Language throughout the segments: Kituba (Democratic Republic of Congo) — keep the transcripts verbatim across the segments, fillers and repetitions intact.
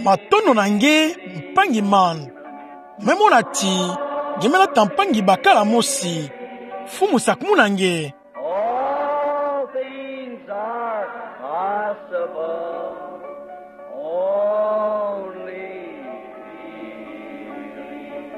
Matondo na nge, mpangi man. Me mona ti, nge me nata mpangi bakala mosi. Mfumu sakumuna nge. All things are possible. Only believe.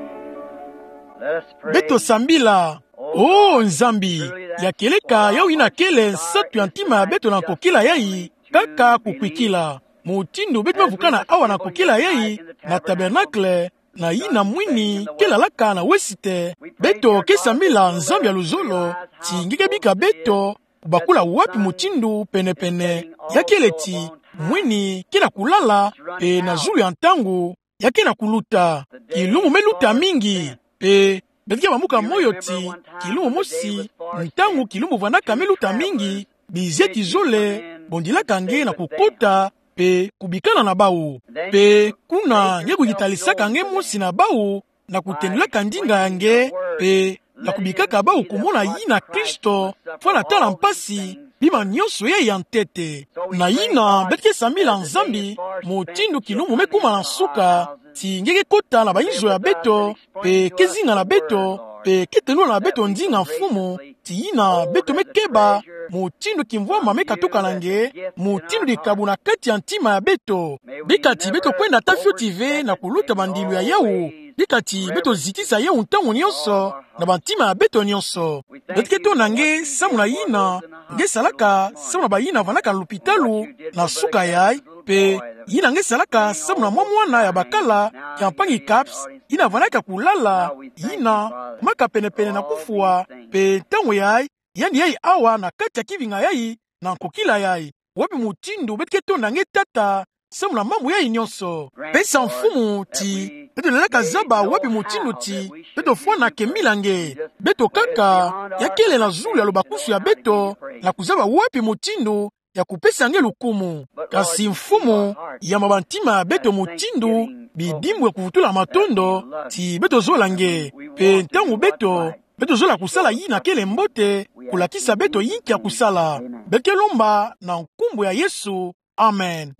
Let us pray. Beto sambila. O Nzambi, ya kieleka yawu yina kele nsatu ya ntima ya beto na nkokila yayi, kaka kukwikila. Mutindu beto me vukana awa na nkokila yayi, na tabernacle, na yina mwini, kele alaka na wesite. Beto ke sambila Nzambi ya luzolo, ti nge ke bika beto, kubakula wapi mutindu pene-pene, ya kele ti, mwini, ke na kulala, mpe na zulu ya ntangu, ya ke na kuluta. Kilumbu me luta mingi, mpe, beto ke bamuka moyo ti, kilumbu mosi, ntangu kilumbu vwanaka me luta mingi, bizieti zole, bondilaka nge na kukota, mpe kubikana na bawu. Mpe kuna nge kuyitalisaka nge mosi na bawu, na kutendulaka ndinga ya nge, mpe na kubikaka bawu kumona yina Kristo, fwana tala mpasi, bima nyonso yayi ya ntete. Na yina, beto ke sambila Nzambi, mutindu kilumbu me kuma na nsuka, ti nge ke kota na bayinzo ya beto, mpe ke zinga na beto, mpe ke tendula na beto ndinga Mfumu, ti yina beto me keba, mutindu kimvwama me katuka na nge, mutindu dikabu na kati ya ntima ya beto. Bika ti beto kwenda ata fioti ve na kuluta bandilu ya yawu, bika ti beto zitisa yawu ntangu nyonso, na bantima ya beto nyonso. Beto ke tonda nge samu na yina, nge salaka samu na bayina vwanaka na lupitalu, na suka yayi, mpe yina nge salaka samu na mwa mwana ya bakala, ya mpangi Capps, yina vwanaka kulala, yina, maka pene-pene na kufwa, mpe ntangu yayi, yandi yayi awa na kati ya kivinga yayi, na nkokila yayi. Wapi mutindu beto ke tonda nge Tata, samu na mambu yayi nyonso. Pesa Mfumu ti, beto lenda kazaba wapi mutindu ti, beto fwana kembila nge. Beto kaka, ya kele na zulu ya lubakusu ya beto, na kuzaba wapi mutindu, ya kupesa nge lukumu. Kasi Mfumu, yamba bantima ya beto mutindu, bidimbu ya kuvutula matondo, ti beto zola nge. Mpe ntangu beto, beto zola kusala yina kele mbote, kulakisa beto yinki ya kusala. Beto ke lomba na nkumbu ya Yesu. Amen.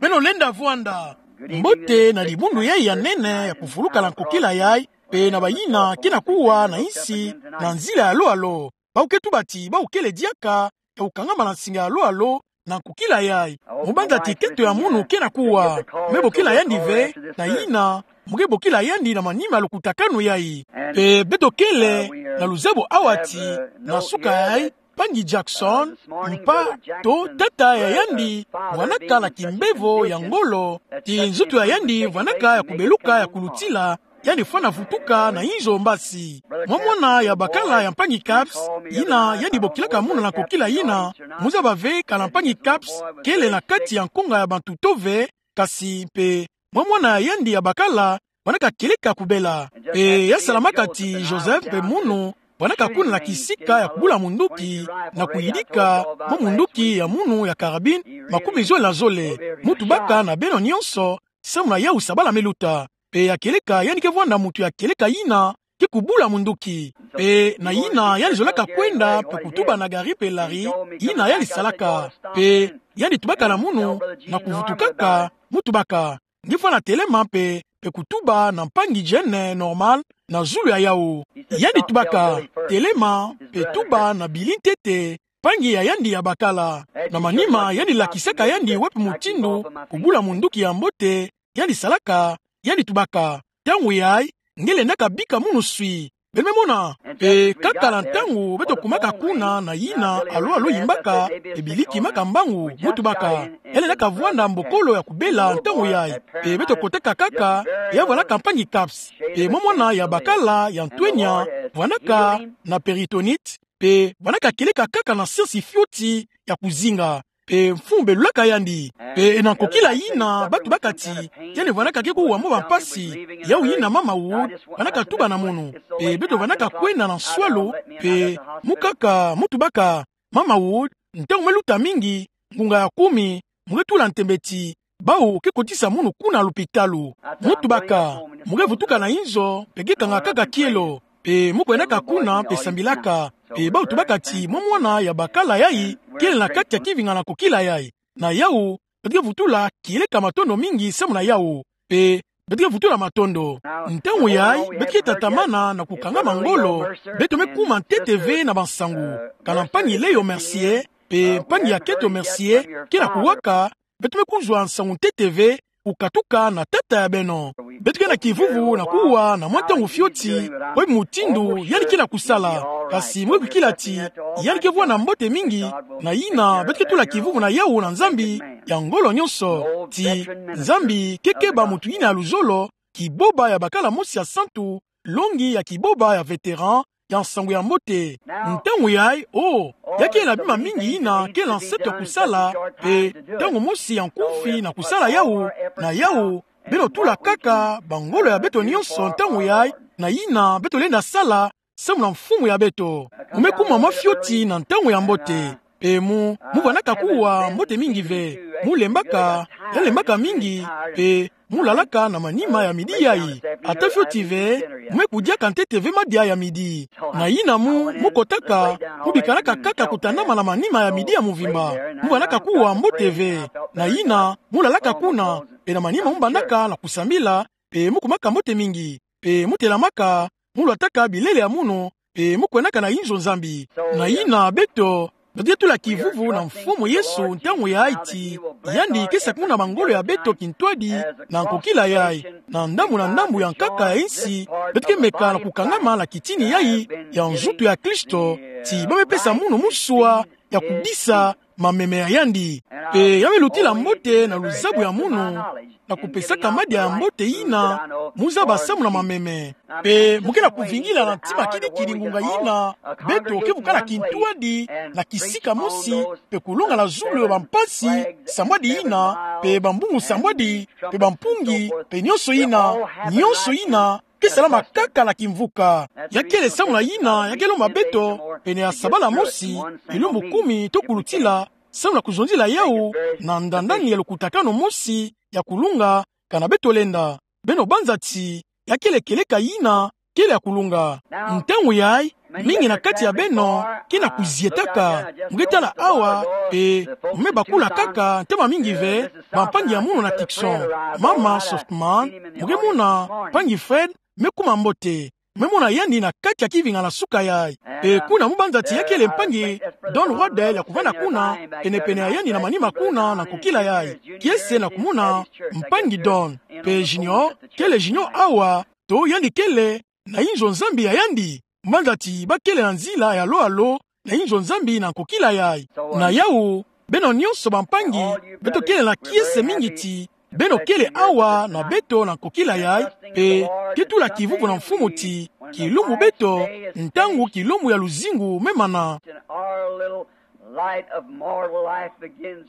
Beno lenda vwanda. Mbote na dibundu yayi ya nene ya kufuluka na nkokila yayi, mpe na bayina ke na kuwa na yinsi, na nzila ya alo-alo. Bawu ke tuba ti, bawu kele diaka, ya kukangama na nsinga ya alo-alo, na nkokila yayi. Mu banza ti keto ya munu ke na kuwa. Me bokila yandi ve, na yina, mu ke bokila yandi na manima ya lukutakanu yayi. Mpe beto kele, na luzabo awa ti, na suka yayi, mpangi Jackson, mpa, to tata ya yandi, vwanaka na kimbevo ya ngolo, ti nzutu ya yandi, vwanaka ya kubeluka ya kulutila, yandi fwana vutuka na inzo mbasi. Mwa mwana ya bakala ya mpangi Capps, yina yandi bokilaka munu na nkokila yina, mu zaba ve kana mpangi Capps, kele na kati ya nkunga ya bantu to ve, kasi mpe, mwa mwana ya yandi ya bakala, vwanaka kieleka kubela. Mpe ya salamaka ti Joseph mpe munu, vwanaka kuna na kisika ya kubula munduki, na kuyidika, mwa munduki ya munu ya carabine, makumizole na zole, mu tubaka na beno nyonso, samu na yawu sabala me luta. Mpe ya kieleka yandi ke vwanda muntu ya kieleka yina, ke kubula munduki. Mpe na yina yandi zolaka kwenda, mpe kutuba na gari mpe lari, yina yandi salaka. Mpe yandi tubaka na munu, na kuvutukaka, mu tubaka. Nge fwana telema mpe, mpe kutuba na mpangi Jane Norman, na zulu ya yawu. Yandi tubaka, telema, mpe tuba na bili ntete, mpangi ya yandi ya bakala. Na manima yandi lakisaka yandi wapi mutindu, kubula munduki ya mbote, yandi salaka, yandi tubaka. Ntangu yayi, nge lendaka bika munu swi. Beno me mona, mpe kaka na ntangu, beto kumaka kuna na yina, alo-alo yimbaka, mpe bili kimaka mbangu, mu tubaka. Ya lendaka vwanda mbokolo ya kubela ntangu yayi. Mpe beto kotaka kaka, ya vwanaka mpangi Capps. Mpe mwa mwana ya bakala, ya ntwenya, vwanaka, na péritonite, mpe vwanaka kieleka kaka na siansi fioti ya kuzinga. Mpe Mfumu belulaka yandi. Mpe na nkokila yina, ba tubaka ti, yandi vwanaka ke kuwa mwa bampasi, yawu yina mama Wood, vwanaka tuba na munu. Mpe beto vwanaka kwenda na nswalu, mpe mu kaka, mu tubaka, mama Wood, ntangu me luta mingi, ngunga ya kumi, mu ke tula ntembe ti, bawu ke kotisa munu kuna lupitalu. Mu tubaka, mu ke vutuka na inzo, mpe ke kanga kaka kielo. Mpe mu kwendaka kuna, mpe sambilaka. Mpe bawu tubaka ti, mwa mwana ya bakala yayi, kele na kati ya kivinga na nkokila yayi. Na yawu, beto ke vutula kieleka matondo mingi samu na yawu. Pe beto ke vutula matondo. Ntangu yayi, beto ke tatamana na kukangama ngolo, beto me kuma ntete ve na bansangu. Kana mpangi Leo Mercier, pe mpangi ya Keto Mercier, ke na kuwaka, beto me kuzwa nsangu ntete ve, kukatuka na tata ya beno. Beto ke na kivuvu na kuwa na mwa ntangu fioti, bwe mutindu yandi ke na kusala, kasi mwe bikila ti, yandi ke vwanda mbote mingi, na yina beto ke tula kivuvu na yawu na Nzambi ya ngolo nyonso, ti Nzambi ke keba mutu yina ya luzolo, kiboba ya bakala mosi ya santu, longi ya kiboba ya vétéran ya nsangu ya mbote. Ntangu yayi, o, ya ke na bima mingi yina ke na nseto ya kusala, pe ntangu mosi ya nkufi na kusala yawu, na yawu, beno tula kaka bangolo ya beto nyonso ntangu yayi, na yina beto lenda sala, samu na Mfumu ya beto. Mu me kuma mwa fioti na ntangu ya mbote. Pe mu, mu vandaka kuwa mbote mingi ve. Mu lembaka, ya lembaka mingi, pe mu lalaka na manima ya midi yayi. Ata fioti ve, mu me kudiaka ntete ve madia ya midi. Na yina mu, mu kotaka, mu bikanaka kaka kutandama na manima ya midi ya muvimba. Mu vandaka kuwa mbote ve. Na yina, mu lalaka kuna, pe na manima mu bandaka na kusambila, pe mu kumaka mbote mingi. Pe mu telamaka, mu lwataka bilele ya munu, pe mu kwendaka na inzo Nzambi. Na yina beto, beto ke tula kivuvu na Mfumu Yesu ntangu yayi ti, yandi ke sakumuna bangolo ya beto kintwadi, na nkokila yayi, na ndambu na ndambu ya nkaka ya insi, beto ke meka na kukangama na kitini yayi, ya nzutu ya Kristo, ti ba me pesa munu musua, ya kudisa, mameme ya yandi. Pe ya me lutila mbote na luzabu ya munu, na kupesaka madia ya mbote yina, mu zaba samu na mameme. Pe mu ke na kuvingila na ntima kidikidi ngunga yina, beto ke vukana kintwadi, na kisika mosi, pe kulonga na zulu ya bampasi, sambwadi yina, pe bambungu sambwadi, pe bampungi, pe nyonso yina, nyonso yina, ke salama kaka na kimvuka. Ya kele samu na yina, ya ke lomba beto, pene ya sabala mosi, bilumbu kumi to kulutila, samu na kuzonzila yawu, na ndandani ya lukutakanu mosi, ya kulunga, kana beto lenda. Beno banza ti, ya kele kieleka yina, kele ya kulunga. Ntangu yayi, mingi na kati ya beno, ke na kuzietaka, mu ke tala awa, pe, mu me bakula kaka, ntama mingi ve, bampangi ya munu na Tucson, mama Softman, mu ke mona, mpangi Fred, me kuma mbote. Me mona yandi na kati ya kivingana suka yayi. Pe kuna mu banza ti ya kele mpangi Don Waddell ya kuvanda kuna, pene-pene ya yandi na manima kuna na nkokila yayi. Kiese na kumona mpangi Don. Pe Junior, kele Junior awa, to yandi kele na inzo Nzambi ya yandi. Mu banza ti ba kele na nzila ya lo-a-lo, na inzo Nzambi na nkokila yayi. Na yawu, beno nyonso bampangi, beto kele na kiese mingi ti, beno kele awa na beto na nkokila yayi, pe ke tula kivuvu na Mfumu ti, kilumbu beto, ntangu kilumbu ya luzingu me mana.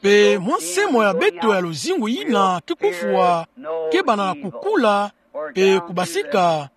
Pe mwa nse mo ya beto ya luzingu yina ke kufwa, ke banda na kukula, pe kubasika.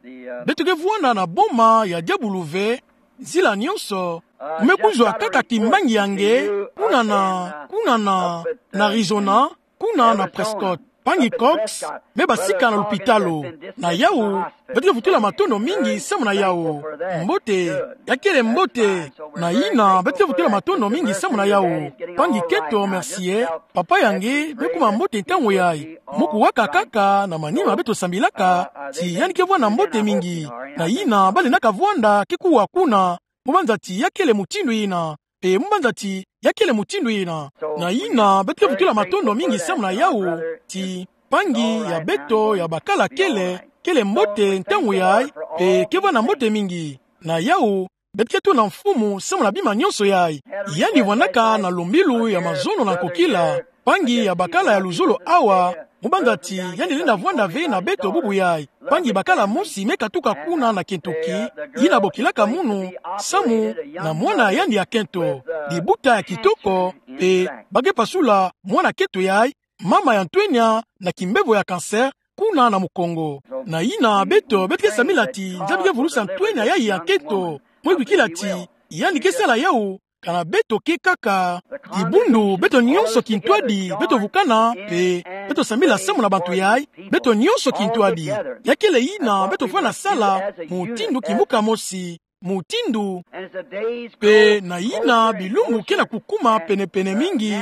Beto ke vwanda na boma ya diabulu ve, nzila nyonso, mu me kuzwa kaka kimbangi ya nge, kuna na, kuna na, na Arizona, kuna na Prescott. Mpangi Cox, me basika na lupitalu. Na yawu, beto ke vutula matondo mingi samu na yawu. Mbote, ya kele mbote, na yina, beto ke vutula matondo mingi samu na yawu. Mpangi Keto Mercier, papa ya nge, me kuma mbote ntangu yayi. Mu kuwaka kaka, na manima beto sambilaka, ti yandi ke vwanda mbote mingi. Na yina, ba lendaka vwanda, ke kuwa kuna, mu banza ti ya kele mutindu yina. Pe mu banza ti, ya kele mutindu yina. Na yina, beto ke vutula matondo mingi samu na yawu, ti, mpangi ya beto ya bakala kele, kele mbote ntangu yayi, pe ke vwanda mbote mingi. Na yawu, beto ke tuna Mfumu samu na bima nyonso yayi. Yandi vwandaka na lumbilu ya mazono na nkokila, mpangi ya bakala ya luzolo awa, mu banza ti, yandi lenda vwanda ve na beto bubu yayi. Mpangi bakala mosi me katuka kuna na Kentucky, yina bokilaka munu, samu, na mwana yandi ya kento. Libuta ya kitoko, pe, ba ke pasula, mwana kento yayi, mama ya ntwenya, na kimbevo ya cancer, kuna na mukongo. Na yina beto, beto ke sambila ti, Nzambi ke vulusa ntwenya yayi ya kento. Mwe bikila ti, yandi ke sala yawu, kana beto ke kaka. Kibundu, beto nyonso kintwadi, beto vukana, pe, beto sambila samu na bantu yayi, beto nyonso kintwadi. Ya kele yina, beto fwana sala, mutindu kimbuka mosi, mutindu. Pe na yina bilumbu ke na kukuma pene-pene mingi,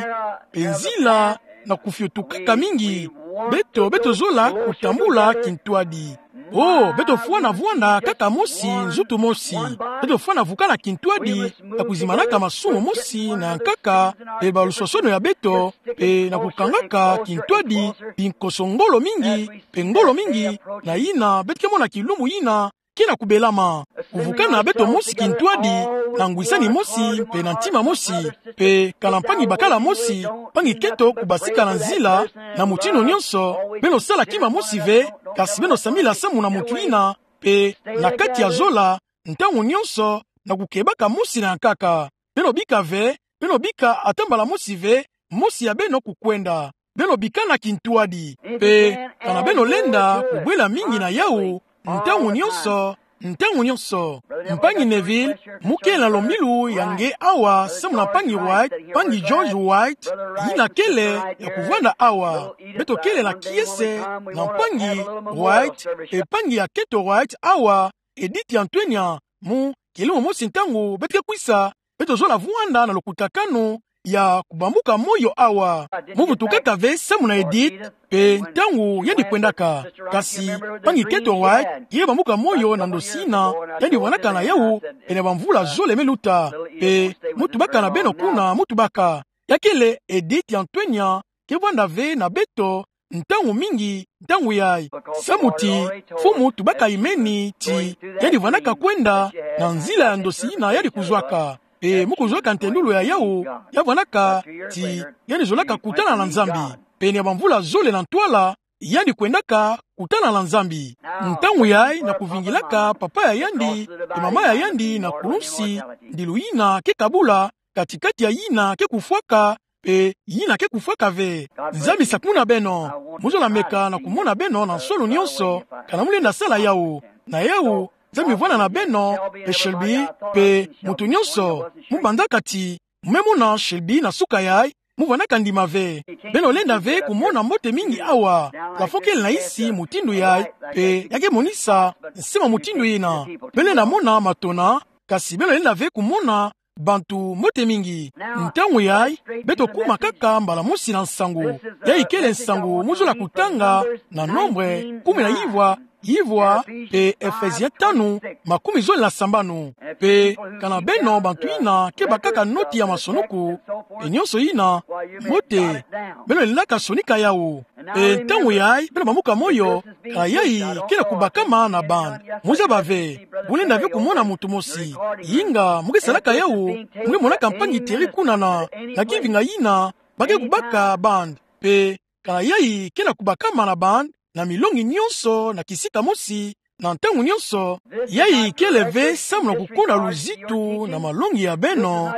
pe nzila, na kufiotukaka mingi, beto, beto zola kutambula kintwadi. Oh, beto fwana vwanda kaka mosi, nzutu mosi. Beto fwana vukana kintwadi, na kuzimanaka masumu mosi na nkaka, pe baluswasono ya beto, pe na kukangaka kintwadi, binkoso ngolo mingi, pe ngolo mingi, na yina, beto ke mona kilumbu yina, ke na kubelama. Kuvukana beto mosi kintwadi, na ngwisani mosi, pe na ntima mosi, pe kana mpangi bakala mosi, mpangi keto kubasika na nzila, na mutindu nyonso, beno sala kima mosi ve, kasi beno samila samu na mutu yina, pe na kati ya zola, ntangu nyonso, na kukebaka mosi na nkaka. Beno bika ve, beno bika ata mbala mosi ve, mosi ya beno kukwenda. Beno bikana kintwadi. Pe, kana beno lenda, kubwela mingi na yawu, ntangu nyonso, ntangu nyonso. Mpangi Neville, mu kele na lombilu ya nge awa, samu na mpangi White, mpangi George White, yina kele ya kuvwanda awa. Beto kele na kiese, na mpangi White, pe mpangi ya keto White awa, Edith Antonia, mu, kilumbu mosi ntangu, beto ke kwisa, beto zola vwanda na lukutakanu, ya kubambuka moyo awa. Mu vutukaka ve samu na Edith, pe ntangu yandi kwendaka. Kasi, mpangi keto White, ye bambuka moyo na ndosi yina, yandi vwandaka na yawu, pene bamvula zole me luta. Pe, mu tubaka na beno kuna, mu tubaka. Ya kele Edith Antonia, ke vwanda ve na beto, ntangu mingi, ntangu yayi. Samu ti, Mfumu tubaka imeni ti, yandi vwandaka kwenda, na nzila ya ndosi yina yandi kuzwaka. Pe mu kuzwaka ntendulu ya yawu, ya vwandaka ti, yandi zolaka kutana na Nzambi. Pene ya bamvula zole na ntwala, yandi kwendaka kutana na Nzambi. Ntangu yayi na kuvingilaka papa ya yandi, pe mama ya yandi na kulunsi, ndilu yina ke kabula, kati-kati ya yina ke kufwaka, pe yina ke kufwaka ve. Nzambi sakumuna beno, mu zola meka na kumona beno na nsoni nyonso, kana mu lenda sala yawu. Na yawu, Nzambi vwanda na beno, pe Shelby, pe muntu nyonso, mu banzaka ti, mu me mona Shelby na suka yayi, mu vwandaka ndima ve. Beno lenda ve kumona mbote mingi awa, plafond kele na isi mutindu yayi, pe ya ke monisa, nsi ma mutindu yina. Beno lenda mona matona, kasi beno lenda ve kumona, bantu mbote mingi. Ntangu yayi, beto kuma kaka mbala mosi na nsangu. Yayi kele nsangu mu zola kutanga na Nombre kumi na ivwa, ivwa, pe Efesien tanu, makumi zole na sambanu. Pe, kana beno bantu yina ke bakaka noti ya masonuku, pe nyonso yina, mbote, beno lendaka sonika yawu. Pe ntangu yayi, beno bambuka moyo, kana yayi, ke na kubakama na bande. Mu zaba ve, bu lenda ve kumona muntu mosi. Yinga, mu ke salaka yawu, mu ke monaka mpangi Thierry kuna na, na kivinga yina, ba ke kubaka bande. Pe, kana yayi, ke na kubakama na bande, na milongi nyonso, na kisika mosi, na ntangu nyonso, yayi kele ve samu na kukuna luzitu na malongi ya beno,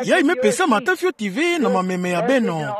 yayi me pesama ata fioti ve na mameme ya beno.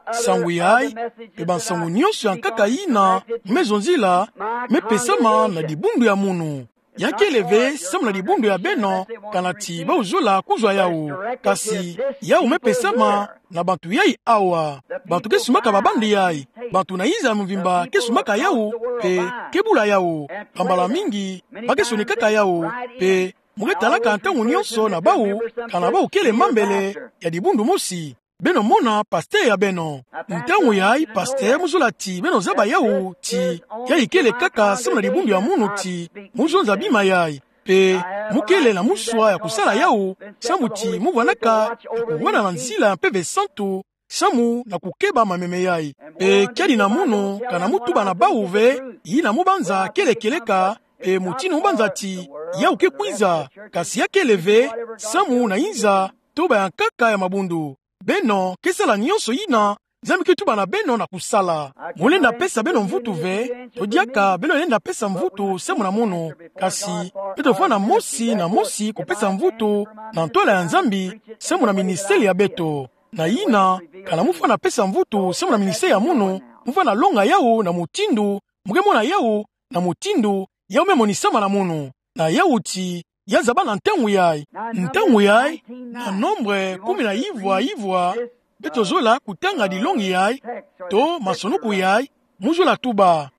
Nsangu yayi, pe bansangu nyonso ya nkaka yina, me zonzila, me pesama na dibundu ya munu. Ya kele ve samu na dibundu ya beno, kana ti bau zola kuzwa yawu. Kasi, yawu me pesama, na bantu yayi awa. Bantu ke sumaka ba bande yayi. Bantu na inza ya mvimba ke sumaka yawu, pe ke bula yawu. Bambala mingi, ba ke sonikaka yawu, pe mu ke talaka ntangu nyonso na bau, kana bau kele mambele, ya dibundu mosi. Beno mona pasteur ya beno. Ntangu yayi pasteur mu zola ti, beno zaba yawu ti, yayi kele kaka samu na dibundu ya munu ti, mu zonza bima yayi. Pe, mu kele na muswa ya kusala yawu, samu ti mu vwandaka, ya kuvwanda na nzila ya Mpeve Santu, samu na kukeba mameme yayi. Pe, kiadi na munu, kana mu tuba na bau ve, yina mu banza kele kieleka, pe mutindu mu banza ti, yawu ke kwiza, kasi ya kele ve, samu na inza, tuba ya nkaka ya mabundu. Beno, ke sala nyonso yina, Nzambi ke tuba na beno na kusala. Mu lenda pesa beno mvutu ve, to diaka beno lenda pesa mvutu samu na munu, kasi, beto fwana mosi na mosi kupesa mvutu, na ntwala ya Nzambi, samu na ministele ya beto. Na yina, kana mu fwana pesa mvutu samu na ministele ya munu, mu fwana longa yawu na mutindu, mu ke mona yawu, na mutindu, yawu me monisama na munu. Na yawu ti, ya zaba na ntangu yayi. Ntangu yayi, na Nombre kumi na ivwa ivwa, beto zola kutanga dilongi yayi, to masonuku yayi, mu zola tuba.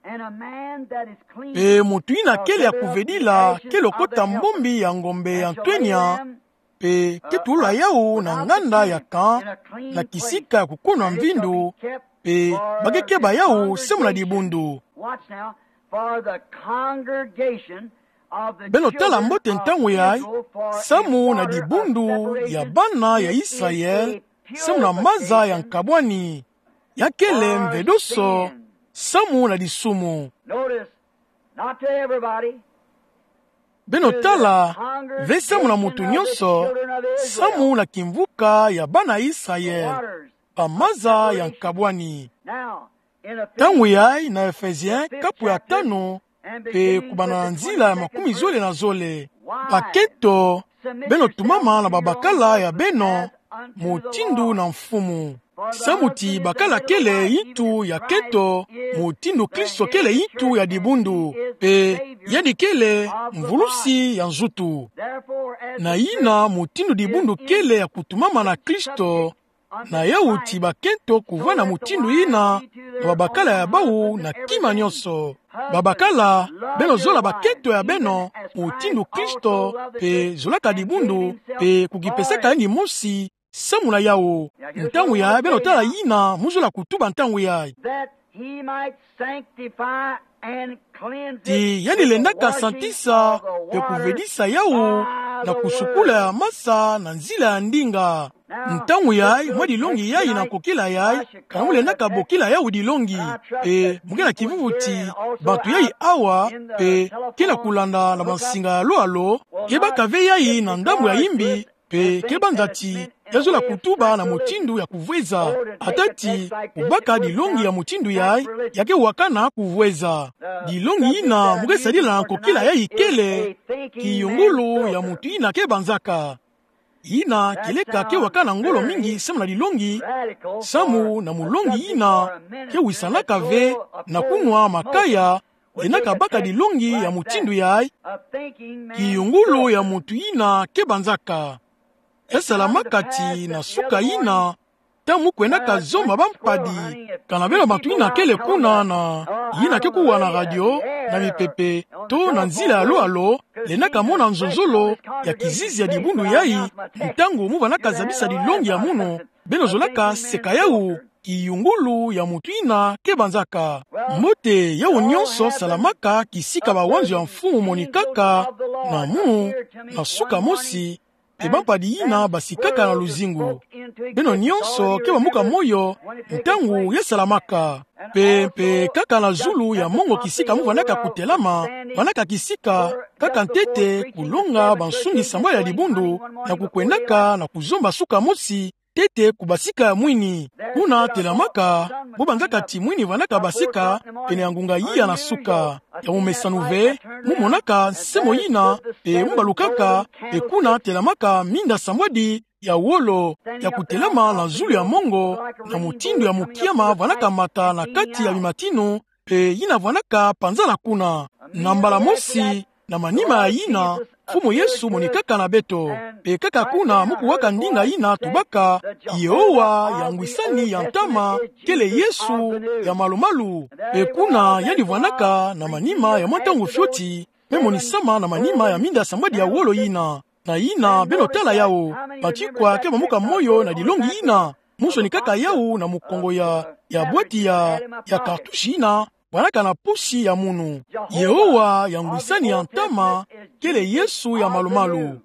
Pe mutu yina kele ya kuvedila, ke lokota mbombi ya ngombe ya ntwenya, pe ke tulula yawu na nganda ya camp, na kisika ya kukuna mvindu, Pe bakekeba yawu samu na dibundu. Watch now, for the congregation of the Beno tala children mbote of ntangu yayi, Israel, for samu na it were a dibundu ya separation, bana ya it is Israel, a samu na maza ya purification nkabwani. Ya kele for mvedoso, sin. Samu na disumu. Notice, not to everybody. Beno tala, ve samu na mutu nyonso, samu na kimvuka ya bana Israel, ba maza ya nkabwani. Ntangu yayi na Ephesie kapu ya tanu, pe kubanda na nzila ya makumi zole na zole. Bakento, beno tumama na babakala ya beno, mutindu na Mfumu. Samu ti bakala kele yintu ya kento, mutindu Kristo kele yintu ya dibundu, pe yandi kele mvulusi ya nzutu. Na yina mutindu dibundu kele ya kutumama na Kristo, na yawu ti bakento kuvwanda mutindu yina, na babakala ya bawu na kima nyonso. Babakala, beno zola bakento ya beno, mutindu Kristo, pe zolaka dibundu, pe kukipesaka yandi mosi, samu na yawu. Ntangu yayi beno tala yina mu zola kutuba ntangu yayi. That he might sanctify and cleanse it. Ti yandi lendaka santisa, pe kuvedisa yawu, na kusukula ya masa na nzila ya ndinga. Ntangu yayi, mwa dilongi yayi na nkokila yayi, ka mu lendaka bokila yawu dilongi. Pe mu ke na kivuvu ti, bantu yayi awa, pe ke na kulanda na bansinga ya lo a lo, ke baka ve yayi na ndambu ya yimbi, pe ke banza ti ya zola kutuba na mutindu ya kuvweza. Ata ti kubaka dilongi ya mutindu yayi, ya ke wakana kuvweza. Dilongi yina mu ke sadila na nkokila yayi kele, kiyungulu ya mutu yina ke banzaka. Yina keleka ke wakana ngolo mingi samu na dilongi, samu na mulongi yina ke wisanaka ve na kunwa makaya, yina kabaka dilongi ya mutindu yayi, kiyungulu ya mutu yina ke banzaka. Ya salamaka ti na suka yina, ntangu mu kwendaka zomba bampadi, kana beno bantu yina kele kuna na yina ke kuwa na radio, na mipepe, to na nzila ya lo a lo, lendaka mona nzonzolo ya kizizi ya dibundu yayi, ntangu mu vandaka zabisa dilongi ya munu, beno zolaka seka yawu, kiyungulu ya mutu yina ke banzaka. Mbote, yawu nyonso salamaka kisika bawanzo ya Mfumu monikaka na munu, na suka mosi, pe bampadi yina basikaka na luzingu. Beno nyonso ke bamuka moyo, ntangu ya salamaka. Pe, pe kaka na zulu ya mongo kisika mu vandaka kutelama, vandaka kisika, kaka ntete kulonga bansungi sambwadi ya dibundu, na kukwendaka na kuzomba suka mosi, ntete ku basika ya mwini. Kuna telamaka, bo banzaka ti mwini vandaka basika, pene ya ngunga iya na suka. Ya momesano ve, mu monaka nsemo yina, pe mu balukaka, pe kuna telamaka minda sambwadi ya wolo, ya kutelama na zulu ya mongo, na mutindu ya mukiama vandaka mata na kati ya bimatinu, pe yina vandaka panzana kuna. Na mbala mosi, na manima ya yina, Mfumu Yesu monikaka na beto. Pe kaka kuna mu kuwaka ndinga yina tubaka, Yehowa ya ngwisani ya ntama, kele Yesu ya malu-malu. Pe kuna yandi vandaka na manima ya mwa ntangu fioti, pe monisama na manima ya minda sambwadi ya wolo yina. Na yina beno tala yawu, bantu ikwa ke bamuka moyo na dilongi yina, mu sonikaka yawu na mukongo ya, ya bwati ya, ya kartushi yina vandaka na pusi ya munu. Yehowa ya ngwisani ya ntama, kele Yesu ya malu-malu.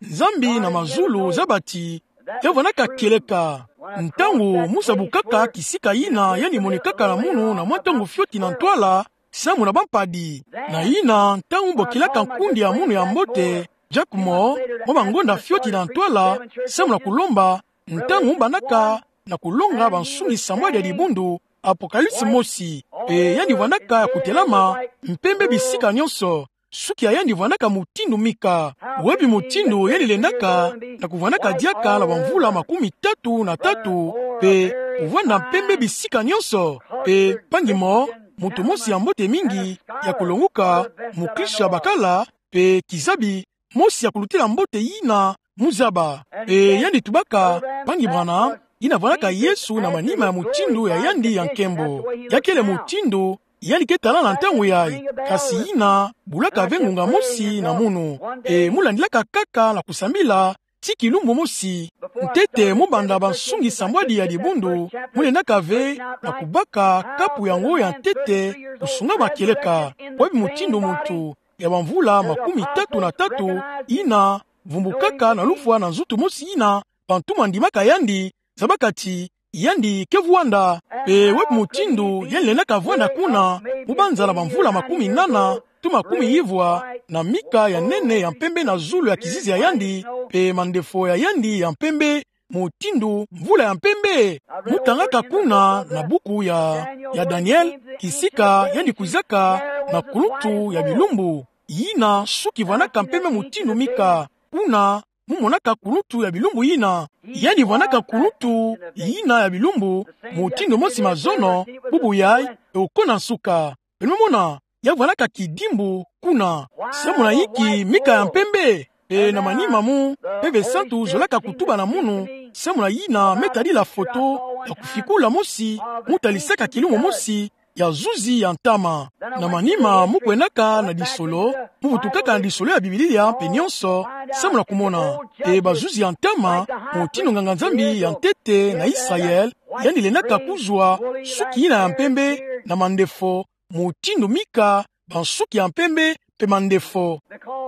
Nzambi na mazulu zaba ti, ya vandaka kieleka. Ntangu mu sabukaka kisika yina yandi monikaka na munu na mwa ntangu fioti na ntwala, samu na bampadi. Na yina, ntangu bokilaka nkundi ya munu ya mbote, Jacques Moore, mwa bangonda fioti na ntwala, samu na kulomba, ntangu mu bandaka na kulonga bansungi sambwadi ya dibundu, Apocalypse mosi, pe yandi vandaka ya kutelama mpembe bisika nyonso, suki ya yandi vandaka mutindu mika. Wapi mutindu yandi lendaka, na kuvandaka diaka na bamvula makumi tatu na tatu, pe kuvanda mpembe bisika nyonso, pe mpangi mo, muntu mosi ya mbote mingi, ya kulonguka, mukristo ya bakala, pe kizabi, mosi ya kulutila mbote yina mu zaba. Pe yandi tubaka, mpangi Branham, yina vandaka Yesu na manima ya mutindu ya yandi ya nkembo. Ya kele mutindu yandi ke tala na ntangu yayi. Kasi yina bulaka ve ngunga mosi na munu. Pe mu landilaka kaka na kusambila, ti kilumbu mosi. Ntete mu banda bansungi sambwadi ya dibundu, mu lendaka ve na kubaka kapu yango ya ntete, kusunga makieleka, bwebi mutindu muntu ya bamvula makumi tatu na tatu, yina vumbukaka na lufwa na nzutu mosi yina bantu mandimaka yandi, zabaka ti yandi ke vwanda. Pe bwebi mutindu yandi lendaka vwanda kuna, mu banza na bamvula makumi nana to makumi ivwa, na mika ya nene ya mpembe na zulu ya kizizi ya yandi, pe mandefo ya yandi ya mpembe, mutindu mvula ya mpembe. Mu tangaka kuna na buku ya, ya Daniel, kisika yandi kwizaka na kuluntu ya bilumbu yina suki vwanaka mpembe mutindu mika. Kuna mu monaka kuluntu ya bilumbu yina. Yandi vwanaka kuluntu yina ya bilumbu, mutindu mosi mazono, bubu yai, e okona nsuka. Beno mona, ya vwanaka kidimbu kuna. Samu na inki mika ya mpembe? E na manima mu Mpeve Santu zolaka kutuba na munu, samu na yina me tadila foto ya kufikula mosi, mu talisaka kilumbu mosi ya zuzi ya ntama. Na manima mu kwendaka na disolo, mu vutukaka na disolo ya Biblia mpe nionso, samu na kumona. E bazuzi ya ntama, mutindu nganga-Nzambi ya ntete na Israel, yandi lendaka kuzwa suki yina ya mpembe na mandefo, mutindu mika, bansuki ya mpembe, pe mandefo.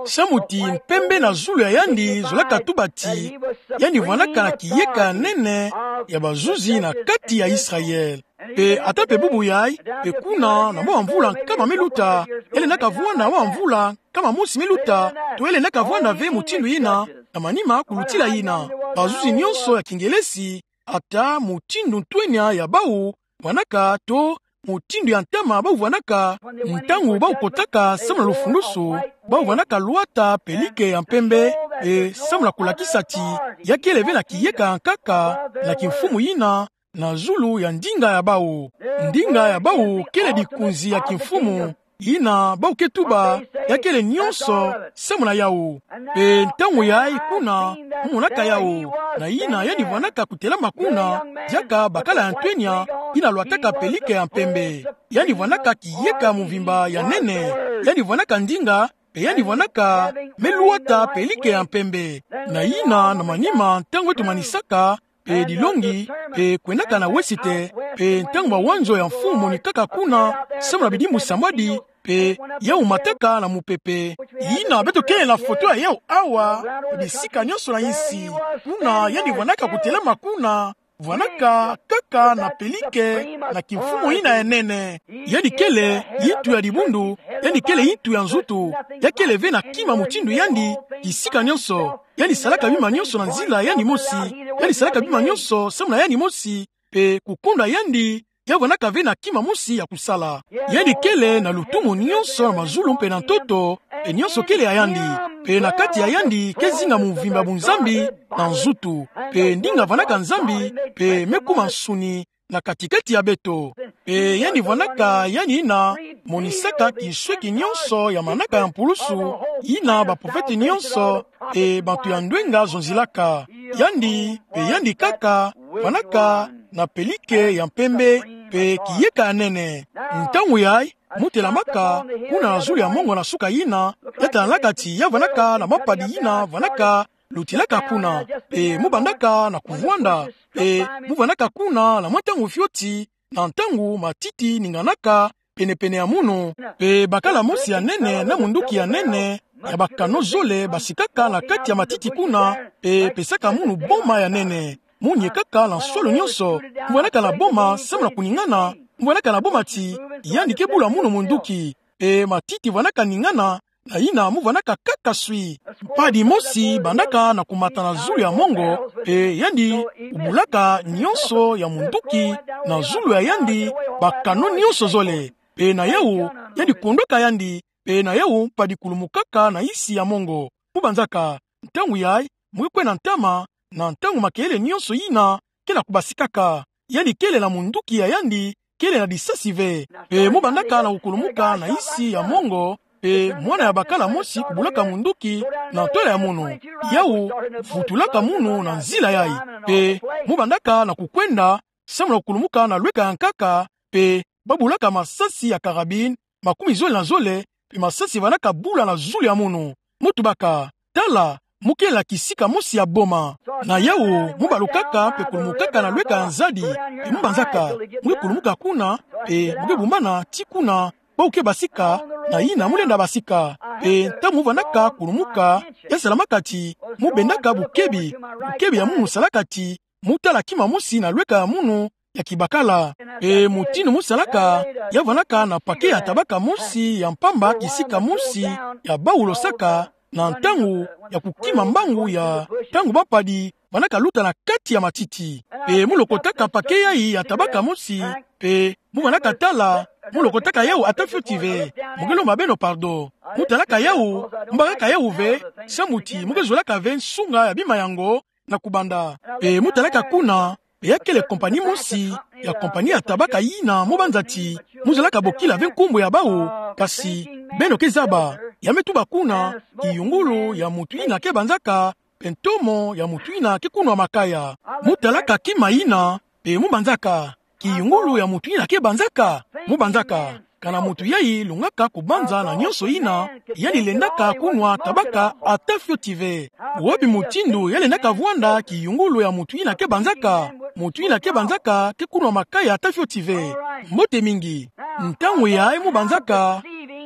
Samu ti mpembe na zulu ya yandi zolaka tuba ti yandi vwanaka na kiyeka ya nene ya bazuzi na kati ya Israel. Pe ata pe bubu yai, pe kuna na mwa mvula nkama me luta, ya lendaka vwanda mwa mvula nkama mosi me luta, to ya lendaka vwanda ve mutindu yina, na manima kulutila yina. Bazuzi nionso ya Kingelesi, ata mutindu ntwenya ya bau vwanaka to mutindu ya ntama bau vwanaka, ntangu bau kotaka samu na lufulusu, bau vwanaka lwata pe like ya mpembe, e samu na kulakisa ti ya kele ve na kiyeka ya nkaka na kimfumu yina na zulu ya ndinga ya bau. Ndinga ya bau kele dikunzi ya kimfumu, yina bau ke tuba ya kele nionso samu na yau. Pe ntangu yai kuna, mu monaka yau, na yina yandi vwanaka kutelama kuna, diaka bakala ya ntwenya, yina lwataka pe like ya mpembe. Yandi vwanaka kiyeka muvimba ya nene, yandi vwanaka ndinga, pe yandi vwanaka me lwata pe like ya mpembe. Na yina na manima ntangu eto manisaka, pe dilongi, pe kwendaka na wesite, pe ntangu mawanzo ya mfumu monikaka kuna, samu na bidimbu sambwadi, pe yau mataka na mupepe. Yina beto kele na foto ya yau awa, pe bisika nionso na insi. Kuna yandi vwanaka kutelama kuna, vwanaka kaka na pe like na kimfumu yina ya nene. Yandi kele yintu ya dibundu, yandi kele yintu ya nzutu, ya kele ve na kima mutindu yandi, kisika nionso. Yandi salaka bima nionso na nzila yandi mosi. Yandi salaka bima nionso samu na yandi mosi, pe kukonda yandi, ya vwanaka ve na kima mosi ya kusala. Yandi kele na lutumu nionso na mazulu mpe na ntoto, pe nionso kele ya yandi, pe na kati ya yandi ke zinga muvimba bunzambi na nzutu, pe ndinga vwanaka Nzambi, pe me kuma nsuni na katikati ya beto. Pe yandi vwanaka yandi yina monisaka kinsweki nionso ya manaka ya mpulusu, yina baprofete nionso, pe bantu ya ndwenga zonzilaka. Yandi, pe yandi kaka, vwanaka na pe like ya mpembe, pe kiyeka ya nene. Ntangu yai, mu telamaka kuna na zulu ya mongo na suka yina, ya talaka ti ya vwanaka na mampadi yina vwanaka lutilaka kuna, pe mu bandaka na kuvwanda, pe mu vwanaka kuna na mwa ntangu fioti, na ntangu matiti ninganaka penepene ya munu, pe bakala mosi ya nene na munduki ya nene, ya bakano zole basikaka na kati ya matiti kuna, pe pesaka munu boma ya nene. Mu niekaka na nsolo nionso, mu vwanaka na boma samu na kuningana, mu vwanaka na boma ti yandi ke bula munu munduki, pe matiti vwanaka ningana, na yina mu vwanaka kaka swi. Mpadi mosi bandaka na kumata na zulu ya mongo, pe yandi kubulaka nionso ya munduki na zulu ya yandi, bakano nionso zole. Pe na yau, yandi kondwaka yandi, pe na yau mpadi kulumukaka na insi ya mongo. Mu banzaka, ntangu yai, mu ke kwenda ntama, na ntangu makelele nionso yina ke na kubasikaka. Yandi kele na munduki ya yandi, kele na disasi ve. Pe mu bandaka na kukulumuka na insi ya mongo, pe mwana ya bakala mosi kubulaka munduki na ntwala ya munu. Yau vutulaka munu na nzila yai. Pe mu bandaka na kukwenda, samu na kukulumuka na lweka ya nkaka, pe babulaka masasi ya karabine, makumi zole na zole, pe masasi vwanaka bula na zulu ya munu. Mu tubaka, tala, mu kela kisika mosi ya boma. Na yawu, mu balukaka mpe kulumukaka na lweka ya nzadi, mpe mu banzaka, mu ke kulumuka kuna, mpe mu ke bumbana tii kuna, bawu ke basika, na yina mu lenda basika. Mpe ntangu mu vandaka kulumuka, ya salamaka ti, mu bendaka bukebi, bukebi ya munu salaka ti, mu tala kima mosi na lweka ya munu ya kibakala. Mpe mutindu mu salaka, ya vandaka na paquet ya tabaka mosi ya mpamba kisika mosi ya bawu losaka, na ntangu ya kukima mbangu ya ntangu bampadi vandaka luta na kati ya matiti. Mpe mu lokotaka paquet yayi ya tabaka mosi, mpe mu vandaka tala, mu lokotaka yawu ata fioti ve. Mu ke lomba beno pardon. Mu talaka yawu, mu bakaka yawu ve, samu ti mu ke zolaka ve nsunga ya bima yango, na kubanda. Mpe mu talaka kuna, mpe ya kele compagnie mosi, ya compagnie ya tabaka yina mu banza ti, mu zolaka bokila ve nkumbu ya bawu, kasi, beno ke zaba, ya me tuba kuna, kiyungulu ya mutu yina ke banzaka, mpe ntomo ya mutu yina ke kunwa makaya. Mu talaka kima yina, mpe mu banzaka, kiyungulu ya mutu yina ke banzaka, mu banzaka. Kana mutu yayi lungaka kubanza na nyonso yina, yandi lendaka kunwa tabaka ata fioti ve. Wapi mutindu ya lendaka vwanda kiyungulu ya mutu yina ke banzaka? Mutu yina ke banzaka ke kunwa makaya ata fioti ve. Mbote mingi. Ntangu yayi mu banzaka,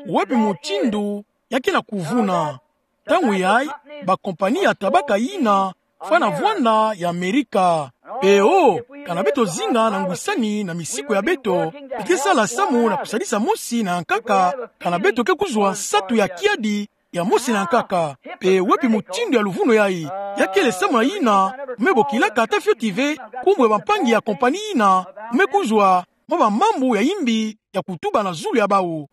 wapi mutindu ya ke na kuvuna? Ntangu yayi, ba compagnie ya tabaka yina fwana vwanda ya Amerika. Mpe o, kana beto zinga na ngwisani na misiku ya beto, i ke sala samu na kusadisa mosi na ya nkaka, kana beto ke kuzwa nsatu ya kiadi ya mosi na ya nkaka. Mpe wapi mutindu ya luvunu yayi? Ya kele samu na yina, me bokilaka ata fioti ve nkumbu ya bampangi ya compagnie yina, me kuzwa mwa bamambu ya yimbi ya kutuba na zulu ya bawu.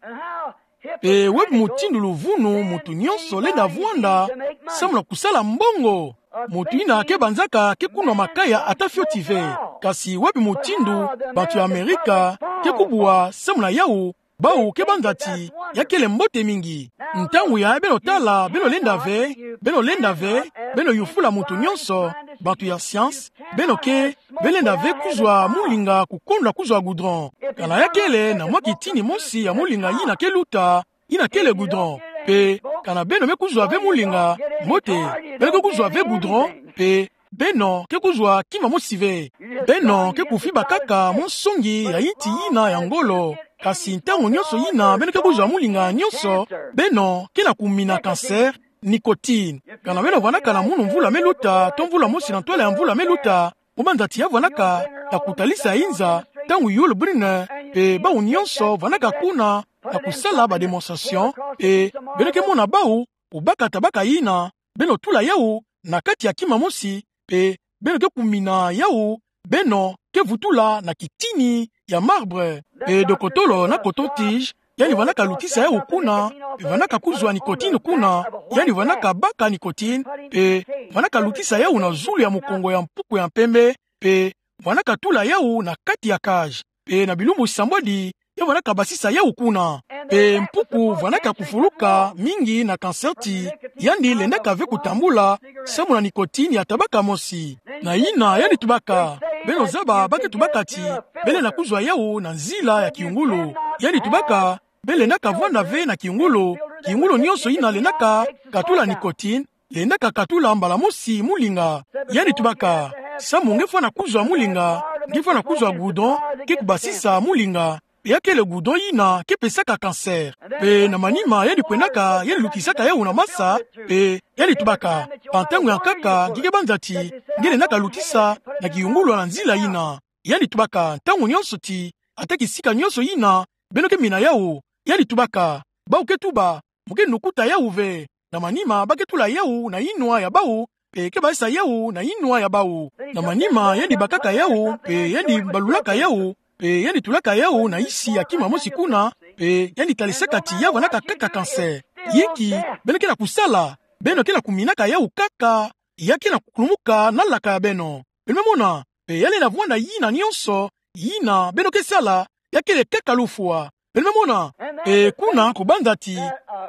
Mpe wapi mutindu luvunu mutu nyonso lenda vwanda samu na kusala mbongo? Mutu yina ke banzaka ke kunwa makaya ata fioti ve. Kasi wapi mutindu bantu ya Amerika ke kubwa samu na yawu, bawu ke banza ti ya kele mbote mingi? Ntangu yayi beno tala, beno lenda ve, beno lenda ve, beno yufula mutu nyonso, bantu ya science, beno ke, be lenda ve kuzwa mulinga kukondwa kuzwa goudron. Kana ya kele na mwa kitini mosi ya mulinga yina ke luta, yina kele goudron. Mpe, kana beno me kuzwa ve mulinga, mbote, beno ke kuzwa ve goudron, mpe, beno ke kuzwa kima mosi ve. Beno ke kufiba kaka mwa nsongi ya yinti yina ya ngolo. Kasi ntangu nyonso yina beno ke kuzwa mulinga nyonso, beno ke na kumina cancer, nicotine. Kana beno vwandaka na munu mvula me luta, to mvula mosi na ntwala ya mvula me luta, mu banza ti ya vwandaka na kutalisa inza, ntangu Yul Brynner, mpe bawu nyonso vwandaka kuna, na kusala ba démonstration, mpe beno ke mona bawu, kubaka tabaka yina, beno tula yawu na kati ya kima mosi, mpe beno ke kumina yawu, beno ke vutula na kitini ya marbre. Mpe dokotolo na coton-tige, yandi vwandaka lutisa yawu kuna, mpe vwandaka kuzwa nicotine kuna, yandi vwandaka baka nicotine, mpe vwandaka lutisa yawu na zulu ya mukongo ya mpuku ya mpembe, mpe vwandaka tula yawu na kati ya cage. Mpe na bilumbu sambwadi, ya vwandaka basisa yawu kuna. Mpe mpuku vwandaka kufuluka mingi na cancer ti, yandi lendaka ve kutambula, samu na nicotine ya tabaka mosi. Na yina yandi tubaka, beno zaba ba ke tubaka ti, be lenda kuzwa yawu na nzila ya kiyungulu. Yandi tubaka, be lendaka vwanda ve na kiyungulu, kiyungulu nyonso yina lendaka katula nicotine, lendaka katula mbala mosi mulinga. Yandi tubaka, samu nge fwana kuzwa mulinga, nge fwana kuzwa goudron ke kubasisa mulinga, mpe ya kele goudron yina ke pesaka cancer. Mpe na manima yandi kwendaka, yandi lutisaka yawu na masa, mpe yandi tubaka, ba ntangu ya nkaka nge ke banza ti nge lendaka lutisa na kiyungulu na nzila yina. Yandi tubaka, ntangu nyonso ti, ata kisika nyonso yina beno ke mina yawu. Yandi tubaka, bawu ke tuba, mu ke nukuta yawu ve. Na manima ba ke tula yawu na yinwa ya bawu, mpe ke basisa yawu na yinwa ya bawu. Na manima yandi bakaka yawu, mpe yandi balulaka yawu, mpe yandi tulaka yawu na nsi ya kima mosi kuna, mpe yandi talisaka ti ya vwandaka kaka cancer. Yinki beno ke na kusala? Beno ke na kuminaka yawu kaka, ya ke na kukulumuka na laka ya beno. Beno me mona, mpe ya lenda vwanda yina nyonso, yina beno ke sala, ya kele kaka lufwa. Beno me mona, mpe kuna kubanza ti,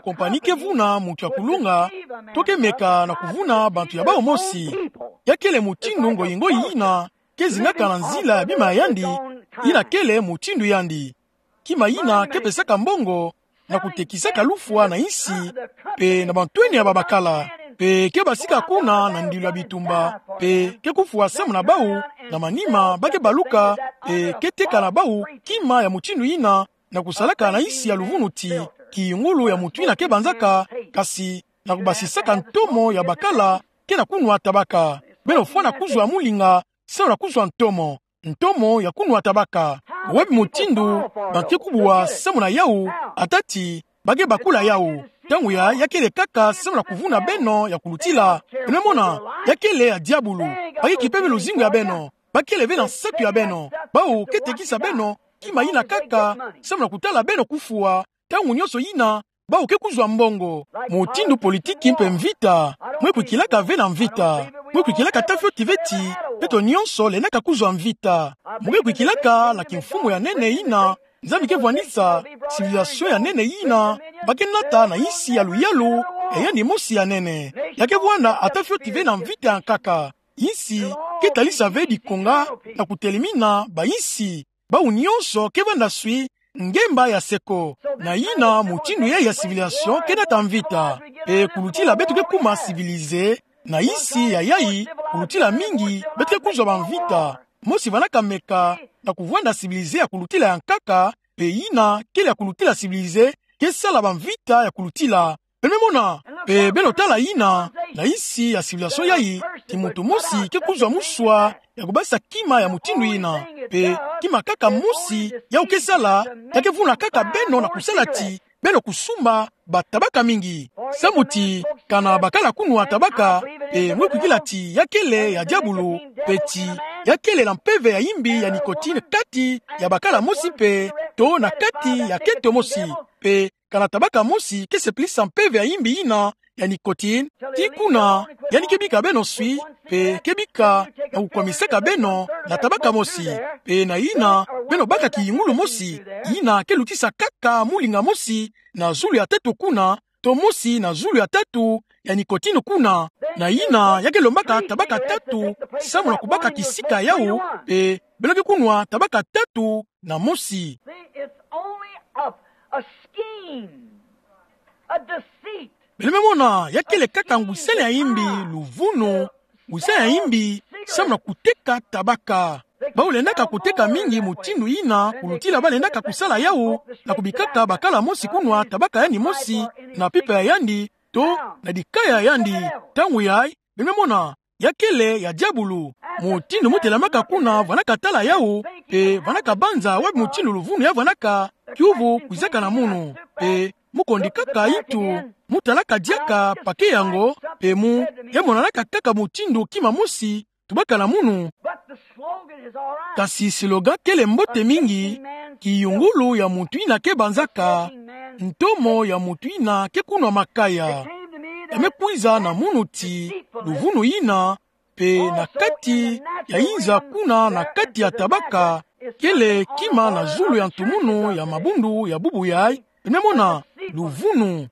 compagnie ke vuna mutu ya kulunga, to ke meka na kuvuna bantu ya bawu mosi. Ya kele mutindu ngoyi-ngoyi yina ke zingaka na nzila ya bima ya yandi, yina kele mutindu yandi. Kima yina ke pesaka mbongo, na kutekisaka lufwa na nsi, mpe na bantwenia babakala. pe ke basika kuna na ndilo ya bitumba, pe ke kufwa samu na bau, na manima ba ke baluka, pe ke teka na bau kima ya mutindu ina, na kusalaka na insi ya luvunu ti, kingulu ya mutu ina ke banzaka, kasi na kubasisaka ntomo ya bakala ke na kunwa tabaka. Beno fwana kuzwa mulinga samu na kuzwa ntomo, ntomo ya kunwa tabaka. Wapi mutindu ba ke kubwa samu na yau, ata ti ba ke bakula yau? Ntangu ya, ya kele kaka samu na kuvuna beno ya kulutila. Beno mona, ya kele ya diabulu. Ba ke kipe ve luzingu ya beno. Ba kele ve na nsatu ya beno. Bau ke tekisa beno kima ina kaka samu na kutala beno kufwa. Ntangu nionso ina, bau ke kuzwa mbongo. Mutindu politiki mpe mvita. Mwe kwikilaka ve na mvita. Mwe kwikilaka ata fioti ve ti beto nionso lendaka kuzwa mvita. Mwe kwikilaka na kimfumu ya nene ina Nzambi ke vwanisa, civilisation ya nene ina ba ke nata na insi ya luyalu ya yandi mosi ya nene. Ya ke vwanda ata fioti ve na mvita ya nkaka. Insi ke talisa ve dikonga na kutelimina ba insi. Bau nionso ke vanda swi ngemba ya seko. Na ina mutindu yai ya civilisation ke nata mvita. Pe kulutila beto ke kuma civilisé na insi ya yai, kulutila mingi beto ke kuzwa ba mvita. Mosi vwanaka meka na kuvwanda civilisé ya kulutila ya nkaka, pe ina kele ya kulutila civilisé ke sala ba mvita ya kulutila. Beno me mona, pe beno tala ina, na insi ya civilisation yai, ti muntu mosi ke kuzwa muswa ya kubasa kima ya mutindu ina. Pe kima kaka mosi yau ke sala, ya ke vuna kaka beno na kusala ti beno kusumba ba tabaka mingi. Samu ti, kana bakala kunwa tabaka, pe mwe kwikila ti ya kele ya diabulu, pe ti ya kele na mpeve ya imbi ya nicotine kati ya bakala mosi pe, to na kati ya kento mosi. Pe kana tabaka mosi ke sepelisa mpeve ya imbi ina ya nicotine, ti kuna yandi ke bika beno swi, pe ke bika na kukwamisaka beno na tabaka mosi. Pe na ina, beno baka kiyungulu mosi, ina ke lutisa kaka mulinga mosi na zulu ya tatu kuna, to mosi na zulu ya tatu ya nicotine kuna. Na ina, ya ke lombaka tabaka tatu samu na kubaka kisika yau, pe beno ke kunwa tabaka tatu na mosi. See, it's only a, a scheme, a deceit. Beno me mona, ya kele kaka ngwisani ya imbi, luvunu, ngwisani ya imbi samu na kuteka tabaka. Bau lendaka kuteka mingi mutindu ina, kulutila ba lendaka kusala yau na kubikaka bakala mosi kunwa tabaka yandi mosi na pipa ya yandi, to na dikaya ya yandi. Ntangu yai, beno me mona, ya kele ya diabulu. Mutindu mu telamaka kuna vwanaka tala yau, pe vwanaka banza wapi mutindu luvunu ya vwanaka, kiuvu kwizaka na munu. Pe mu kondikaka itu, mu talaka diaka pake yango, pe mu, ya monanaka kaka mutindu kima mosi tubaka na munu. But the slogan is all right. Kasi slogan kele mbote mingi, kiyungulu ya muntu ina ke banzaka, ntomo ya muntu ina ke kunwa makaya. Ya me kwiza na munu ti, luvunu ina, pe na kati ya inza kuna na kati ya tabaka, kele kima na zulu ya ntumunu ya mabundu ya bubu yai, beno me mona, luvunu.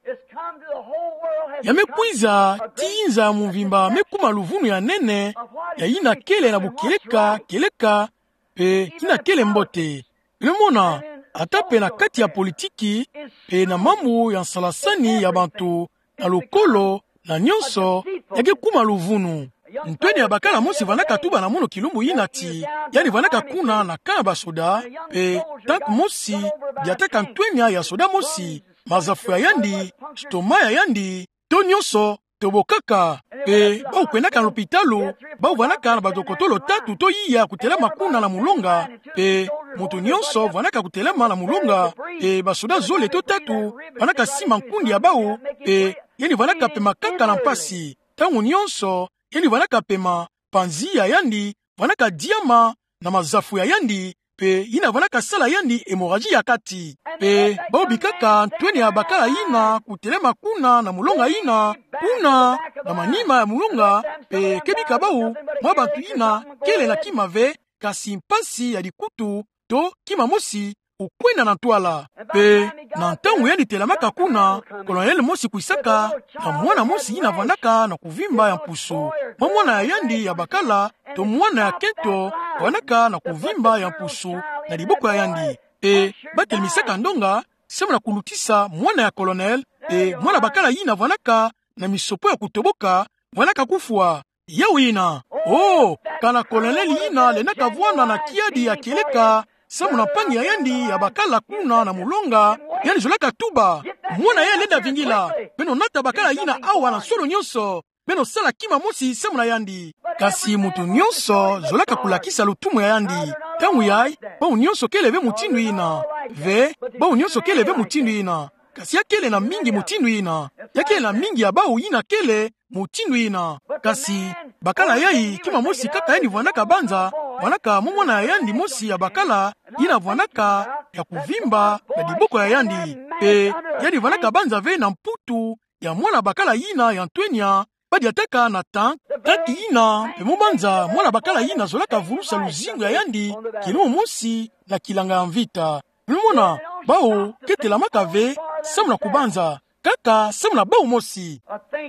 Ya me kwiza ti inza ya mvimba me kuma luvunu ya nene, ya ina kele na bukieleka, kieleka, pe ina kele mbote. Beno me mona, ata pe na kati ya politiki, pe na mambu ya nsalasani ya bantu, na lukolo, na nionso, ya ke kuma luvunu. Ntwenia bakala mosi vwanaka tuba na munu kilumbu ina ti, yandi vwanaka kuna na camp ya basoda, pe tank mosi, diataka ntwenia ya soda mosi, mazafu ya yandi, stoma ya yandi, to nionso, tobokaka. Pe bau kwendaka na lopitalo, bau vwanaka na badokotolo tatu to iya kutelama kuna na mulonga, pe muntu nionso vwanaka kutelama na mulonga, pe basoda zole to tatu vwanaka sima nkundi ya bau, pe yandi vwanaka pema kaka na mpasi. Ntangu nionso, yandi vwanaka pema, panzi ya yandi vwanaka diama na mazafu ya yandi, pe ina vwanaka sala yandi hémorragie ya kati. Pe bau bikaka ntwenia bakala ina kutelama kuna na mulonga ina, kuna na manima ya mulonga, pe ke bika bau mwa bantu ina kele na kima ve, kasi mpasi ya dikutu, to kima mosi, ukwenda na ntwala. Pe na ntangu yandi telamaka kuna, colonel mosi kwisaka, na mwana mosi ina vwanaka na kuvimba ya mpusu. Mwa mwana ya yandi ya bakala, to mwana ya kento, vwanaka na kuvimba ya mpusu na diboko ya yandi. Pe ba telimisaka ndonga samu na kulutisa mwana ya colonel, pe mwana bakala ina vwanaka na misopo ya kutoboka, vwanaka kufwa. Yau yina. Oh, kana kolonele yina lendaka vwanda na kiadi ya kieleka, samu na mpangi ya yandi ya bakala kuna na mulonga, yandi zolaka tuba: Mwana ya lenda vingila, beno nata bakala yina awa na nsolo nyonso, beno sala kima mosi samu na yandi. Kasi muntu nyonso zolaka kulakisa lutumu ya yandi. Ntangu yayi, bau nyonso kele ve mutindu yina. Ve, bau nyonso kele ve mutindu yina. Kasi ya kele na mingi mutindu yina. Ya kele na mingi ya bau yina kele mutindu yina. Kasi bakala yayi, kima mosi kaka yandi vwandaka banza, vwandaka mu mwana ya yandi mosi ya bakala, yina vwandaka ya kuvimba na diboko ya yandi. Pe yandi vwandaka banza ve na mputu ya mwana bakala yina ya ntwenya, badiataka na tank, tank yina, pe mu banza mwana bakala yina zolaka vulusa luzingu ya yandi, kilumu mosi na kilanga ya mvita. Beno mona, bau ke telamaka ve samu na kubanza, kaka samu na bau mosi.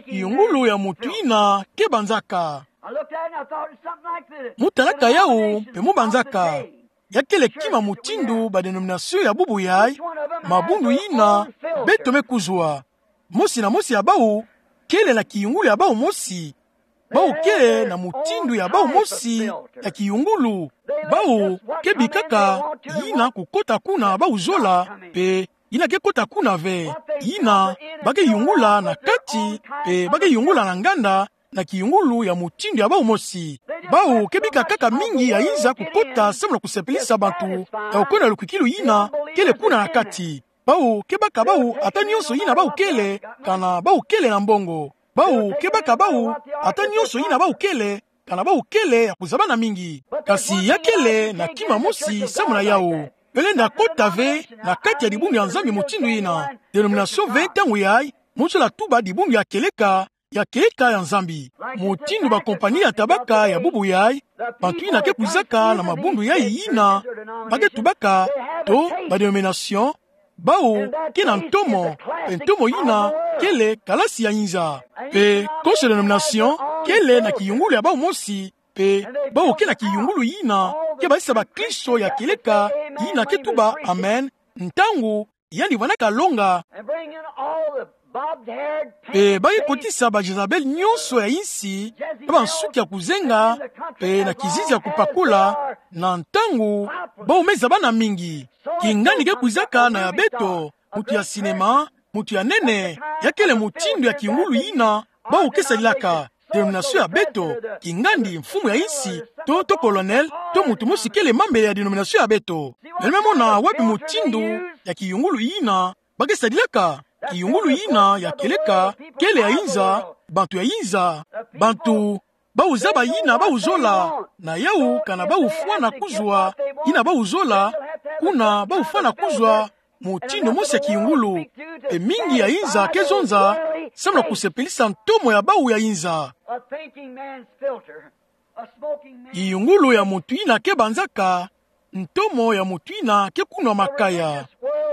Kiyungulu ya muntu yina ke banzaka. Mu talaka yau, pe mu banzaka. Ya kele kima mutindu ba denomination ya bubu yayi, mabundu yina beto me kuzwa. Mosi na mosi ya bau kele na kiyungulu ya bau mosi. Bau kele na mutindu ya bau mosi ya kiyungulu. Bau ke bikaka yina kukota kuna bau zola, pe yina ke kota kuna ve. Yina ba ke yungula na kati, pe ba ke yungula na nganda, na kiyungulu ya mutindu ya bau mosi. Bau ke bika kaka mingi ya inza kukota samu na kusepelisa bantu, ya kukwenda na lukwikilu yina kele kuna na kati. Bau ke baka bau ata nyonso yina bau kele, kana bau kele na mbongo. Bau ke baka bau ata nyonso yina bau kele, kana bau kele ya kuzabana mingi. Kasi ya kele na kima mosi samu na yau. Yo lenda kota ve na kati ya dibundu ya Nzambi mutindu yina. Denomination ve ntangu yayi, mu zola tuba dibundu ya kieleka, ya kieleka ya Nzambi. Mutindu ba compagnie ya tabaka ya bubu yayi, bantu yina ke kwizaka na mabundu yayi yina ba ke tubaka, to ba denomination, bau ke na ntomo, pe ntomo yina kele kalasi ya inza. Pe konso denomination kele na kiyungulu ya bau mosi, pe bau ke na kiyungulu yina ke bazisa bakristo ya kieleka, yina ke tuba amen ntangu yandi vwandaka longa. Pe ba ke kotisa ba Jezabel nyonso ya insi, pe bansuki ya kuzenga, pe na kizizi ya kupakula, na ntangu bau me zabana mingi. Kingandi ke kwizaka na ya beto, mutu ya cinéma, mutu ya nene, ya kele mutindu ya kiyungulu yina bau ke sadilaka. Denomination ya beto, kingandi mfumu ya insi, to, to colonel, to mutu mosi kele mambu ya denomination ya beto. Beno me mona wapi mutindu ya kiyungulu yina ba ke sadilaka? Kiyungulu yina ya kieleka kele ya inza, bantu ya inza, bantu bau zaba yina bau zola, na yau kana bau fwana kuzwa yina bau zola, kuna bau fwana kuzwa mutindu mosi ya kiyungulu. Pe mingi ya inza ke zonza samu na kusepelisa ntomo ya bau ya inza. A thinking man's filter. A smoking man's Kiyungulu ya mutu yina ke banzaka, ntomo ya mutu yina ke kunwa makaya.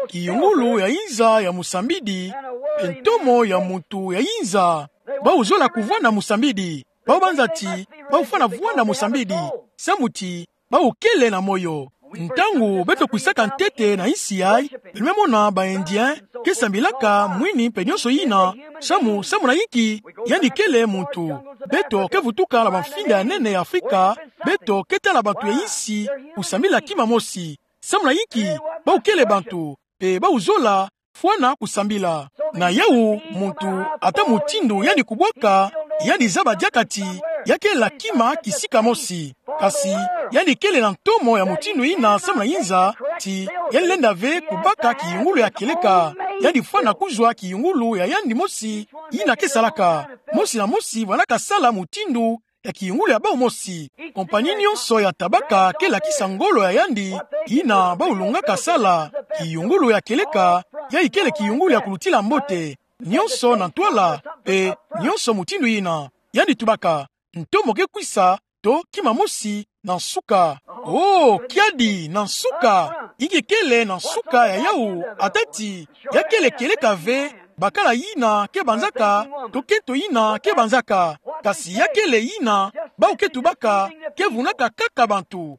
Kiyungulu ya inza ya musambidi, pe ntomo ya mutu ya inza. Bau zola kuvwanda musambidi. Bau banza ti bau fwana vwanda musambidi, samu ti bau kele na moyo. Ntangu beto kwisaka ntete na insi yayi, beno me mona ba Indien ke sambilaka mwini pe nyonso yina, samu, samu na inki? Yandi kele muntu. Beto ke vutuka na bamfinda ya nene ya Afrika, beto ke tala bantu ya insi kusambila kima mosi. Samu na inki? Bau kele bantu, pe bau zola fwana kusambila. Na yau, muntu ata mutindu yandi kubwaka, yandi zaba diaka ti ya kele na kima kisika mosi. Kasi yandi kele na ntomo ya mutindu yina samu na inza, ti yandi lenda ve kubaka kiyungulu ya kieleka. Yandi fwana kuzwa kiyungulu ya yandi mosi yina ke salaka. Mosi na mosi vwandaka sala mutindu ya kiyungulu ya bau mosi. Kompani nyonso ya tabaka ke lakisa ngolo ya yandi, yina bau lungaka sala. Kiyungulu ya kieleka, yayi kele kiyungulu ya kulutila mbote. Nyonso na ntwala, pe nyonso mutindu yina. Yandi tubaka, ntomo ke kwisa, to kima mosi na nsuka. Oh, kiadi na nsuka. Inki kele na nsuka ya yau, ata ti ya kele kieleka ve, bakala yina ke banzaka, to kento yina ke banzaka. Kasi ya kele yina bau ke tubaka, ke vunaka kaka bantu.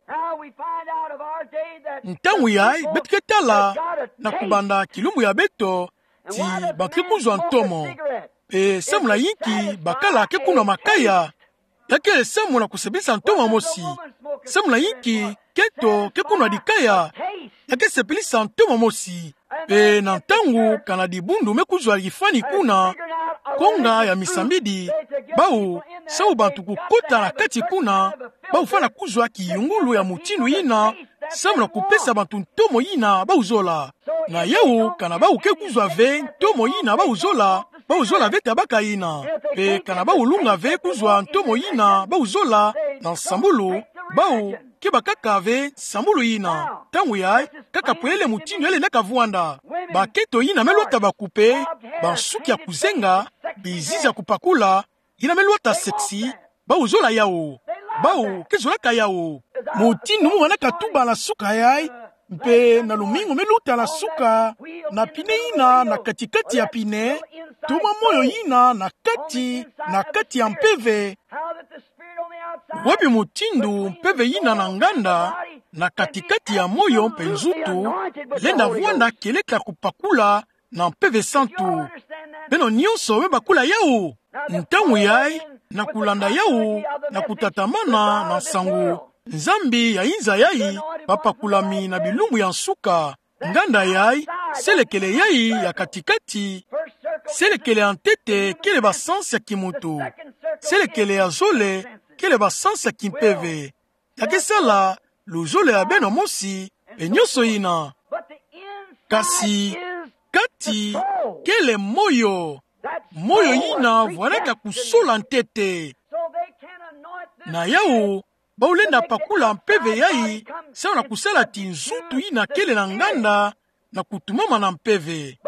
Ntangu yayi, beto ke tala, na kubanda kilumbu ya beto, ti bantu ke kuzwa ntomo. Pe samu na yinki bakala ke kunwa makaya, ya kele samu na kusepelisa ntomwa mosi. Samu na yinki keto ke kunwa dikaya, ya ke sepelisa ntomwa mosi. Pe na ntangu kana dibundu me kuzwa kifwani kuna, konga ya misambidi, bau, samu bantu kukota na kati kuna, bau fwana kuzwa kiyungulu ya mutindu yina, samu na kupesa bantu ntomo yina bau zola. Na yau, kana bau ke kuzwa ve ntomo yina bau zola, bau zola ve tabaka yina. Pe kana bau lunga ve kuzwa ntomo yina bau zola na nsambulu, bau ke bakaka ve nsambulu yina. Ntangu yayi, kaka pwele mutindu yale na kavwanda. Baketo yina me lwata bakupe, bansuki ya kuzenga, bizizi ya kupakula, yina me lwata sexy, bau zola yau. Bau ke zolaka yau. Mutindu mu wanaka tuba na suka yayi, mpe na lumingu me luta na suka, na pine yina na kati-kati ya pine, toma moyo yina na kati, na kati ya mpeve. Wapi mutindu mpeve yina na nganda, na kati-kati ya moyo mpe nzutu, lenda vwanda kieleka kupakula na mpeve santu. Beno nyonso me bakula yau. Ntangu yayi, na kulanda yau, na kutatamana na nsangu Nzambi ya inza yayi, bapakulami na bilumbu ya nsuka. Nganda yayi, selekele yayi ya kati-kati, selekele ya ntete kele basansi ya kimuntu. Selekele ya zole kele basansi ya kimpeve. Ya ke sala luzole ya beno mosi, mpe nyonso yina. Kasi kati kele moyo. Moyo yina vwandaka kusola ntete. Na yau, bau lenda pakula mpeve yayi, samu na kusala ti nzutu yina kele na nganda, na kutumama na mpeve.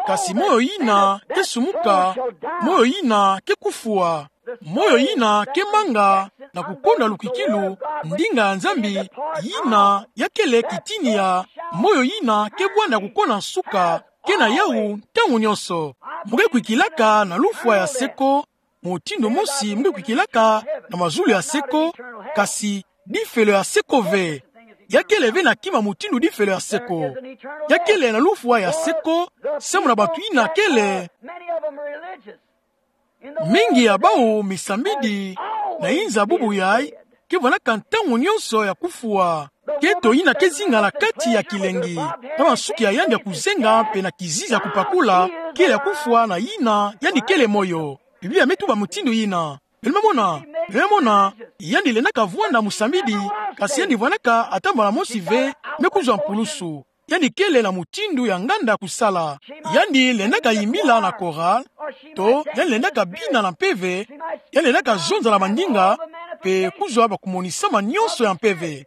Kasi moyo yina ke sumuka, moyo yina ke kufwa, moyo yina ke manga na kukonda lukwikilu, ndinga ya Nzambi, yina ya kele kitini ya moyo yina ke bwanda kukona nsuka, ke na yau ntangu nyonso. Mu ke kwikilaka na lufwa ya se ko, mutindu mosi mu ke kwikilaka na mazulu ya se ko, kasi difelo ya se ko ve. Ya kele ve na kima mutindu difelo ya se ko. Ya kele na lufwa ya se ko, samu na bantu yina kele. Mingi ya bau misambidi na inza bubu yayi, ke vwandaka ntangu nyonso ya kufwa. Keto yina ke zinga na kati ya kilengi. Na bansuki ya yandi ya kuzenga mpe na kizizi ya kupakula, kele ya kufwa na yina yandi kele moyo. Biblia me tuba mutindu yina. Beno me mona, beno me mona, yandi lendaka vwanda musambidi, kasi yandi vwandaka ata mbala mosi ve me kuzwa mpulusu. Yandi kele na mutindu ya nganda kusala. Yandi lendaka yimbila na chorale, to yandi lendaka bina na mpeve, yandi lendaka zonza na mandinga, mpe kuzwa bakumonisama nyonso ya mpeve.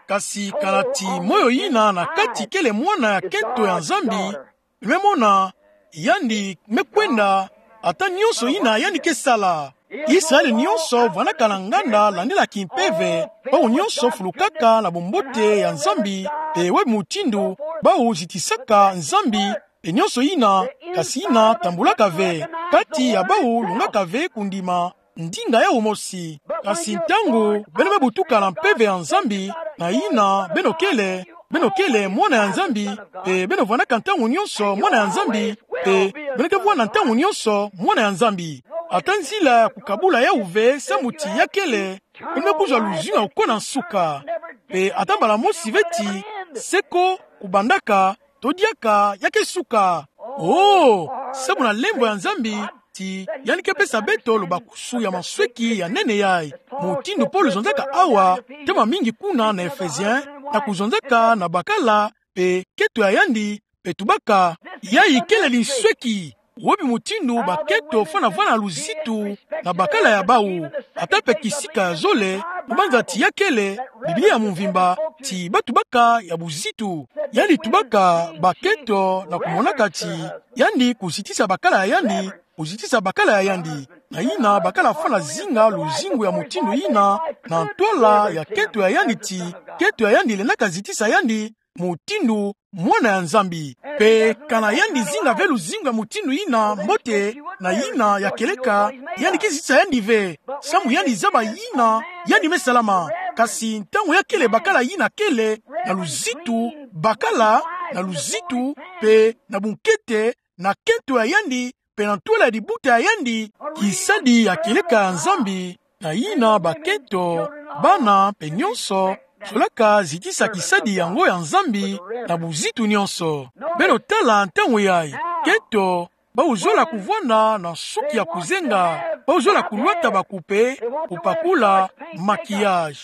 Kasi kana ti moyo yina na kati kele mwana ya keto ya Nzambi, me mona, yandi me kwenda, ata nyonso yina yandi ke sala. Israele nyonso vwandaka na nganda landila kimpeve, bau nyonso fulukaka na bumbote ya Nzambi, mpe wapi mutindu bau zitisaka Nzambi, mpe nyonso yina, kasi yina tambulaka ve. Kati ya bau lungaka ve kundima ndinga yau mosi. Kasi ntangu beno me butuka na mpeve ya Nzambi, na yina beno kele, beno kele mwana ya Nzambi, mpe beno vwandaka ntangu nyonso mwana ya Nzambi, mpe beno ke vwanda ntangu nyonso mwana ya Nzambi. Ata nzila ya kukabula yau ve samu ti ya kele, beno me kuzwa luzingu ya kukona nsuka. Mpe ata mbala mosi ve ti se ko kubandaka, to diaka ya ke suka. Oh, samu na lemvo ya Nzambi, ti yandi ke pesa beto lubakusu ya mansweki ya nene yayi. Mutindu Polo zonzaka awa, ntama mingi kuna na Ephésiens, na kuzonzaka na bakala, mpe keto ya yandi, mpe tubaka, yayi kele linsweki. Wapi mutindu baketo fwana vwanda luzitu na bakala ya bau, ata mpe kisika ya zole, mabanza ti ya kele, Biblia ya mvimba, ti batubaka ya buzitu. Yandi tubaka baketo na kumonaka ti yandi kuzitisa bakala ya yandi, kuzitisa bakala ya yandi. Na yina bakala fwana zinga luzingu ya mutindu yina, na ntwala ya keto ya yandi ti, keto ya yandi lendaka zitisa yandi, mutindu mwana ya Nzambi. Mpe kana yandi zinga ve luzingu ya mutindu yina mbote, na yina ya kieleka, yandi ke zitisa yandi ve. Samu yandi zaba yina yandi me salama. Kasi ntangu ya kele bakala yina kele, na luzitu, bakala, na luzitu, mpe na bunkete, na keto ya yandi, pe na ntwala ya dibuta ya yandi, kisadi ya kieleka ya Nzambi, na yina bakento, bana, pe nyonso, zolaka zitisa kisadi yango ya Nzambi, na buzitu nyonso. Beno tala ntangu yayi, kento, bawu zola kuvwanda na nsuki ya kuzenga, bawu zola kulwata bakupe, kupakula, maquillage.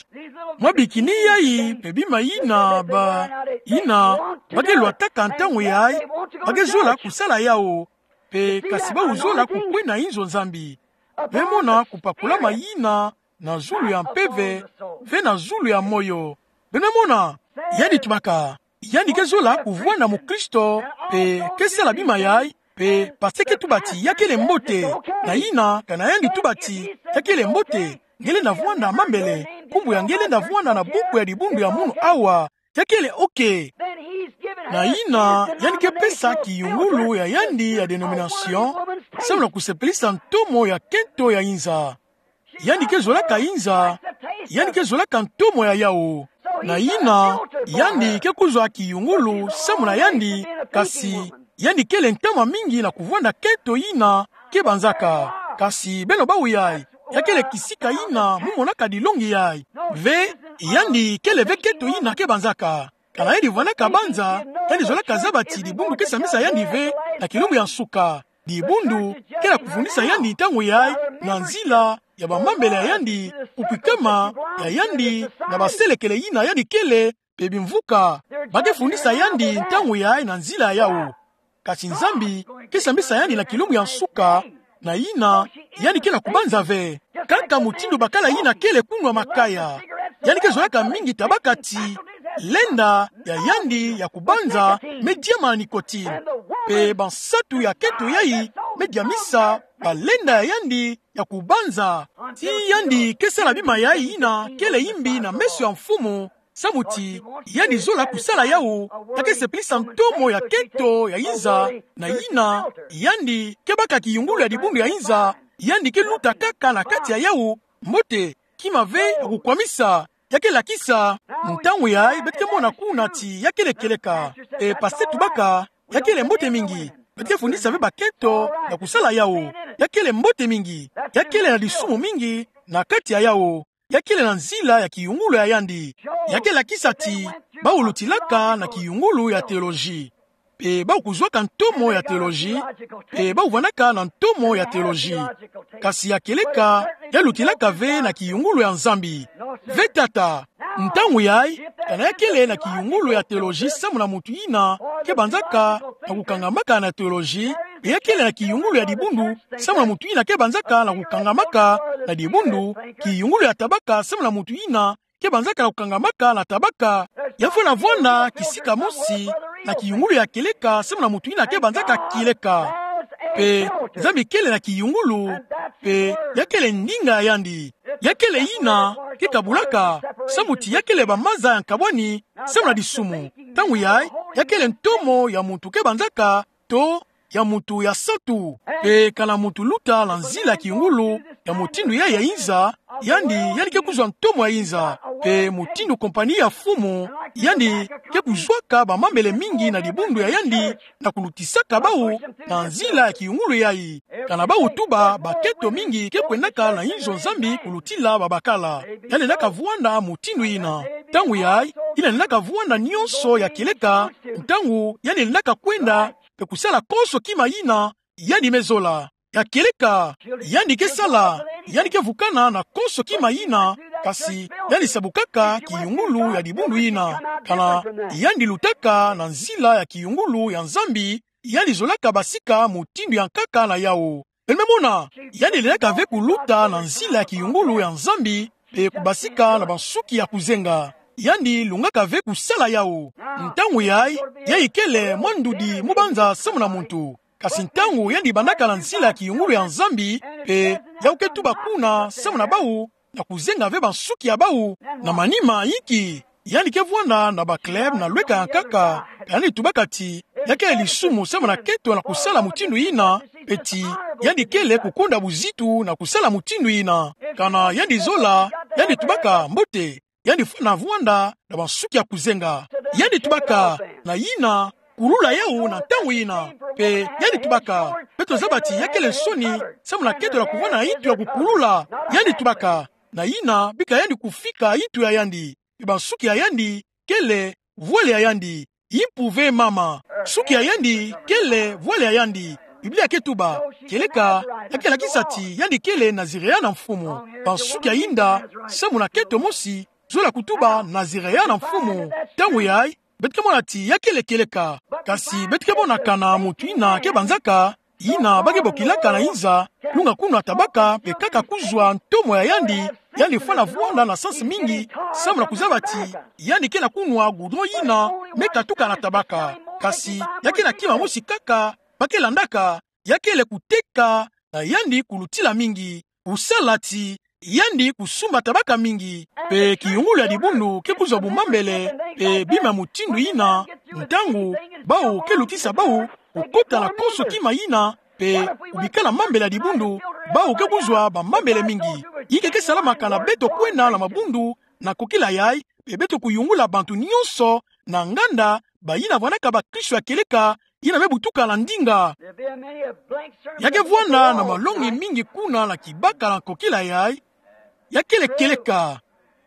Mwa bikini yayi, pe bima yina, ba, yina, ba ke lwataka ntangu yayi, ba ke zola kusala yawu, pe kasi bawu zola kukwenda inzo Nzambi. Beno mona kupakulama yina, na zulu ya mpeve, ve na zulu ya moyo. Beno mona, yandi tubaka, yandi ke zola kuvwanda mukristo, pe ke sala bima yayi, pe parce que tuba ti ya kele mbote, na yina, kana yandi tuba ti ya kele mbote, nge lenda vwanda mambele, nkumbu ya nge lenda vwanda na buku ya dibundu ya munu awa, ya kele ok. Na yina, yandi ke pesa kiyungulu ya yandi ya dénomination, samu na kusepelisa ntomo ya kento ya inza. Yandi ke zolaka inza, yandi ke zolaka ntomo ya yawu. Na yina, yandi ke kuzwa kiyungulu, samu na yandi, kasi, yandi kele ntama mingi na kuvwanda kento yina, ke banzaka. Kasi beno bawu yayi, ya kele kisika yina, mu monaka dilongi yayi. Ve, yandi kele ve kento yina ke banzaka. Kana yandi vwandaka banza, yandi zolaka zaba ti dibundu ke sambisa yandi ve, na kilumbu ya nsuka. Dibundu, ke na kufundisa yandi ntangu yayi, na nzila, ya bamambele ya yandi, kukwikama, ya yandi, na baselekele yina yandi kele, pe bimvuka, ba ke fundisa yandi ntangu yayi na nzila yawu. Kasi Nzambi, ke sambisa yandi na kilumbu ya nsuka, na yina, yandi ke na kubanza ve. Kaka mutindu bakala yina kele kunwa makaya. Yandi ke zolaka mingi tabaka ti, lenda ya yandi ya kubanza, me diama na nicotine. Pe bansatu ya kento yayi, me diamisa, balenda ya yandi, ya kubanza. Ti yandi ke sala bima yayi yina, kele yimbi na meso ya Mfumu, samu ti, yandi zola kusala yawu, ya ke sepelisa ntomo ya kento ya inza, na yina, yandi, ke baka kiyungulu ya dibundu ya inza, yandi ke luta kaka na kati ya yawu, mbote, kima ve ya kukwamisa, ya ke lakisa, ntangu yayi, beto ke mona kuna ti, ya kele kieleka, e parce que tubaka, ya kele mbote mingi, beto ke fundisa ve bakento, ya kusala yawu, ya kele mbote mingi, ya kele na disumu mingi, na kati ya yawu, ya kele na nzila ya kiyungulu ya yandi. Ya ke lakisa ti, bawu lutilaka na kiyungulu ya théologie. Pe bawu kuzwaka ntomo ya théologie, pe bawu vwandaka na ntomo ya théologie. Kasi ya kieleka, ya lutilaka ve na kiyungulu ya Nzambi. Ve tata, ntangu yayi, kana ya kele na kiyungulu ya théologie samu na mutu yina, ke banzaka, na kukangamaka na théologie, pe ya kele na kiyungulu ya dibundu, samu na mutu yina ke banzaka na kukangamaka na dibundu, kiyungulu ya tabaka samu na mutu yina, ke banzaka na kukangamaka na tabaka, ya fwana vwanda kisika mosi, na kiyungulu ya kieleka samu na mutu yina ke banzaka kieleka. Pe, Nzambi kele na kiyungulu, pe, ya kele ndinga ya yandi. Ya kele yina, ke kabulaka, samu ti ya kele bamaza ya nkabwani, samu na disumu. Ntangu yayi, ya kele ntomo ya mutu ke banzaka, to, ya mutu ya satu. Pe kana mutu luta na nzila ya kiyungulu, ya mutindu yayi ya inza, yandi, yandi ke kuzwa ntomo ya inza. Pe mutindu compagnie ya Mfumu, yandi, ke kuzwaka bamambele mingi na dibundu ya yandi, na kulutisaka bawu, na nzila ya kiyungulu yayi. Kana bawu tuba, bakento mingi ke kwendaka na inzo Nzambi kulutila babakala. Yandi lendaka vwanda mutindu yina. Ntangu yayi, yina lendaka vwanda nyonso ya kieleka, ntangu, yandi lendaka kwenda, pe kusala konso kima yina, yandi me zola. Ya kieleka, yandi ke sala, yandi ke vukana na konso kima yina, kasi, yandi sabukaka kiyungulu ya dibundu yina. Kana, yandi lutaka na nzila ya kiyungulu ya Nzambi, yandi zolaka basika mutindu ya nkaka na yawu. Beno me mona, yandi lendaka ve kuluta na nzila ya kiyungulu ya Nzambi, pe kubasika na bansuki ya kuzenga. Yandi lungaka ve kusala yawu. Ntangu yayi, yayi kele mwa ndudi mu banza samu na mutu. Kasi ntangu yandi bandaka na nzila ya kiyungulu ya Nzambi, pe yawu ke tuba kuna samu na bawu, na kuzenga ve bansuki ya bawu, na manima inki. Yandi ke vwanda na baclub na lweka ya nkaka, ka yandi tubaka ti, ya kele lisumu samu na kento na kusala mutindu yina, pe ti, yandi kele kukonda buzitu na kusala mutindu yina. Kana yandi zola, yandi tubaka mbote, yandi fwana vwanda na bansuki ya kuzenga. Yandi tubaka, na yina, kulula yawu na ntangu yina. Pe yandi tubaka, beto zaba ti ya kele nsoni, samu na keto la kuvwanda itu ya kukulula. Yandi tubaka, na yina bika yandi kufika itu ya yandi. Pe bansuki ya yandi kele vwali ya yandi. Impu ve mama. Suki ya yandi kele vwali ya yandi. Biblia ke tuba, kieleka ya ke lakisa ti yandi kele Nazireyen na Mfumu. Bansuki ya yinda, samu na keto mosi, zola kutuba Nazireyen na Mfumu. Ntangu yayi, beto ke mona ti ya kele kieleka. Kasi beto ke mona kana mutu yina ke banzaka, yina ba ke bokilaka na inza, lunga kuna tabaka, pe kaka kuzwa ntomo ya yandi, yandi fwana vwanda na sansi mingi, samu na kuzaba ti yandi ke na kunwa goudron yina me katuka na tabaka. Kasi ya ke na kima mosi kaka ba ke landaka, ya kele kuteka na yandi kulutila mingi, kusala ti yandi kusumba tabaka mingi. Pe kiyungulu ya dibundu ke kuzwa bumambele, pe bima mutindu yina, ntangu bawu ke lutisa bawu kukota na konso kima yina, pe kubika na mambele ya dibundu, bawu ke kuzwa bamambele mingi. Inki ke salamaka na beto kwenda na mabundu na kokila yayi, pe beto kuyungula bantu nyonso na nganda, bayina vwandaka bakristo ya kieleka, yina me butuka na ndinga. Ya ke vwanda na malongi mingi kuna na kibaka na kokila yayi, ya kele kieleka.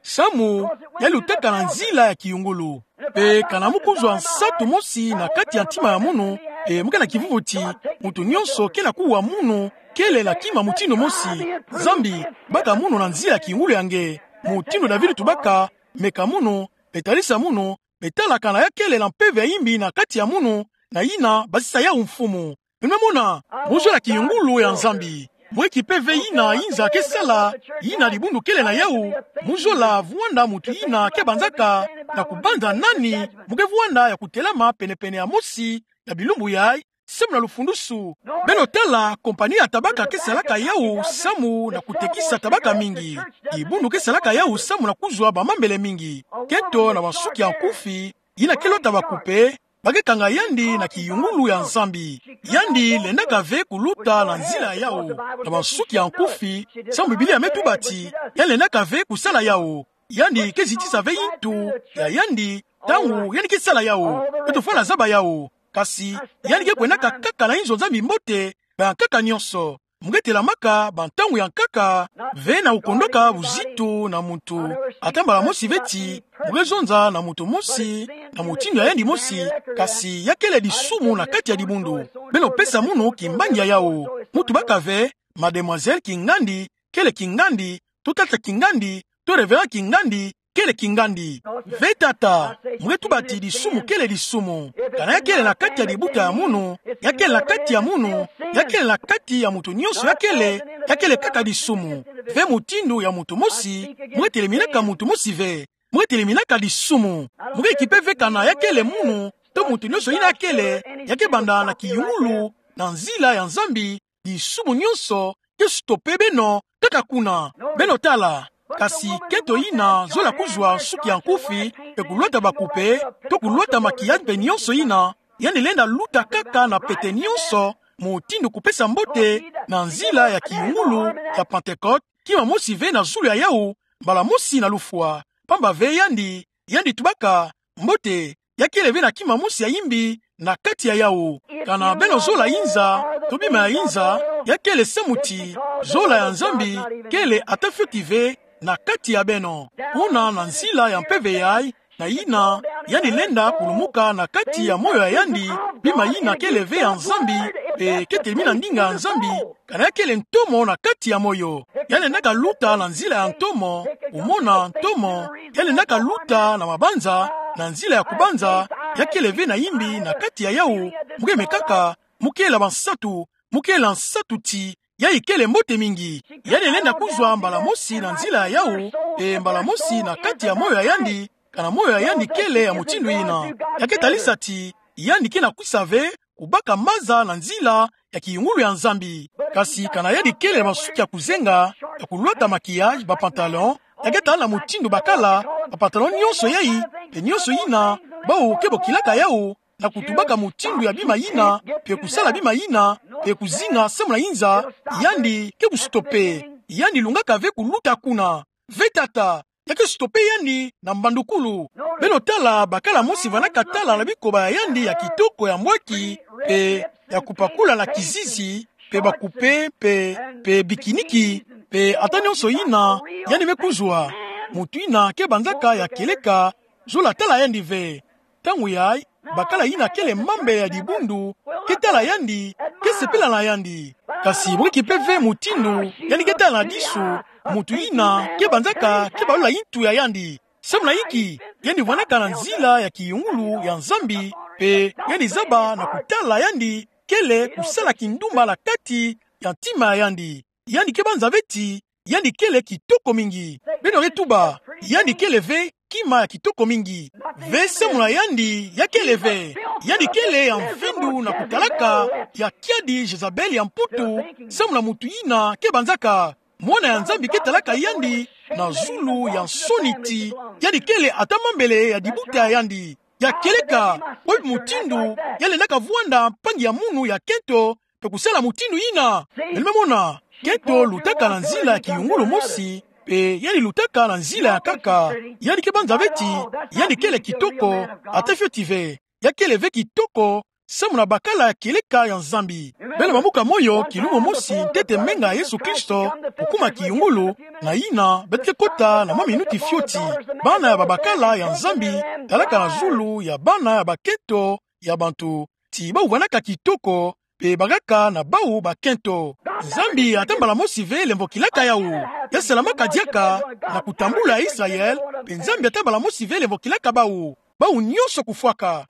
Samu ya lutaka na nzila ya kiyungulu. Pe kana mu kuzwa nsatu mosi na kati ya ntima ya munu, pe mu ke na kivuvu ti mutu nyonso ke na kuwa munu, kele na kima mutindu mosi. Nzambi baka munu na nzila ya kiyungulu ya nge. Mutindu David tubaka, meka munu, pe talisa munu, pe tala kana ya kele na mpeve ya imbi na kati ya munu, na yina basisa yawu mfumu. Beno me mona, mu zola kiyungulu ya Nzambi. Mu eki mpeve yina inza ke sala, yina dibundu kele na yawu, mu zola vwanda mutu yina ke banzaka, na kubanza nani mu ke vwanda ya kutelama penepene ya mosi ya bilumbu yayi, samu na lufundusu. Beno tala, kompani ya tabaka ke salaka yawu samu na kutekisa tabaka mingi. Dibundu ke salaka yawu samu na kuzwa bamambele mingi. Keto na bansuki ya nkufi, yina ke lota bakupe, ba ke kanga yandi na kiyungulu ya Nzambi. Yandi lendaka ve kuluta na nzila ya yawu na bansuki ya nkufi, samu Biblia me tuba ti yandi lendaka ve kusala yawu. Yandi ke zitisa ve yintu ya yandi ntangu yandi ke sala yawu. Beto fwana zaba yawu. Kasi yandi ke kwendaka kaka na inzo Nzambi mbote, bankaka nyonso. Mu ke telamaka bantangu ya nkaka, ve na kukondoka buzitu na muntu, ata mbala mosi ve ti mu ke zonza na muntu mosi, na mutindu ya yandi mosi, kasi ya kele disumu na kati ya dibundu. Beno pesa munu kimbangi ya yawu. Mu tubaka ve, mademoiselle kingandi kele kingandi, to tata kingandi, to révérend kingandi kele kingandi. Ve tata, mu ke tuba ti disumu kele disumu. Kana ya kele na kati ya dibuta ya munu, ya kele na kati ya munu, ya kele na kati ya muntu nyonso ya kele, ya kele kaka disumu. Ve mutindu ya muntu mosi, mu ke teleminaka muntu mosi ve. Mu ke teleminaka disumu. Mu ke eki mpe ve kana ya kele munu, to muntu nyonso yina ya kele, ya ke banda na kiyungulu, na nzila ya Nzambi, disumu nyonso ke stope beno kaka kuna. Beno tala, kasi keto yina zola kuzwa nsuki ya nkufi, pe kulwata bakupe, to kulwata maquillage mpe nyonso yina, yandi lenda luta kaka na pete nyonso, mutindu kupesa mbote, na nzila ya kiyungulu ya Pentecôte, kima mosi ve na zulu ya yawu, mbala mosi na lufwa. Pamba ve yandi, yandi tubaka, mbote, ya kele ve na kima mosi ya imbi na kati ya yawu. Kana beno zola inza, to bima ya inza, ya kele samu ti zola ya Nzambi kele ata fioti ve na kati ya beno. Kuna na nzila ya mpeve yayi, na yina, yandi lenda kulumuka na kati ya moyo ya yandi, bima yina kele ve ya Nzambi, mpe ke telemina ndinga ya Nzambi, kana ya kele ntomo na kati ya moyo. Ya lendaka luta na nzila ya ntomo, kumona ntomo, ya lendaka luta na mabanza, na nzila ya kubanza, ya kele ve na imbi na kati ya yawu, mu ke mekaka, mu kele bansatu, mu kele nsatu ti, yayi kele mbote mingi. Yandi lenda kuzwa mbala mosi na nzila ya yawu, mpe mbala mosi na kati ya moyo ya yandi, kana moyo ya yandi kele ya mutindu yina. Ya ke talisa ti, yandi ke na kwisa ve, kubaka maza na nzila ya kiyungulu ya Nzambi. Kasi kana yandi kele na bansuki ya kuzenga, ya kulwata maquillage, ba pantalon, ya ke tala na mutindu bakala, ba pantalon nyonso yayi, mpe nyonso yina, bawu ke bokilaka yawu, na kutubaka mutindu ya bima yina, mpe kusala bima yina, mpe kuzinga samu na inza, yandi ke kustope, yandi lungaka ve kuluta kuna. Ve tata, ya ke stopper yandi na mbandukulu. Beno tala bakala mosi vandaka tala na bikoba ya yandi ya kitoko ya mbwaki, pe ya kupakula na kizizi, pe bakupe, pe, pe bikiniki, pe ata nionso yina yandi me kuzwa. Moto yina ke banzaka ya kieleka, zola tala yandi ve. Ntangu yayi, bakala yina kele mambe ya dibundu ke tala yandi, ke sepela na yandi. Kasi bwe kipe ve mutindu yandi ke tala na disu, mutu yina ke banzaka ke balula yintu ya yandi. Samu na yinki? Yandi vwandaka na nzila ya kiyungulu ya Nzambi, pe yandi zaba na kutala yandi kele kusala kindumba na kati ya ntima ya yandi. Yandi ke banza ve ti yandi kele kitoko mingi. Beno ke tuba, yandi kele ve kima ya kitoko mingi. Ve samu na yandi ya kele ve. Yandi kele ya mvindu na kutalaka, ya kiadi Jezabel ya mputu, samu na mutu yina ke banzaka. Mwana ya Nzambi ke talaka yandi na zulu ya nsoni ti yandi kele ata mambele ya dibuta ya yandi. Ya kieleka, bwe mutindu ya lendaka vwanda mpangi ya munu ya kento, pe kusala mutindu yina. Beno me mona, kento lutaka na nzila ya kiyungulu mosi, pe yandi lutaka na nzila ya nkaka. Yandi ke banza ve ti yandi kele kitoko, ata fioti ve. Ya kele ve kitoko, samu na bakala ya kieleka ya Nzambi. Beno bamuka moyo kilumbu mosi ntete menga Yesu Kristo kukuma kiyungulu, na yina beto ke kota na mwa minuti fioti. Bana ya babakala ya Nzambi, talaka na zulu ya bana ya bakento ya bantu, ti bawu vwandaka kitoko, pe bakaka na bawu bakento. Nzambi ata mbala mosi ve lemvokilaka yawu. Ya salamaka diaka na kutambula Israel, pe Nzambi ata mbala mosi ve lemvokilaka bawu. Bawu nionso kufwaka.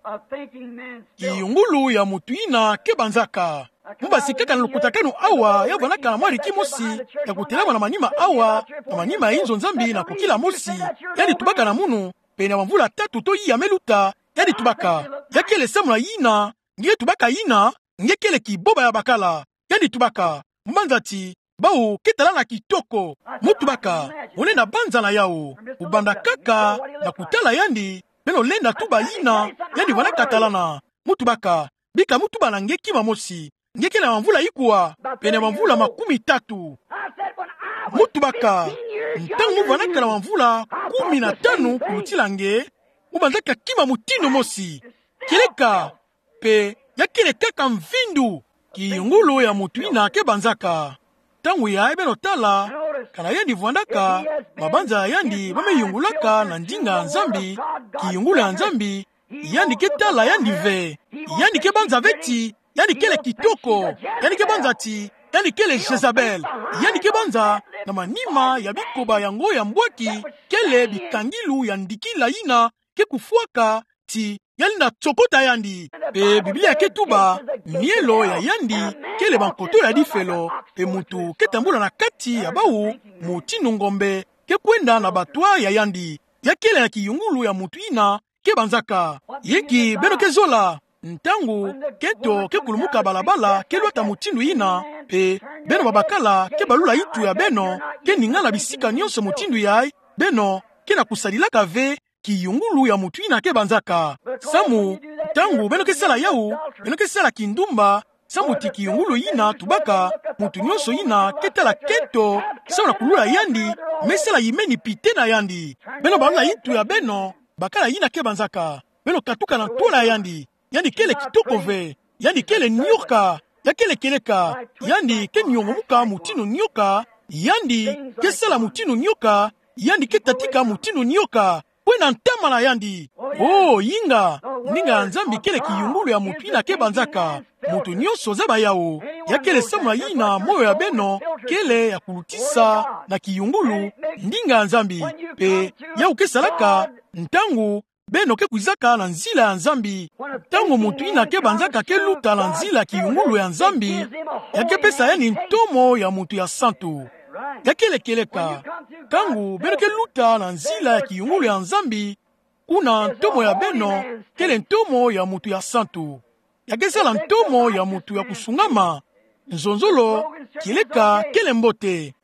Kiyungulu ya mutu yina ke banzaka. Mbo basi kaka na lukutakanu awa, ya vwandaka mwa riki mosi ya kutelama na manima awa, na manima ya inzo Nzambi na kukila mosi. Yandi tubaka na munu, pene ya bamvula tatu to iya me luta, yandi tubaka. Ya kele samu na yina nge tubaka yina, nge kele kiboba ya bakala. Yandi tubaka. Mbo banza ti bawu ke talana kitoko. Mbo tubaka, mbo lenda banza na yawu. Kubanda kaka na kutala yandi, beno lenda tuba yina yandi vwandaka talana. Mbo tubaka, bika mbo tuba na nge kima mosi. Nge kele na bamvula ikuwa? Pene ya bamvula makumi tatu. Mbo tubaka, ntangu mbo vwandaka na bamvula kumi na tanu kulutila nge, mbo banzaka kima mutindu mosi. Kieleka, pe ya kele kaka mvindu. Kiyungulu ya mutu yina ke banzaka. Ntangu yayi beno tala, kana yandi vwandaka, mabanza ya yandi ba me yungulaka na ndinga ya Nzambi, kiyungulu ya Nzambi, yandi ke tala yandi ve. Yandi ke banza ve ti yandi kele kitoko. Yandi ke banza ti yandi kele Jezabel. Yandi ke banza na manima ya bikoba yango ya mbwaki, kele bikangilu ya ndikila yina ke kufwaka ti ya lenda tsokota yandi. Pe Biblia ke tuba, mielo ya yandi kele bankoto ya difelo, pe mutu ke tambula na kati ya bawu mutindu ngombe ke kwenda na batwa ya yandi. Ya kele na kiyungulu ya mutu yina ke banzaka. Yinki beno ke zola? Ntangu kento ke kulumuka balabala ke lwata mutindu yina, pe beno babakala ke balula yintu ya beno, ke ningana bisika nionso mutindu yayi, beno ke na kusadilaka ve kiyungulu ya mutu yina ke banzaka. Samu, ntangu beno ke sala yawu, beno ke sala kindumba, samu ti kiyungulu yina tubaka, mutu nionso yina ke tala kento, samu na kulula yandi, me sala yimeni pite na yandi. Beno balula yintu ya beno, bakala yina ke banzaka. Beno katuka na ntwala ya yandi. Yandi kele kitoko ve. Yandi kele nioka. Ya kele kieleka. Yandi ke nyongomuka mutindu nioka. Yandi ke sala mutindu nioka. Yandi ke tatika mutindu nioka. Kwena ntama na yandi. Oh, yinga. Ndinga ya Nzambi kele kiyungulu ya mutu yina ke banzaka. Mutu nionso zaba yawu. Ya kele samu na yina moyo ya beno kele ya kulutisa na kiyungulu ndinga ya Nzambi. Pe yawu ke salaka ntangu beno ke kwizaka na nzila ya Nzambi. Ntangu mutu yina ke banzaka ke luta na nzila ya kiyungulu ya Nzambi, ya ke pesa yandi ntomo ya mutu ya santu. Ya kele kieleka. Ntangu beno ke luta na nzila ya kiyungulu ya Nzambi, kuna ntomo ya beno kele ntomo ya mutu ya santu. Ya ke sala ntomo ya mutu ya kusungama. Nzonzolo, kieleka kele mbote.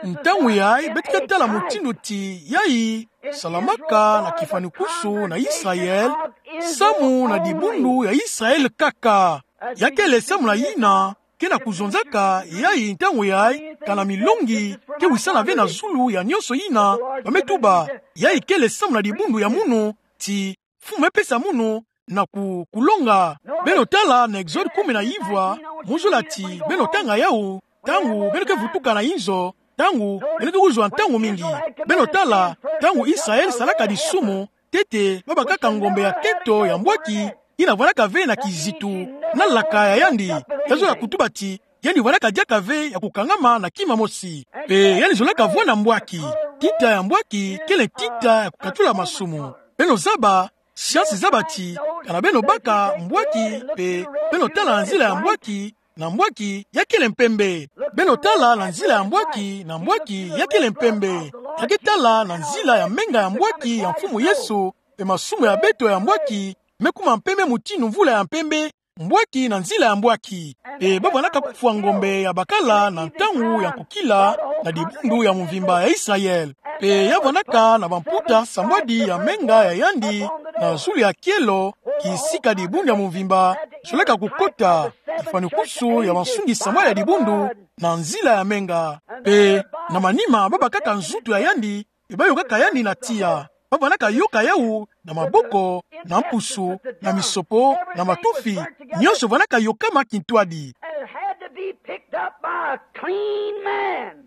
Ntangu yayi beto ke tala mutindu ti yayi salamaka na kifwanukusu na Israel, samu na dibundu ya Israel kaka. Ya kele samu na yina ke na kuzonzaka yayi ntangu yayi, kana milongi ke wisana ve na zulu ya nionso yina ba me tuba. Yayi kele samu na dibundu ya munu, ti Mfumu me pesa munu na ku-, kulonga. Beno tala na Exode kumi na ivwa, mu zola ti beno tanga yawu, ntangu beno ke vutuka na inzo, ntangu beno ke kuzwa ntangu mingi. Beno tala, ntangu Israel salaka disumu, ntete babakaka ngombe ya kento ya mbwaki, yina vwandaka ve na kizitu na laka ya yandi. Ya zola kutuba ti, yandi vwandaka diaka ve ya kukangama na kima mosi. Mpe yandi zolaka vwanda mbwaki. Ntita ya mbwaki kele ntita ya kukatula masumu. Beno zaba, siansi zaba ti, kana beno baka mbwaki, mpe beno tala na nzila ya mbwaki, na mbwaki ya kele mpembe. Beno tala na nzila ya mbwaki, na mbwaki ya kele mpembe. Ya ke tala na nzila ya menga ya mbwaki ya Mfumu Yesu, mpe masumu ya beto ya mbwaki me kuma mpembe mutindu mvula ya mpembe, mbwaki na nzila ya mbwaki. Mpe bavwandaka kufwa ngombe ya bakala na ntangu ya kukila na dibundu ya mvimba ya Israel. Mpe ya vwandaka na bamputa sambwadi ya menga ya yandi na zulu ya kielo, kisika dibundu ya mvimba zolaka kukota, kifwanukusu ya bansungi sambwadi ya dibundu na nzila ya menga. Mpe na manima babakaka nzutu ya yandi, mpe bayokaka yandi na tiya. Bavwandaka yoka yawu na maboko, na mpusu, na misopo, na matufi. Nionso vwandaka yokama kintwadi. And it had to be picked up by a clean man.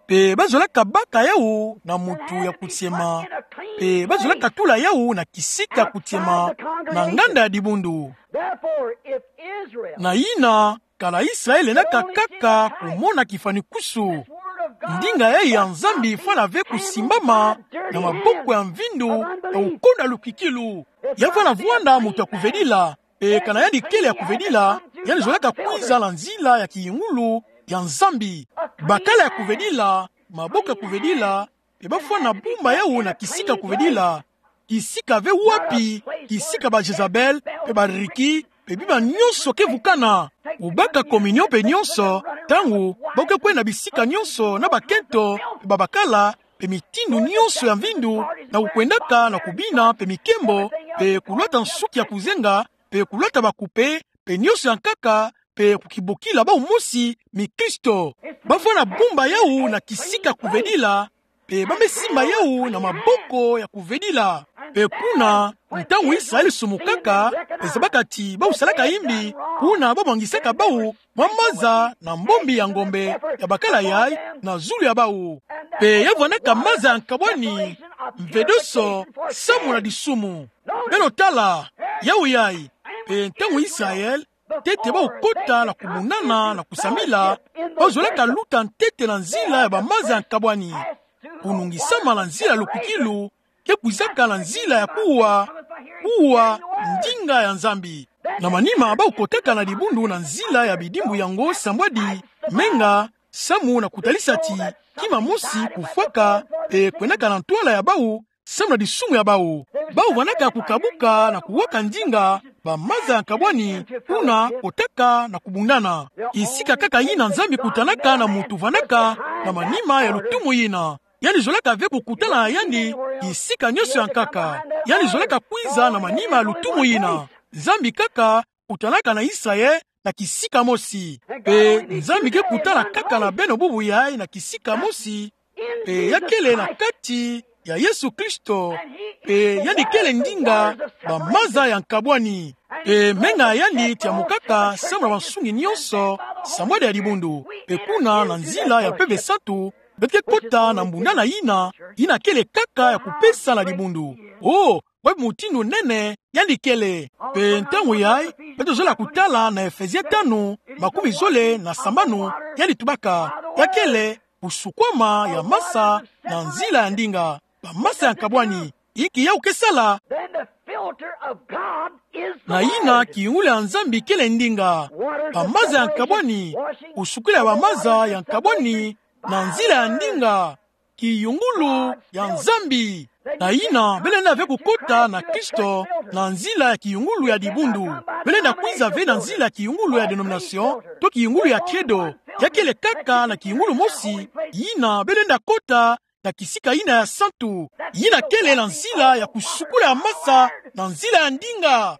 Mpe bazolaka baka yawu na mutu ya kutiema. Mpe bazolaka tula yawu na kisika kutiema, na nganda ya dibundu. Therefore, if Israel Na yina, kana Israel lendaka kaka kumona kifwanukusu, ndinga yayi ya Nzambi fwana ve kusimbama na maboko ya mvindu ya kukonda lukikilu. Ya fwana vwanda mutu ya kuvedila, mpe kana yandi kele ya kuvedila, yandi zolaka kwiza na nzila ya kiyungulu ya Nzambi. Bakala ya kuvedila, maboko ya kuvedila, mpe bafwana bumba yawu na kisika kuvedila. Kisika ve wapi, kisika ba Jezabel, mpe ba Riki, mpe bima nionso ke vukana. Kubaka communion mpe nionso, ntangu ba ke kwenda bisika nionso na bakento, mpe babakala, mpe mitindu nionso ya mvindu, na kukwendaka na kubina, mpe mikembo, mpe kulwata nsuki ya kuzenga, mpe kulwata bakupe, mpe nionso ya nkaka, mpe kukibokila bawu mosi mikristo. Bafwana bumba yawu na kisika kuvedila, mpe ba me simba yawu na maboko ya kuvedila. Mpe kuna, ntangu Israel sumukaka, mpe zabaka ti bawu salaka yimbi, kuna ba mwangisaka bawu mwa maza na mbombi ya ngombe ya bakala yayi na zulu ya bawu. Mpe ya vwandaka maza ya nkabwani, mvedoso, samu na disumu. Beno tala, yawu yayi, mpe ntangu Israel, ntete bawu kota na kubundana na kusambila, bawu zolaka luta ntete na nzila ya bamaza ya nkabwani, kunungisama na nzila ya lukikilu, ke kwizaka na nzila ya kuwa, kuwa ndinga ya Nzambi. Na manima bawu kotaka na dibundu na nzila ya bidimbu yango sambwadi, menga, samu na kutalisa ti kima mosi kufwaka, mpe kwendaka na ntwala ya bawu, samu na disumu ya bawu. Bawu vwandaka kukabuka na kuwaka ndinga bamaza ya nkabwani, kuna kotaka na kubundana. Kisika kaka yina Nzambi kutanaka na mutu vwandaka na manima ya lutumu yina. Yandi zolaka ve kukutana na yandi kisika nionso ya nkaka. Yandi zolaka kwiza na manima ya lutumu yina. Nzambi kaka kutanaka na Israel na kisika mosi. Mpe Nzambi ke kutana kaka na beno bubu yayi na kisika mosi. Mpe ya kele na kati ya Yesu Kristo. Mpe yandi kele ndinga bamaza ya nkabwani. Mpe menga ya yandi tiamukaka samu na bansungi nionso sambwadi ya dibundu. Mpe kuna na nzila ya Mpeve Santu, beto ke kota na mbundana yina, yina kele kaka ya kupesa na dibundu. Oh, wapi mutindu nene yandi kele. Mpe ntangu yayi, beto zola kutala na Efezien tanu, makumi zole na sambanu, yandi tubaka, ya kele kusukwama ya masa na nzila ya ndinga, bamaza ya nkabwani. Inki yawu ke sala? Then the filter of God is the Na yina word. Kiyungulu ya Nzambi kele ndinga. Bamaza ya nkabwani, kusukila bamaza ya nkabwani na nzila ya ndinga, kiyungulu ya Nzambi. Na yina, beno lenda ve kukota na Kristo na nzila ya kiyungulu ya dibundu. Beno lenda kwiza ve na nzila ya kiyungulu ya denomination, to kiyungulu ya credo. Ya kele kaka na kiyungulu mosi, yina beno lenda kota na kisika yina ya santu. Yina kele na nzila ya kusukula ya masa na nzila ya ndinga.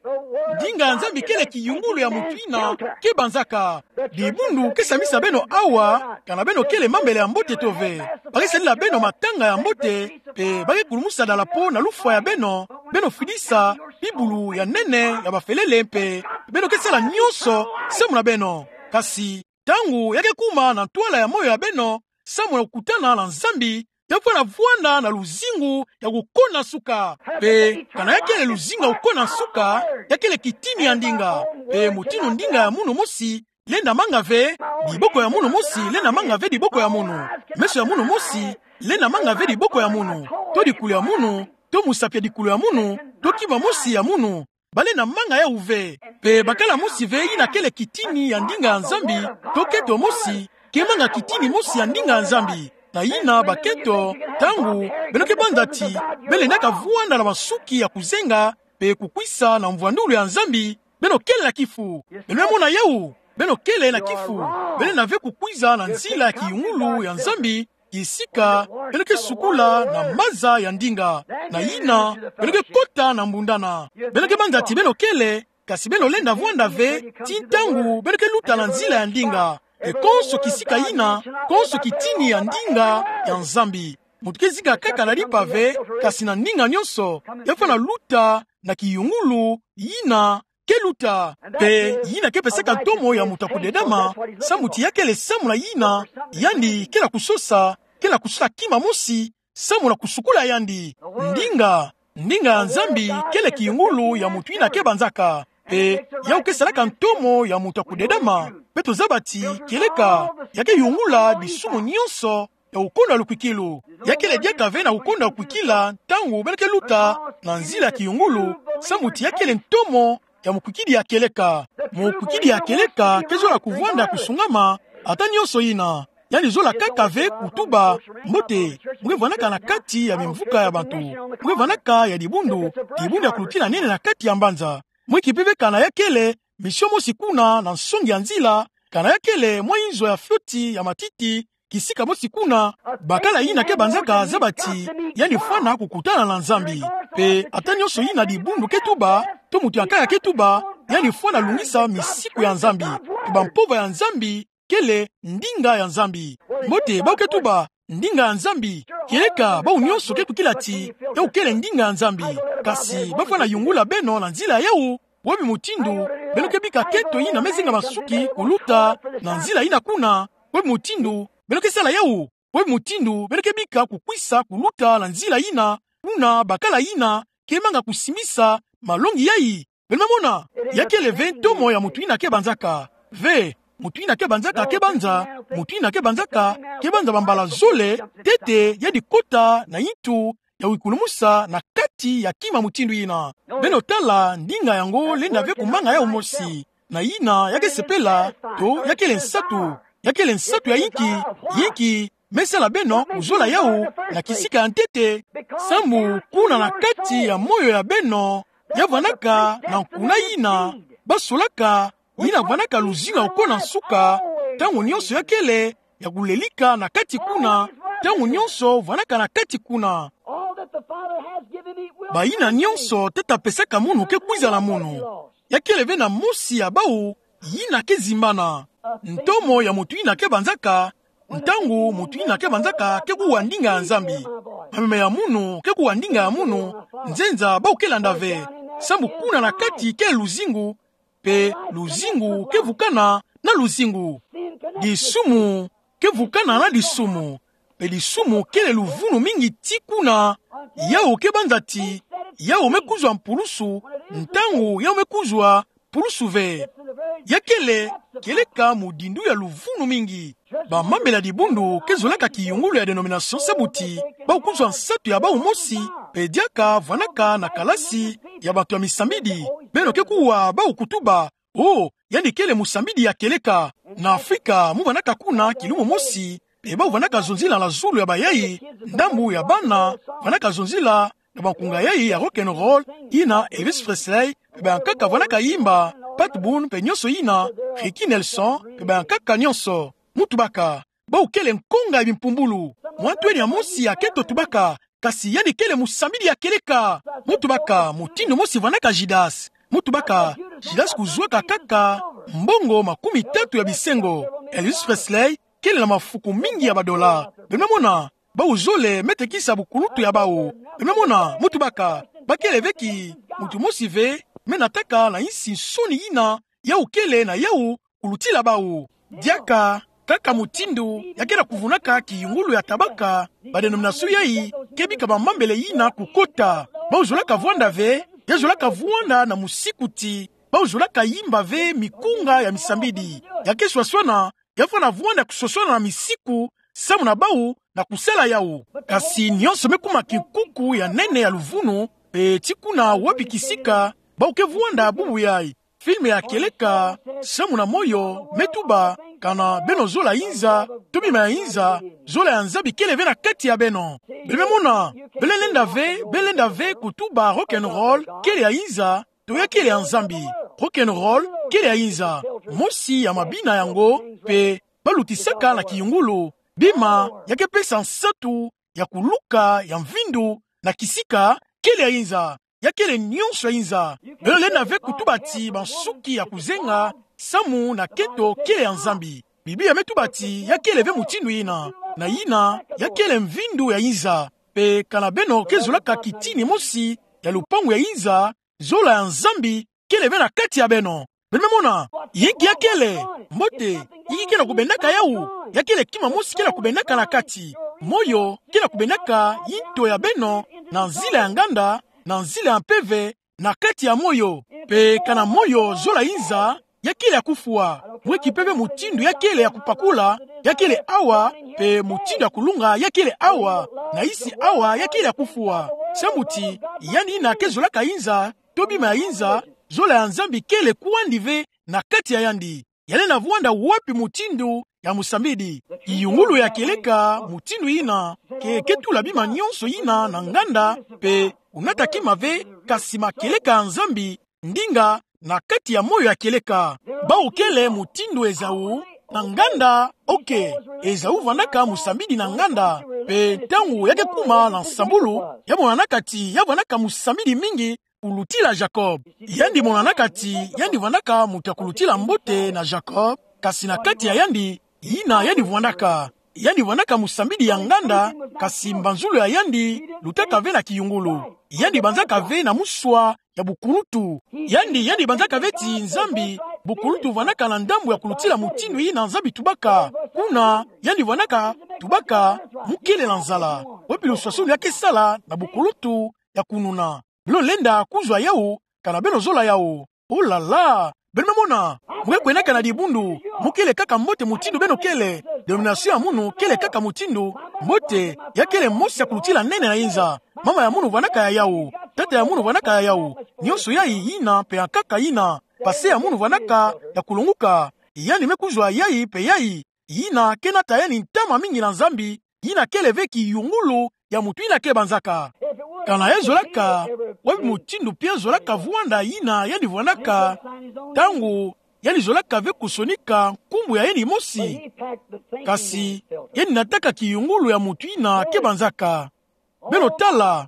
Ndinga ya Nzambi kele kiyungulu ya mutu yina ke banzaka. Dibundu ke samisa beno awa, kana beno kele mambele ya mbote to ve. Ba ke salila beno matanga ya mbote, mpe ba ke kulumusa dalapo na lufwa ya beno, beno fidisa bibulu ya nene ya bafelele mpe beno ke sala nyonso samu na beno. Kasi ntangu ya ke kuma na ntwala ya moyo ya beno, samu na kukutana na Nzambi, ya fwana vwanda na luzingu ya kukona nsuka. Mpe kana ya kele luzingu ya kukona nsuka, ya kele kitini ya ndinga. Mpe mutindu ndinga ya munu mosi lenda manga ve diboko ya munu mosi, lenda manga ve diboko ya munu. Meso ya munu mosi lenda manga ve diboko ya munu, to dikulu ya munu, to musapi ya dikulu ya munu, to kima mosi ya munu. Ba lenda manga yawu ve. Mpe bakala mosi ve yina kele kitini ya ndinga ya Nzambi, to keto mosi ke manga kitini mosi ya ndinga ya Nzambi. Na yina baketo, ntangu beno ke banza ti beno lendaka vwanda na masuki ya kuzenga mpe kukwisa na mvwandulu ya Nzambi, beno kele na kifu. Beno me mona yawu, beno kele na kifu. Beno lenda ve kukwiza na nzila ya kiyungulu ya Nzambi, kisika beno ke sukula na maza ya ndinga. Na yina beno ke kota na mbundana. Beno ke banza ti beno kele, kasi beno lenda vwanda ve ti ntangu beno ke luta na nzila ya ndinga. Mpe konso kisika yina, konso kitini ya ndinga ya Nzambi. Mutu ke zinga kaka na limpa ve, kasi na ndinga nyonso, ya fwana luta na kiyungulu yina ke luta. Mpe yina ke pesaka ntomo ya mutu ya kudedama, samu ti ya kele samu na yina, yandi ke na kusosa, ke na kusosa kima mosi samu na kusukula yandi. Ndinga, ndinga ya Nzambi kele kiyungulu ya mutu yina ke banzaka. Mpe yawu ke salaka ntomo ya mutu ya kudedama. Mpe tozaba ti kieleka ya ke yungula disumu nyonso ya kukondwa lukwikilu. Ya kele diaka ve na kukondwa lukwikila ntangu beno ke luta na nzila ya kiyungulu, samu ti ya kele ntomo ya mukwikidi ya kieleka. Mukwikidi ya kieleka ke zola kuvwanda kusungama ata nyonso yina. Yandi zola kaka ve kutuba: Mbote, mu ke vwandaka na kati ya mimvuka ya bantu, mu ke vwandaka ya dibundu, dibundu ya kulutina nene na kati ya mbanza. Mwinki mpe ve kana ya kele misio mosi kuna na nsongi ya nzila, kana ya kele mwa inzo ya fioti ya matiti kisika mosi kuna, bakala yina ke banzaka zaba ti yandi fwana kukutana na Nzambi. Mpe ata nyonso yina dibundu ke tuba, to mutu ya nkaka ke tuba, yandi fwana lungisa misiku ya Nzambi, mpe bampova ya Nzambi kele ndinga ya Nzambi. Mbote, bawu ke tuba ndinga ya Nzambi, kieleka bawu nyonso ke kwikila ti yawu kele ndinga ya Nzambi. Kasi ba fwana yungula beno na nzila yawu. Wapi mutindu beno ke bika keto yina me zinga masuki kuluta na nzila yina kuna? Wapi mutindu beno ke sala yawu? Wapi mutindu beno ke bika kukwisa kuluta na nzila yina kuna, bakala yina ke manga kusimbisa malongi yayi? Beno me mona, ya kele ve ntomo ya mutu yina ke banzaka. Ve, mutu yina ke banzaka ke banza, mutu yina ke banzaka ke banza bambala zole, ntete yandi kota na yintu ya wikulumusa na kati ya kima mutindu yina. Beno tala, ndinga yango lenda ve kumanga yawu mosi. Na yina ya ke sepela, to ya kele nsatu, ya kele nsatu ya yinki, yinki me sala beno kuzola yawu na kisika ya ntete. Sambu kuna na kati ya moyo ya beno, ya vwandaka na nkuna yina ba solaka, yina vwandaka luzingu ya kukona nsuka, ntangu nyonso ya kele ya kulelika na kati kuna, ntangu nyonso vwandaka na kati kuna. Bayina nyonso Tata pesaka munu ke kwiza na munu. Ya kele ve na mosi ya bawu yina ke zimbana. Ntomo ya mutu yina ke banzaka, ntangu mutu yina ke banzaka ke kuwa ndinga ya Nzambi. Mameme ya munu ke kuwa ndinga ya munu, nzenza bawu ke landa ve. Sambu kuna na kati kele luzingu, mpe luzingu ke vukana na luzingu. Disumu ke vukana na disumu, mpe disumu kele luvunu mingi ti kuna yawu ke banza ti yawu me kuzwa mpulusu, ntangu yawu me kuzwa mpulusu ve. Ya kele, kieleka mudindu ya luvunu mingi. Bamambela dibundu ke zolaka kiyungulu ya dénomination sambu ti bawu kuzwa nsatu ya bawu mosi, mpe diaka vwandaka na kalasi ya bantu ya misambidi. Beno ke kuwa bawu kutuba: Oh, yandi kele musambidi ya kieleka. Na Afrika mu vwandaka kuna kilumbu mosi, mpe bawu vwandaka zonzila na zulu ya bayayi, ndambu ya bana vwandaka zonzila na bankunga yayi ya rock and roll, yina Elvis Presley, mpe bayankaka vwandaka yimba, Pat Boone mpe nyonso yina, Ricky Nelson mpe bayankaka nyonso. Mu tubaka, bau kele nkonga ya bimpumbulu. Mwa ntu eni ya mosi akento tubaka, kasi yandi kele mosambidi ya kieleka. Mu tubaka, mutindu mosi vandaka Judas. Mu tubaka, Judas kuzwaka kaka mbongo makumi tatu ya bisengo. Elvis Presley kele na mafuku mingi ya badola. Beno me mona, bau zole me tekisa bukulutu ya bau. Beno me mona, mu tubaka, bakele ve ki mutu mosi ve me nataka na insi nsoni yina yau kele na yau kulutila bau. Diaka, kaka mutindu ya ke na kuvunaka kiyungulu ya tabaka, ba dénomination yayi ke bika bamambele yina kukota. Bau zolaka vwanda ve, ya zolaka vwanda na musikuti. Bau zolaka yimba ve mikunga ya misambidi. Ya ke swaswana, ya fwana vwanda kuswaswana na misiku, samu na bau na kusala yau. Kasi nionso me kuma kinkuku ya nene ya luvunu, pe ti kuna wapi kisika bau ke vwanda bubu yayi. Film ya kieleka, samu na moyo me tuba, kana beno zola yinza, to bima ya yinza, zola ya Nzambi kele ve na kati ya beno. Beno me mona, beno lenda ve, beno lenda ve kutuba rock and roll kele ya yinza, to ya kele ya Nzambi. Rock and roll kele ya yinza. Mosi ya mabina yango, pe balutisaka na kiyungulu bima ya ke pesa nsatu ya kuluka ya mvindu na kisika kele ya yinza. Ya kele nionso ya yinza. Beno lenda ve kutuba ti bansuki ya kuzenga samu na kento kele ya Nzambi. Biblia me tuba ti ya kele ve mutindu yina, na yina ya kele mvindu ya yinza. Pe kana beno ke zolaka kitini mosi ya lupangu ya yinza, zola ya Nzambi kele ve na kati ya beno. Beno me mona, yinki ya kele, mbote, yinki ke na kubendaka yau, ya kele kima mosi ke na kubendaka na kati. Moyo ke na kubendaka yinto ya beno na nzila ya nganda, na nzila ya mpeve, na kati ya moyo. Pe kana moyo zola yinza, ya kele ya kufwa. Mwe ki mpeve mutindu ya kele ya kupakula, ya kele awa, pe mutindu ya kulunga, ya kele awa, na isi awa, ya kele ya kufwa. Samu ti, yandi yina ke zolaka yinza, to bima ya yinza, zola ya Nzambi kele kwandi ve na kati ya yandi. Ya lenda vwanda wapi mutindu ya musambidi? Kiyungulu ya kieleka, mutindu yina ke, ke tula bima nionso yina na nganda, pe kunata kima ve, kasi makieleka ya Nzambi, ndinga, na kati ya moyo ya kieleka. Bau kele mutindu Ezau, na nganda, oke, Ezau vandaka musambidi na nganda, pe ntangu ya ke kuma na nsambulu, ya monanaka ti ya vandaka musambidi mingi kulutila Jacob. Yandi monanaka ti yandi vandaka mutu ya kulutila mbote na Jacob, kasi na kati ya yandi, yina yandi vwandaka. Yandi vandaka musambidi ya nganda, kasi mbanzulu ya yandi lutaka ve na kiyungulu. Yandi banzaka ve na muswa ya bukulutu. Yandi, yandi banzaka ve ti Nzambi, bukulutu vandaka na ndambu ya kulutila mutindu yina Nzambi tubaka. Kuna, yandi vandaka tubaka mu kele na nzala. Wapi luswaswanu ya ke sala na bukulutu ya kununa? Beno lenda kuzwa yau, kana beno zola yau. Oh là là! Beno me mona, mu ke kwendaka na dibundu, mu kele kaka mbote mutindu beno kele, dénomination ya munu kele kaka mutindu, mbote, ya kele mosi ya kulutila nene na yinza. Mama ya munu vandaka ya yau, tata ya munu vandaka ya yau, nionso yayi yina pe ya nkaka yina, pase ya munu vandaka ya kulonguka, yandi me kuzwa yayi pe yayi, yina ke nata yandi ntama mingi na Nzambi, yina kele ve kiyungulu ya mutu yina ke banzaka. Kana ya zolaka, wapi mutindu pi ya zolaka vwanda yina yandi vwandaka, ntangu yandi zolaka ve kusonika nkumbu ya yandi mosi. Kasi, yandi nataka kiyungulu ya mutu yina ke banzaka. Beno tala,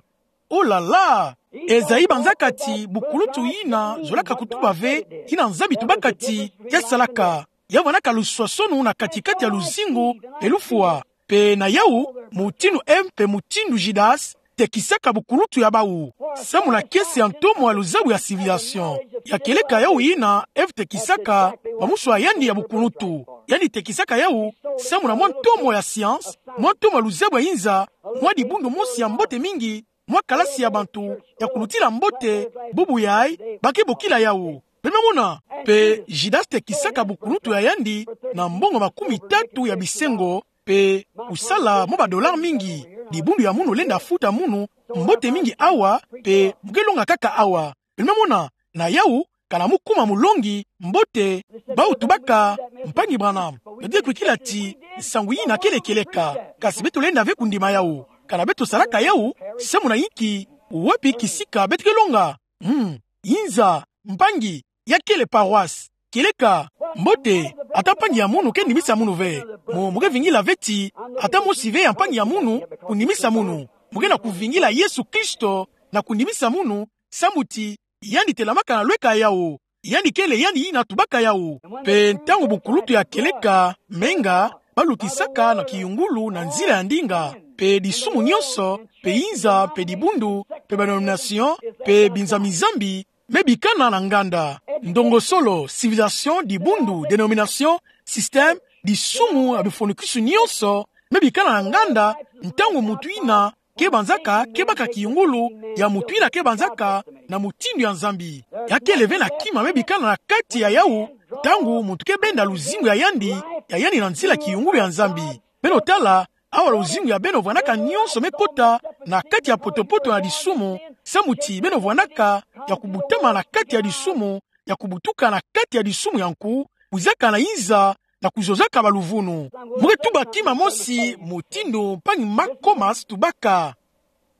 oh là là! Esaïe banzaka ti bukulutu yina zolaka kutuba ve, yina Nzambi tubaka ti ke salaka. Ya vandaka luswaswanu na kati-kati ya luzingu pe lufwa. Pe na yau, mutindu Ève pe mutindu Judas tekisaka bukulutu ya bau. Samu na kiese ya ntomo ya luzabu ya civilisation. Ya kieleka yau yina Ève tekisaka, ba muswa yandi ya bukulutu. Yandi tekisaka yau, samu na mwa ntomo ya science, mwa ntomo ya luzabu ya yinza, mwa dibundu mosi ya mbote mingi, mwa kalasi ya bantu ya kulutila mbote, bubu yayi, ba ke bokila yau. Beno me mona, pe Judas tekisaka bukulutu ya yandi na mbongo makumi tatu ya bisengo, pe kusala mwa ba dollars mingi, dibundu ya munu lenda futa munu mbote mingi awa, pe mu ke longa kaka awa. Beno me mona, na yau, kana mu kuma mulongi, mbote, bau tubaka, mpangi Branham, beto ke kwikila ti nsangu yina kele kieleka, kasi beto lenda ve kundima yau. Kana beto salaka yau, samu na yinki, wapi kisika beto ke longa? Hmm, yinza, mpangi, ya kele paroisse, kieleka. Mbote, ata mpangi ya munu ke ndimisa munu ve. Mo, mo ke vingila ve ti, ata mosi ve ya mpangi ya munu, kunimisa munu. Mo ke na kuvingila Yesu Kristo, na kunimisa munu, samu ti, yandi telamaka na lweka yawu. Yandi kele yandi yina tubaka yawu. Pe ntangu bunkulutu ya kieleka, menga, balutisaka na kiyungulu na nzila ya ndinga. Pe disumu nyonso, pe inza, pe dibundu, pe ba denomination, pe binzambi-nzambi, me bikana na nganda. Ndongosolo, civilisation, dibundu, denomination, système, disumu, ya bifwanikwisu nyonso, me bikana na nganda, ntangu muntu yina, ke banzaka, ke baka kiyungulu, ya muntu yina ke banzaka, na mutindu ya Nzambi. Ya kele ve na kima me bikana na kati ya yawu, ntangu muntu ke benda luzingu ya yandi, ya yandi na nzila kiyungulu ya Nzambi. Beno tala, awa luzingu ya beno vwandaka nyonso me kota, na kati ya poto-poto na disumu, samu ti beno vwandaka, ya kubutama na kati ya disumu, ya kubutuka na kati ya disumu ya nku, kwizaka na inza, na kuzonzaka baluvunu. Mo ke tuba kima mosi mutindu mpangi Mark Comas tubaka.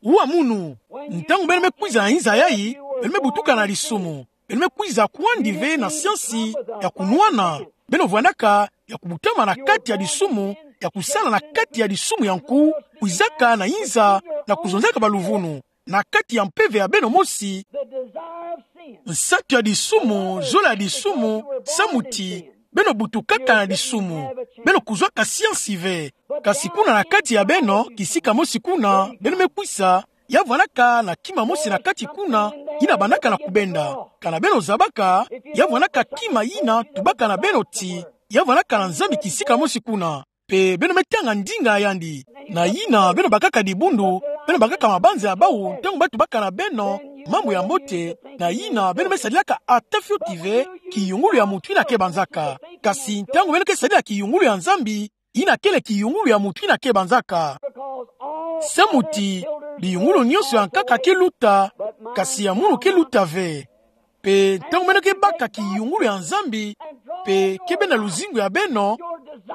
Wa munu, ntangu beno me kwiza na inza yayi, beno me butuka na disumu. Beno me kwiza kwandi ve na siansi ya kunwana. Beno vwandaka ya kubutama na kati ya disumu, ya kusala na kati ya disumu ya nku, kwizaka na inza, na kuzonzaka baluvunu. Na kati ya mpeve ya beno mosi, nsatu ya disumu, zola ya disumu, samu ti, beno butukaka na disumu, beno kuzwaka siansi ve. Kasi kuna na kati ya beno, kisika mosi kuna, beno me kwisa, ya vwandaka na kima mosi na kati kuna, yina bandaka na kubenda. Kana beno zabaka, ya vwandaka kima yina tubaka na beno ti, ya vwandaka na Nzambi kisika mosi kuna. Pe beno me tanga ndinga ya yandi. Na yina beno bakaka dibundu, beno bakaka mabanza ya bawu, ntangu ba tubaka na beno mambu ya mbote, na yina beno me sadilaka ata fioti ve, kiyungulu ya muntu yina ke banzaka. Kasi ntangu beno ke sadila kiyungulu ya Nzambi, yina kele kiyungulu ya muntu yina ke banzaka. Samu ti, biyungulu nyonso ya nkaka ke luta, kasi ya munu ke luta ve. Pe ntangu beno ke baka kiyungulu ya Nzambi, pe ke benda luzingu ya beno,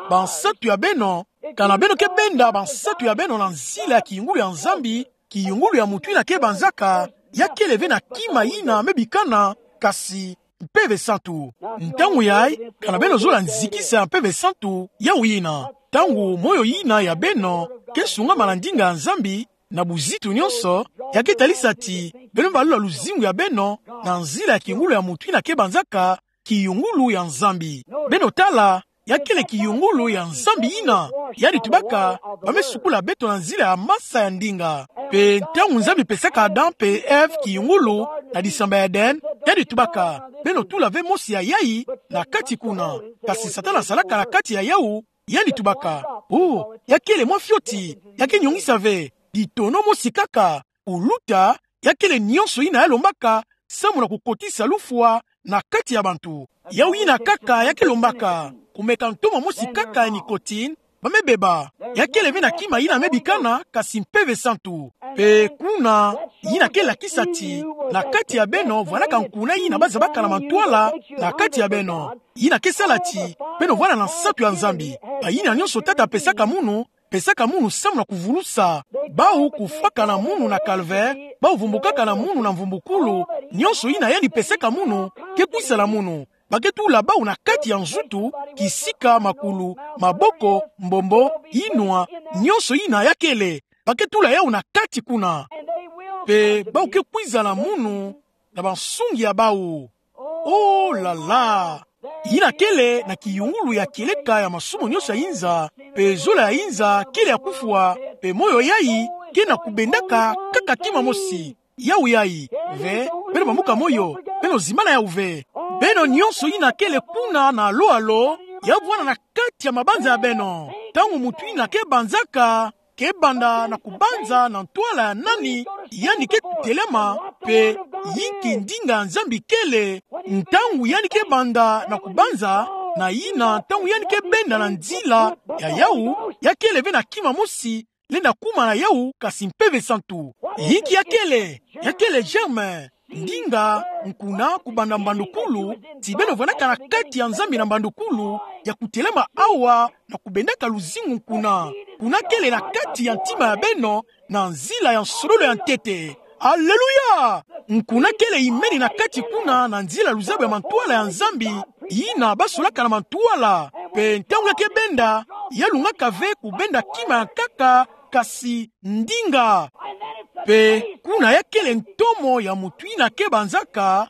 bansatu ya beno, kana beno ke benda bansatu ya beno na nzila ya kiyungulu ya Nzambi, kiyungulu ya muntu yina ke banzaka, ya kele ve na kima yina me bikana, kasi, Mpeve Santu. Ntangu yayi, kana beno zola nzikisa ya Mpeve Santu, yawu yina. Ntangu moyo yina ya beno, ke sungama na ndinga ya Nzambi, na buzitu nyonso, ya ke talisa ti, beno me balula luzingu ya beno, na nzila ya kiyungulu ya muntu yina ke banzaka, kiyungulu ya Nzambi. Beno tala, ya kele kiyungulu ya Nzambi yina, yandi tubaka, ba me sukula beto na nzila ya masa ya ndinga. Pe ntangu Nzambi pesaka Adam pe Ève kiyungulu, na disamba ya Eden, yandi tubaka, beno tula ve mosi ya yayi, na kati kuna. Kasi Satana salaka na kati ya yawu, yandi tubaka. Oh, ya kele mwa fioti, ya ke nyongisa ve, ditono mosi kaka, kuluta, ya kele nyonso yina ya lombaka, samu na kukotisa lufwa, na kati ya bantu. Yawu yina kaka ya ke lombaka, kumeka ntomo mosi kaka ya nicotine, ba me beba. Ya kele ve na kima yina me bikana, kasi Mpeve Santu. Pe kuna, yina ke lakisa ti, na kati ya beno, vwandaka nkuna yina ba zabaka na mantwala, na kati ya beno. Yina ke sala ti, beno vwanda na nsatu ya Nzambi. Bayina nyonso Tata apesaka munu, pesaka munu samu na kuvulusa. Bawu kufwaka na munu na calvaire, bawu vumbukaka na munu na mvumbukulu, nyonso yina yandi pesaka munu, ke kwisa na munu. Ba ke tula bawu na kati ya nzutu, kisika, makulu, maboko, mbombo, yinwa, nyonso yina ya kele. Ba ke tula yawu na kati kuna. Pe bawu ke kwiza na munu, na bansungi ya bawu. Oh là là! Yina kele na kiyungulu ya kieleka ya masumu nyonso ya inza, pe zola ya inza kele ya kufwa, pe moyo yayi ke na kubendaka kaka kima mosi. Yawu yayi, ve, beno bamuka moyo, beno zimbana yawu ve. Beno nyonso yina kele kuna na alo-alo, ya vwanda na kati ya mabanza ya beno. Ntangu muntu yina ke banzaka, ke banda na kubanza na ntwala ya nani yandi ke telema, pe yinki ndinga ya Nzambi kele. Ntangu yandi ke banda na kubanza, na yina ntangu yandi ke benda na nzila ya yawu, ya kele ve na kima mosi, lenda kuma na yawu, kasi Mpeve Santu. Yinki ya kele, ya kele germe, ndinga, nkuna, kubanda mbandukulu, ti beno vwandaka na kati ya Nzambi na mbandukulu, ya kutelema awa, na kubendaka luzingu nkuna. Kuna kele na kati ya ntima ya beno, na nzila ya nsololo ya ntete. Alléluia! Nkuna kele imeni na kati kuna, na nzila luzaba ya mantwala ya Nzambi, yina basolaka na mantwala. Pe ntangu ya ke benda, ya lungaka ve kubenda kima ya nkaka, kasi ndinga. Pe kuna ya kele ntomo ya mutu yina ke banzaka,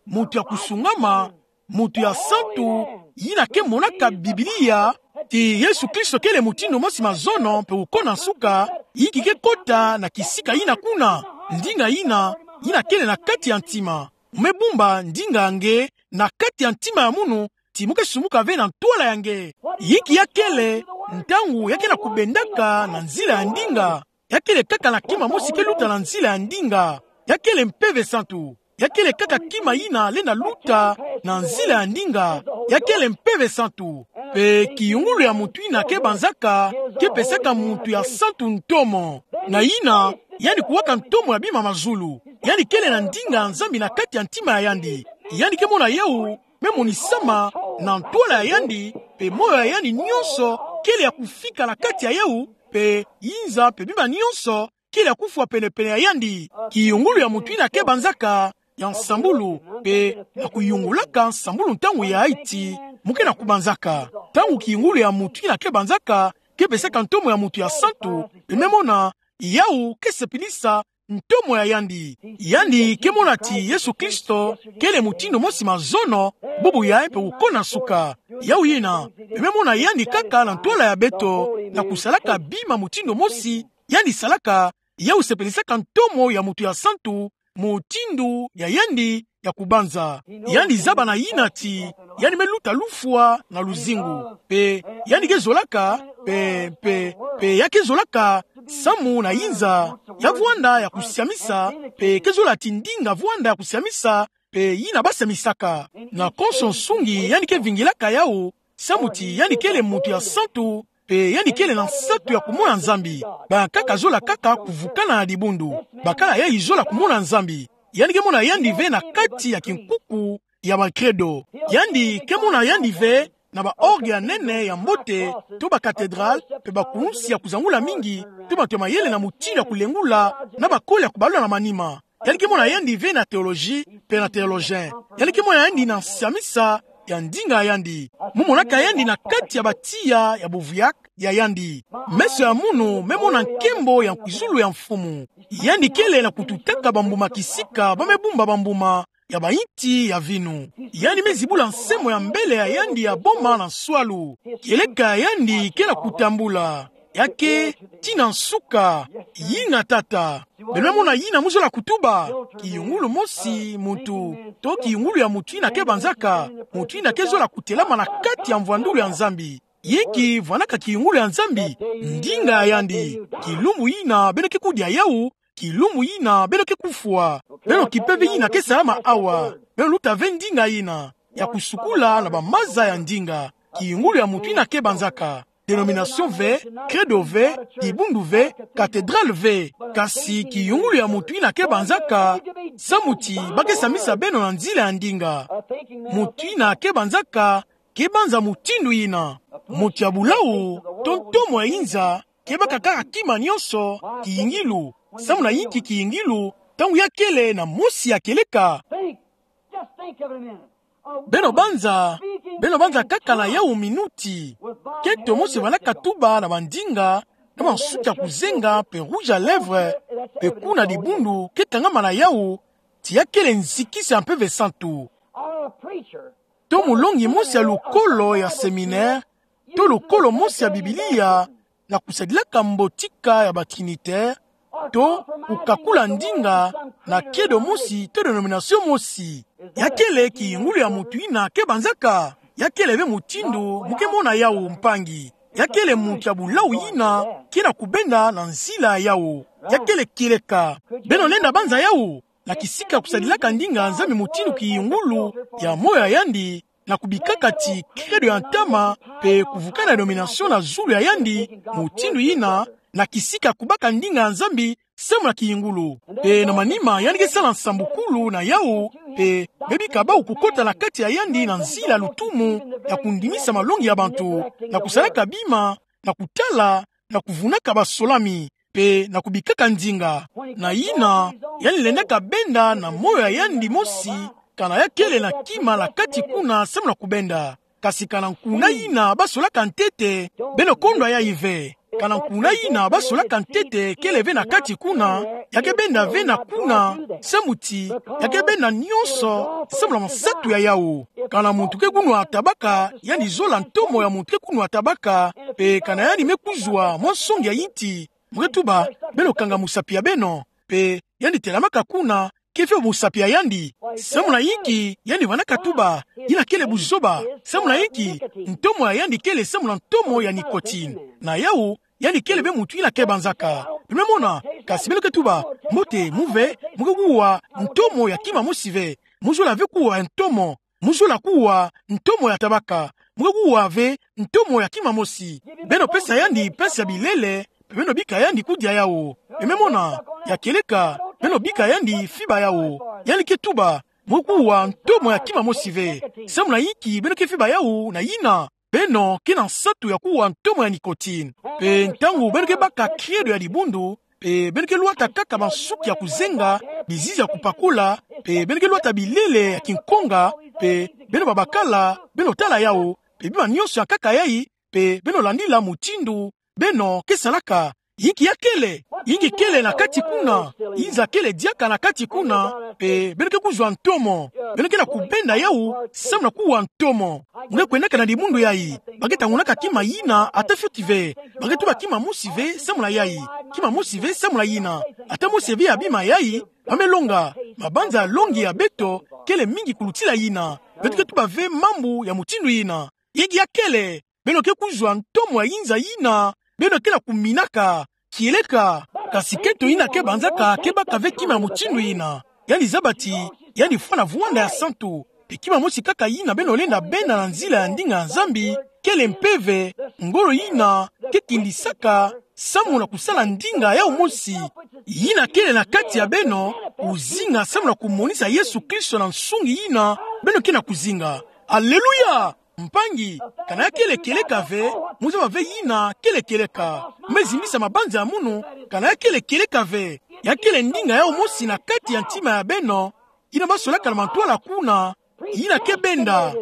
mutu ya kusungama, mutu ya santu, yina ke monaka Biblia, ti Yesu Kristo kele mutindu mosi mazono pe uko na nsuka, yinki ke kota na kisika yina kuna, ndinga yina, yina kele na kati ya ntima. Mu me bumba ndinga ya nge na kati ya ntima ya munu, ti mu ke sumuka ve na ntwala ya nge. Yinki ya kele, ntangu ya ke na kubendaka na nzila ya ndinga, ya kele kaka na kima mosi ke luta na nzila ya ndinga. Ya kele Mpeve Santu. Ya kele kaka kima yina lenda luta na nzila ya ndinga. Ya kele Mpeve Santu. Pe kiyungulu ya mutu yina ke banzaka, ke pesaka mutu ya santu ntomo. Na yina, yandi kuwaka ntomo ya bima mazulu. Yandi kele na ndinga ya Nzambi na kati ya ntima ya yandi. Yandi ke mona yawu me monisama na ntwala ya yandi, pe moyo ya yandi nyonso kele ya kufika na kati ya yawu, pe yinza pe bima nyonso kele ya kufwa pene-pene ya yandi. Kiyungulu ya mutu yina ke banzaka ya nsambulu, pe na kuyungulaka nsambulu ntangu ya Haïti, mu ke na kubanzaka. Ntangu kiyungulu ya mutu yina ke banzaka ke pesaka ntomo ya mutu ya santu, pe me mona yawu ke sepelisa ntomo ya yandi. Yandi ke mona ti Yesu Kristo kele mutindu mosi mazono, bubu yayi pe uko na nsuka. Yawu yina, pe me mona yandi kaka na ntwala ya beto, na kusalaka bima mutindu mosi yandi salaka, yawu sepelisaka ntomo ya mutu ya santu, mutindu ya yandi ya kubanza. Yandi zaba na yina ti yandi me luta lufwa na luzingu. Pe yandi ke zolaka, pe, pe, pe ya ke zolaka samu na yinza ya vwanda ya kusiamisa, pe ke zola ti ndinga vwanda ya kusiamisa, pe yina ba siamisaka. Na konso nsungi yandi ke vingilaka yawu, samu ti yandi kele mutu ya santu, pe yandi kele na nsatu ya kumona Nzambi. Bankaka zola kaka kuvukana na dibundu. Bakala yayi zola kumona Nzambi. Yandi ke mona yandi ve na kati ya kinkuku ya ba credo. Yandi ke mona yandi ve na ba orgue ya nene ya mbote, to ba cathédrale, pe ba kulunsi ya kuzangula mingi, to bato ya mayele na mutindu ya kulengula, na bakole ya kubalula na manima. Yandi ke mona yandi ve na théologie, pe na théologien. Yandi ke mona yandi na nsiamisa ya ndinga ya yandi. Mu monaka yandi na kati ya batiya ya boviak ya yandi. Meso ya munu me mona nkembo ya nkwizulu ya Mfumu. Yandi kele na kututaka bambuma kisika ba me bumba bambuma ya bayinti ya vinu. Yandi me zibula nsemo ya mbele ya yandi ya boma na nswalu. Kieleka ya yandi ke na kutambula. Ya ke tii na nsuka. Yina, Tata. Beno me mona yina mu zola kutuba. Kiyungulu mosi mutu, to kiyungulu ya mutu yina ke banzaka, mutu yina ke zola kutelama na kati ya mvwandulu ya Nzambi. Yinki vwanaka kiyungulu ya Nzambi? Ndinga ya yandi. Kilumbu yina beno ke kudia yawu, kilumbu yina beno ke kufwa. Beno kipe ve yina ke salama awa. Beno luta ve ndinga yina ya kusukula na bamaza ya ndinga. Kiyungulu ya mutu yina ke banzaka. Dénomination ve, credo ve, dibundu ve, cathédrale ve. Kasi kiyungulu ya mutu yina ke banzaka, samu ti ba ke siamisa beno na nzila ya ndinga. Mutu yina ke banzaka ke banza mutindu yina. Mutu ya bulawu, to ntomo ya yinza, ke baka kaka kima nyonso, kiyingilu. Samu na yinki kiyingilu? Ntangu ya kele na mosi ya kieleka. Think. Just think of it a minute. Beno banza, beno banza kaka na yawu minuti. Keto mosi vwanaka tuba na bandinga, na bansuki ya kuzenga, pe rouge à lèvres, pe kuna dibundu ke kangama na yawu, ti ya kele nzikisa ya Mpeve Santu. Or a preacher. To mulongi mosi ya lukolo ya séminaire, to lukolo mosi ya Biblia, na kusadilaka mbotika ya ba Trinitaire, to kukakula ndinga na credo mosi to dénomination mosi. Ya kele kiyungulu ya mutu yina ke banzaka. Ya kele ve mutindu mu ke mona yawu, mpangi. Ya kele mutu ya bulawu yina ke na kubenda na nzila yawu. Ya kele kieleka. Beno lenda banza yawu na kisika kusadilaka ndinga ya Nzambi mutindu kiyungulu ya moyo ya yandi, na kubikaka ti credo ya ntama, pe kuvukana dénomination na zulu ya yandi, mutindu yina, na kisika kubaka ndinga ya Nzambi samu na kiyungulu. Pe na manima yandi ke sala nsambukulu na yawu, pe bebika bawu kukota na kati ya yandi na nzila lutumu, na kundimisa malongi ya bantu, na kusalaka bima, na kutala, na kuvunaka basolami, pe na kubikaka ndinga. Na yina, yandi lendaka benda na moyo ya yandi mosi, kana ya kele na kima na kati kuna samu na kubenda. Kasi kana nkuna yina basolaka ntete, beno kondwa yayi ve. Kana nkuna yina basolaka ntete kele ve na kati kuna, ya ke benda ve na kuna, samu ti, ya ke benda nyonso samu na mansatu ya yawu. Kana muntu ke kunwa tabaka, yandi zola ntomo ya muntu ke kunwa tabaka, pe kana yandi me kuzwa mwa nsongi ya inti, mu ke tuba, beno kanga musapi ya beno, pe yandi telamaka kuna, ke fio musapi ya yandi. Samu na inki yandi vandaka tuba, yina kele buzoba. Samu na inki, ntomo ya yandi kele samu na ntomo ya nicotine. Na yawu, yandi kele ve muntu yina ke banzaka. Beno me mona, kasi beno ke tuba, mbote, mu ve, mu ke kuwa ntomo ya kima mosi ve. Mu zola ve kuwa ntomo. Mu zola kuwa ntomo ya tabaka. Mu ke kuwa ve ntomo ya kima mosi. Beno pesa yandi mpasi ya bilele, pe beno bika yandi kudia yawu. Beno me mona, ya kieleka, beno bika yandi fiba yawu. Yandi ke tuba, mu ke kuwa ntomo ya kima mosi ve. Samu na inki beno ke fiba yawu na yina, beno ke na nsatu ya kuwa ntomo ya nicotine. Pe ntangu beno ke baka credo ya dibundu, pe beno ke lwata kaka bansuki ya kuzenga, bizizi ya kupakula, pe beno ke lwata bilele ya kinkonga, pe beno babakala, beno tala yawu, pe bima nyonso ya nkaka yayi, pe beno landila mutindu beno ke salaka. Inki ya kele, inki kele na kati kuna, inza kele diaka na kati kuna, pe beno ke kuzwa ntomo. Beno ke na kubenda yawu samu na kuwa ntomo. Mu ke kwendaka na dibundu yayi, ba ke tangunaka kima yina ata fioti ve. Ba ke tuba kima mosi ve samu na yayi, kima mosi ve samu na yina. Ata mosi ve ya bima yayi, ba me longa. Mabanza ya longi ya beto kele mingi kulutila yina. Beto ke tuba ve mambu ya mutindu yina. Inki ya kele, beno ke kuzwa ntomo ya inza yina beno ke na kuminaka. Kieleka, kasi kento yina ke banzaka ke baka ve kima mutindu yina. Yandi zaba ti yandi fwana vwanda ya santu. Pe kima mosi kaka yina beno lenda benda na nzila ya ndinga ya Nzambi, kele mpeve, ngolo yina ke kindisaka samu na kusala ndinga yawu mosi yina kele na kati ya beno, kuzinga samu na kumonisa Yesu Kristo na nsungi yina beno ke na kuzinga. Aleluya! Mpangi, kana ya kele kieleka ve, mu zaba ve yina kele kieleka. Mu me zimbisa mabanza ya munu, kana ya kele kieleka ve. Ya kele ndinga yawu mosi na kati ya ntima ya beno, yina basolaka na mantwala kuna, yina ke benda.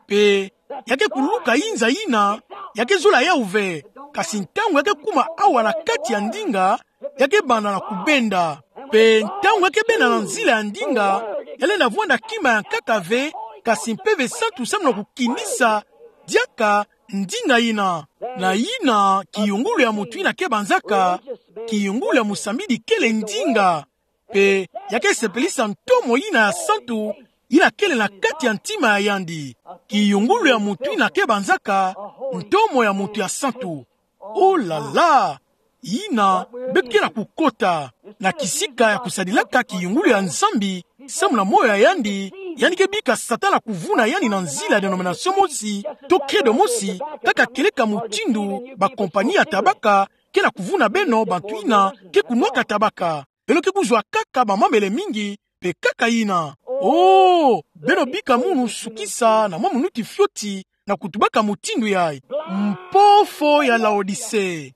Pe ya ke kuluka inza yina, ya ke zola yawu ve. Kasi ntangu ya ke kuma awa na kati ya ndinga, ya ke banda na kubenda. Pe ntangu ya ke benda na nzila ya ndinga, ya lenda vwanda kima ya nkaka ve, kasi Mpeve Santu samu na kukindisa diaka ndinga yina. Na yina, kiyungulu ya mutu yina ke banzaka, kiyungulu ya musambidi kele ndinga. Pe ya ke sepelisa ntomo yina ya santu, yina kele na kati ya ntima ya yandi. Kiyungulu ya mutu yina ke banzaka ntomo ya mutu ya santu. Oh là là! Yina, beto ke na kukota na kisika ya kusadilaka kiyungulu ya Nzambi samu na moyo ya yandi, yandi ke bika Satana kuvuna yandi na nzila ya denomination mosi, to credo mosi, kaka kieleka mutindu ba compagnie ya tabaka ke na kuvuna beno bantu yina ke kunwaka tabaka. Beno ke kuzwa kaka bamamele mingi, pe kaka yina. Oh, beno bika munu sukisa na mwa minuti fioti na kutubaka mutindu yayi. Mpofo ya Laodicee.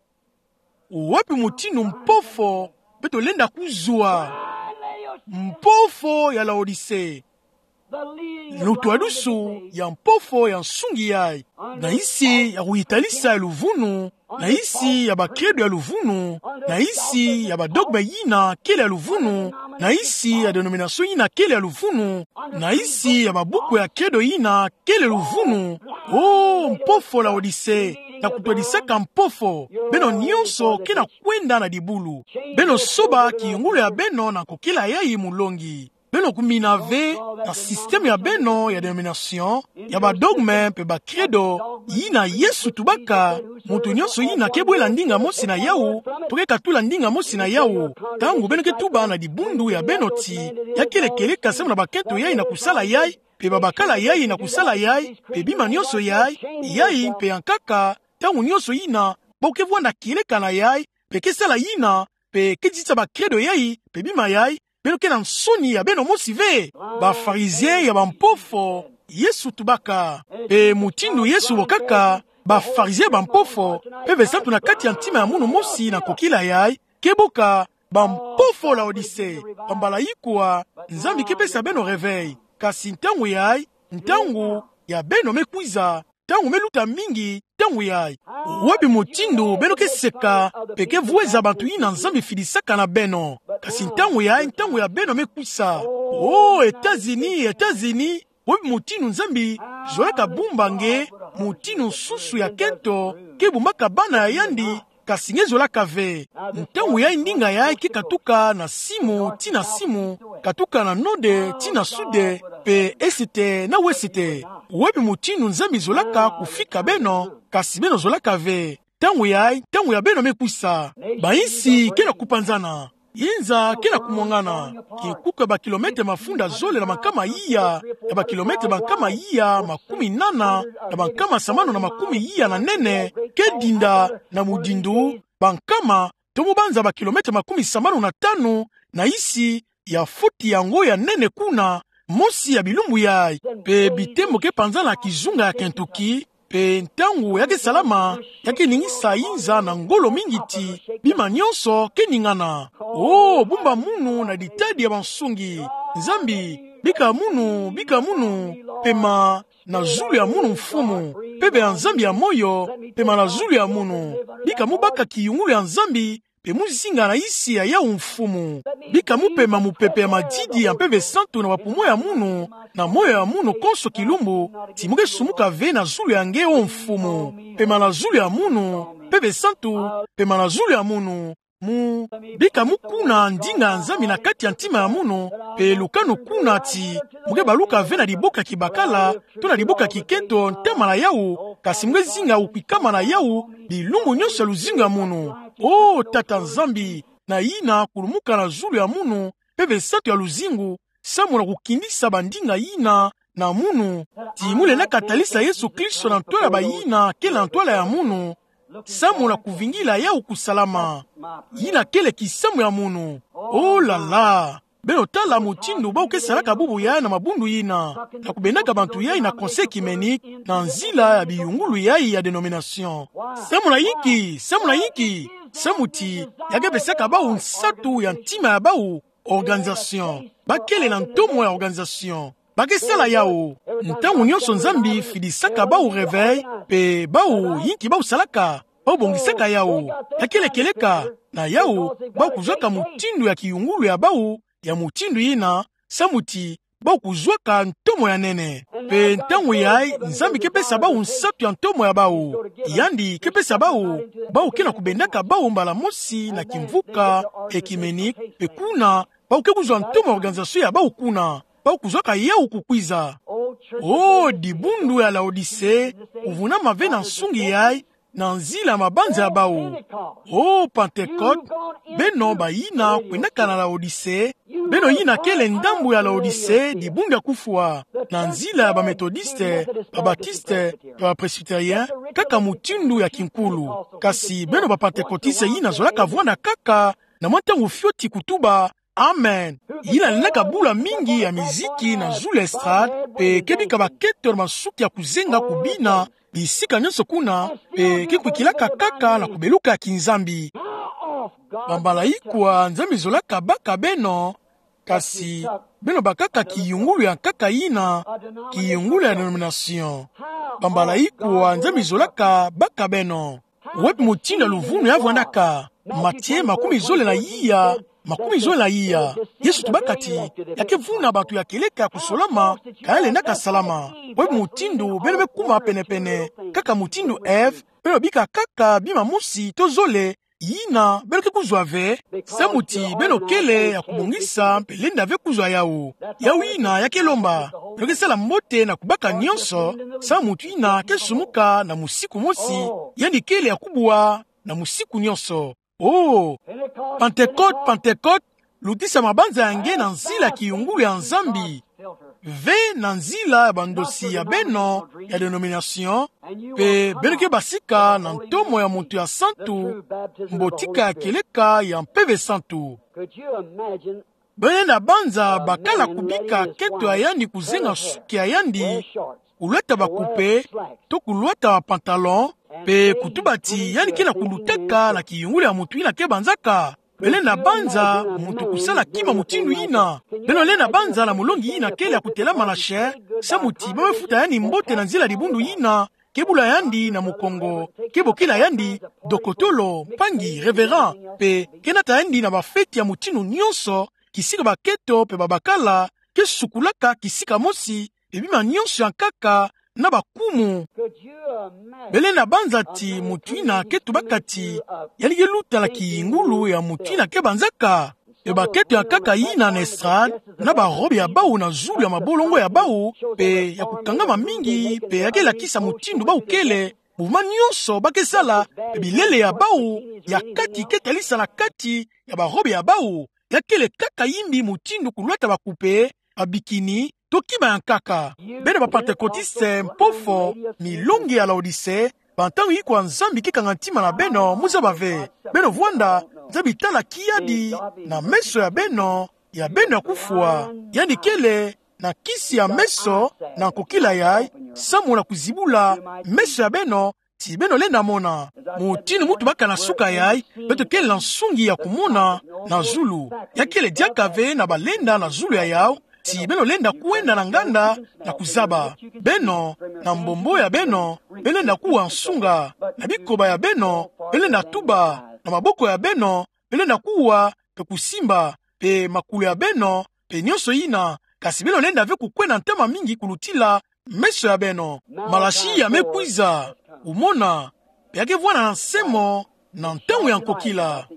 Wapi mutindu mpofo beto lenda kuzwa? Mpofo ya Laodicee. Lutwadusu ya mpofo ya nsungi yayi. Na isi ya kuyitalisa ya luvunu, na isi ya ba credo ya luvunu, na isi ya ba dogme yina kele ya luvunu, na isi ya denomination yina kele ya luvunu, na isi ya babuku ya credo yina kele luvunu. Oh, mpofo Laodicee, na kutwadisaka mpofo, beno nyonso ke na kwenda na dibulu. Beno soba kiyungulu ya beno na kokela yayi mulongi. Beno kumina ve na système ya beno ya denomination, ya ba dogme mpe ba credo, yina Yesu tubaka, mutu nyonso yina ke bwela ndinga mosi na yawu, to ke katula ndinga mosi na yawu. Ntangu beno ke tuba na dibundu ya beno ti, ya kele kieleka samu na bakento yayi na kusala yayi, mpe babakala yayi na kusala yayi, mpe bima nyonso yayi, yayi mpe ya nkaka, ntangu nyonso yina, bo ke vwanda kieleka na yayi, mpe ke sala yina, mpe ke dita ba credo yayi, mpe bima yayi, beno ke na nsoni ya beno mosi ve? Ba pharisien ya bampofo, Yesu tubaka. Mpe mutindu Yesu bokaka, ba pharisien ya bampofo, Mpeve Santu na kati ya ntima ya munu mosi na kokila yayi, ke boka, bampofo Laodicee, bambala ikwa, Nzambi ke pesa beno réveil. Kasi ntangu yai, ntangu ya beno me kwiza, ntangu me luta mingi, ntangu yai. Wapi mutindu beno ke seka, pe ke vweza bantu yina Nzambi fidisaka na beno. Kasi ntangu yai, ntangu ya beno me kwisa. Oh, États-Unis, États-Unis, wapi mutindu Nzambi zolaka bumba nge, mutindu nsusu ya kento, ke bumbaka bana ya yandi, kasi nge zolaka ve. Ntangu yai ndinga yai ke katuka na simu, tii na simu, katuka na node, tii na sude, pe esite, na wesite. Wapi mutindu Nzambi zolaka kufika beno, kasi beno zolaka ve. Ntangu yai, ntangu ya beno me kwisa. Bayinsi ke na kupanzana. Inza ke na kumwangana. Kinkuku ya bakilometre mafunda zole na bankama iya, ya bakilometre bankama iya makumi nana, na bankama sambanu na makumi iya na nene, ke dinda na mudindu, bankama, tomo banza bakilometre makumi sambanu na tanu, na isi, ya foti yango ya nene kuna, mosi ya bilumbu yai, pe bitemo ke panzana kizunga ya Kentucky, pe ntangu ya ke salama, ya ke ningisa inza na ngolo mingi ti, bima nyonso ke ningana. Oh, bumba munu na ditadi ya bansungi. Nzambi, bika munu, bika munu, pema na zulu ya munu mfumu, mpeve ya Nzambi ya moyo, pema na zulu ya munu. Bika mu baka kiyungulu ya Nzambi, pe mu zinga na isi ya yawu mfumu. Bika mu pema mupepe ya madidi ya Mpeve Santu na bapumo ya munu, na moyo ya munu konso kilumbu, ti mu ke sumuka ve na zulu ya nge o mfumu. Pema na zulu ya munu, Mpeve Santu, pema na zulu ya munu, mu, bika mu kuna ndinga ya Nzambi na kati ya ntima ya munu, pe lukanu kuna ti, mu ke baluka ve na liboka kibakala, to na liboka kikento ntama na yawu, kasi mu ke zinga kukwikama na yawu, bilumbu nyonso ya luzingu ya munu. Oh, Tata Nzambi, na yina kulumuka na zulu ya munu, Mpeve Santu ya luzingu, samu na kukindisa bandinga yina na munu, ti mu lenda katalisa Yesu Kristo na ntwala ya bayina kele na ntwala ya munu, samu na kuvingila yawu kusalama. Yina kele kisamu ya munu. Oh là là! Beno tala mutindu bawu ke salaka bubu yai na mabundu yina, na kubendaka bantu yai na conseil œcuménique, na nzila ya biyungulu yai ya dénomination. Samu na yinki, samu na yinki, samu ti, ya ke pesaka bawu nsatu ya ntima ya bawu, organisation. Ba kele na ntomo ya organisation. Ba ke sala yawu. Ntangu nyonso Nzambi fidisaka bawu réveil, pe bawu yinki bawu salaka, bawu bongisaka yawu. Ya kele kieleka, na yawu, bawu kuzwaka mutindu ya kiyungulu ya bawu, ya mutindu yina, samu ti, bawu kuzwaka ntomo ya nene. Pe ntangu yai, Nzambi ke pesa bawu nsatu ya ntomo ya bawu. Yandi ke pesa bawu, bawu ke na kubendaka bawu mbala mosi na kimvuka, œcuménique, pe kuna, bawu ke kuzwa ntomo ya organisation ya bawu kuna. Bawu kuzwaka yawu kukwiza. Oh, dibundu ya Laodicée, kuvunama ve na nsungi yai, na nzila ya mabanza ya bawu. Oh, Pentecôte, beno bayina kwendaka na Laodicée, beno yina kele ndambu ya Laodicée, dibundu ya kufwa, na nzila ya ba Méthodiste, ba Baptiste, ba Presbytérien, kaka mutindu ya kinkulu. Kasi beno ba Pentecôtiste yina zolaka vwanda kaka, na mwa ntangu fioti kutuba, Amen. Yina lendaka bula mingi ya miziki na zulu ya estrade, pe ke bika bakento na masuki ya kuzenga kubina, bisika nyonso kuna, pe ke kwikilaka kaka na kubeluka ya kinzambi. Bambala ikwa Nzambi zolaka baka beno, kasi beno bakaka kiyungulu ya nkaka yina, kiyungulu ya dénomination. Bambala ikwa Nzambi zolaka baka beno. Wapi mutindu ya luvunu ya vwandaka? Matie makumi zole na iya, makumi zole na iya. Yesu tubaka ti, ya ke vuna bantu ya kieleka ya kusolama, ka ya lendaka salama. Wapi mutindu beno me kuma penepene, kaka mutindu Ève, beno bika kaka bima mosi to zole, yina beno ke kuzwa ve, samu ti beno kele ya kubongisa mpe lenda ve kuzwa yawu. Yawu yina ya ke lomba, beno ke sala mbote na kubaka nyonso, samu mutu yina ke sumuka na musiku mosi, yandi kele ya kubwa na musiku nyonso. Oh, Pentecôte, Pentecôte, lutisa mabanza ya nge na nzila kiyungulu ya Nzambi. Ve na nzila ya bandosi ya beno ya dénomination, pe beno ke basika na ntomo ya moto ya santu, mbotika ya kieleka ya Mpeve Santu. Beno lenda banza bakala kubika kento ya yandi kuzenga suki ya yandi, kulwata bakupe, to kulwata bapantalon, pe kutuba ti yandi ke na kulutaka na kiyungulu ya moto yina ke banzaka. Belenda banza moto kusala kima mutindu yina. Beno lenda banza na molongi yina kele ya kutelama na share, samu ti beno futa yandi mbote na nzila dibundu yina, ke bula yandi na mukongo, ke bokila yandi dokotolo, mpangi, révérend, pe ke nata yandi na bafeti ya mutindu nyonso, kisika bakento pe babakala ke sukulaka kisika mosi, pe bima nyonso ya nkaka na bakumu. Belenda banza ti moto yina ke tubaka ti yandi ke luta na kiyungulu ya moto yina ke banzaka. Pe bakento ya nkaka yina na estrade, na barobe ya bau na zulu ya mabolongo ya bau, pe ya kukangama mingi, pe ya ke lakisa mutindu bau kele, mouvement nyonso ba ke sala, pe bilele ya bau ya kati ke talisa na kati ya barobe ya bau. Ya kele kaka yimbi mutindu kulwata bakupe, babikini, to kima ya nkaka. Beno ba Pentecôtistes mpofo, milongi ya Laodicée, bantangu yikwa Nzambi ke kanga ntima na beno, muzaba ve. Beno vwanda, Nzambi tala kiadi na meso ya beno, ya beno ya kufwa. Yandi kele na kisi ya meso, na nkokila yayi, samu na kuzibula meso ya beno, ti beno lenda mona. Mutindu mu tubaka na suka yayi, beto kele na nsungi ya kumona na zulu. Ya kele diaka ve na balenda na zulu ya yau, ti beno lenda kwenda na nganda na kuzaba. Beno, na mbombo ya beno, beno lenda kuwa nsunga, na bikoba ya beno, beno lenda tuba, na maboko ya beno, beno lenda kuwa, pe kusimba, pe makulu ya beno, pe nyonso yina, kasi beno lenda ve kukwenda ntama mingi kulutila meso ya beno. Malasi ya me kwiza, omona, pe ya ke vwanda na nsemo, na ntangu ya nkokila.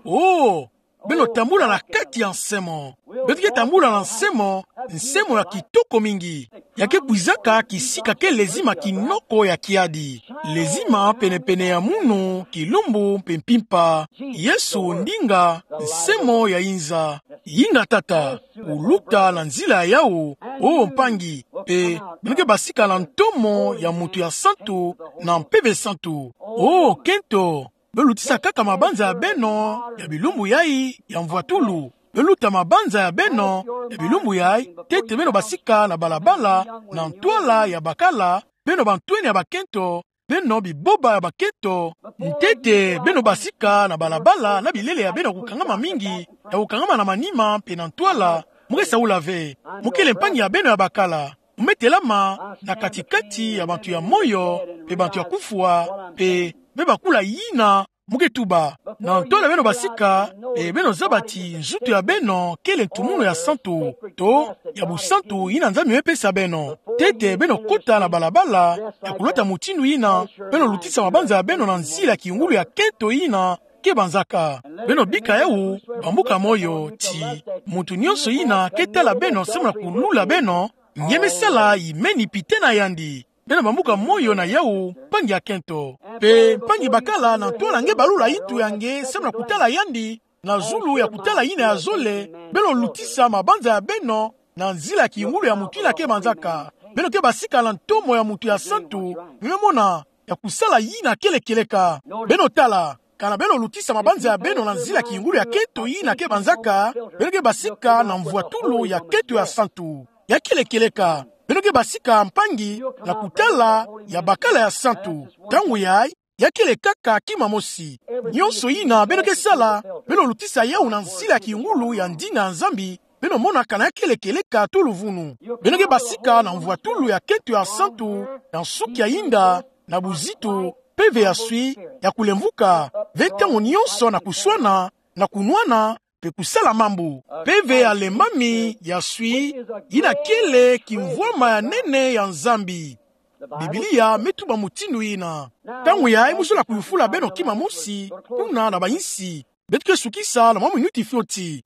Oh, beno tambula na kati ya nsemo. Beto ke tambula na nsemo, nsemo ya kitoko mingi. Ya ke kwizaka kisika ke lezima kinoko ya kiadi. Lezima pene-pene ya munu, kilumbu, mpe mpimpa. Yesu ndinga, nsemo ya inza. Yinga tata, kuluta na nzila ya yau, o mpangi, pe beno ke basika na ntomo ya mutu ya santu, na Mpeve Santu. O kento, beno lutisa kaka mabanza ya beno ya bilumbu yayi ya mvwatulu. Beno luta mabanza ya beno ya bilumbu yayi, ntete beno basika na balabala, na ntwala ya bakala, beno bantwenia ya bakento, beno biboba ya bakento, ntete beno basika na balabala na bilele ya beno ya kukangama mingi, ya kukangama na manima mpe na ntwala, mu ke saula ve. Mu kele mpangi ya beno ya bakala. Mu me telama na kati-kati ya bantu ya moyo mpe bantu ya kufwa, mpe me bakula yina mu ke tuba. Na ntwala beno basika, e beno zaba ti nzutu ya beno kele ntumunu ya santu, to ya busantu yina Nzambi me pesa beno. Ntete beno kota na balabala ya kulwata mutindu yina, beno lutisa mabanza ya beno na nzila ya kiyungulu ya kento yina ke banzaka. Beno bika yau, bambuka moyo ti mutu nyonso yina ke tala beno samu na kulula beno, nge me sala imeni pite na yandi. Beno bambuka moyo na yau, mpangi ya kento. Mpe mpangi bakala na ntwala nge balula itu ya nge samu na kutala yandi, na zulu ya kutala yina ya zole, beno lutisa mabanza ya beno na nzila ya kiyungulu ya mutu yina ke banzaka. Beno ke basika na ntomo ya mutu ya santu, beno me mona ya kusala yina kele kieleka. Beno tala, kana beno lutisa mabanza ya beno na nzila ya kiyungulu ya kento yina ke banzaka, beno ke basika na mvwatulu ya kento ya santu. Ya kele kieleka, beno ke basika mpangi na kutala ya bakala ya santu. Ntangu yayi, ya kele kaka kima mosi. Nyonso yina beno ke sala, beno lutisa yau na nzila ya kiyungulu ya ndinga ya Nzambi, beno mona kana ya kele kieleka to luvunu. Beno ke basika na mvwatulu ya kento ya santu, na nsuki ya inda, na buzitu, mpeve ya swi, ya kulemvuka, ve ntangu nyonso na kuswana, na kunwana, mpe kusala mambu. Mpeve ya lembami ya swi, yina kele kimvwama ya nene ya Nzambi. Biblia me tuba mutindu yina. Ntangu yayi mu zola kuyufula beno kima mosi, kuna na bayinsi. Beto ke sukisa na mwa minuti fioti.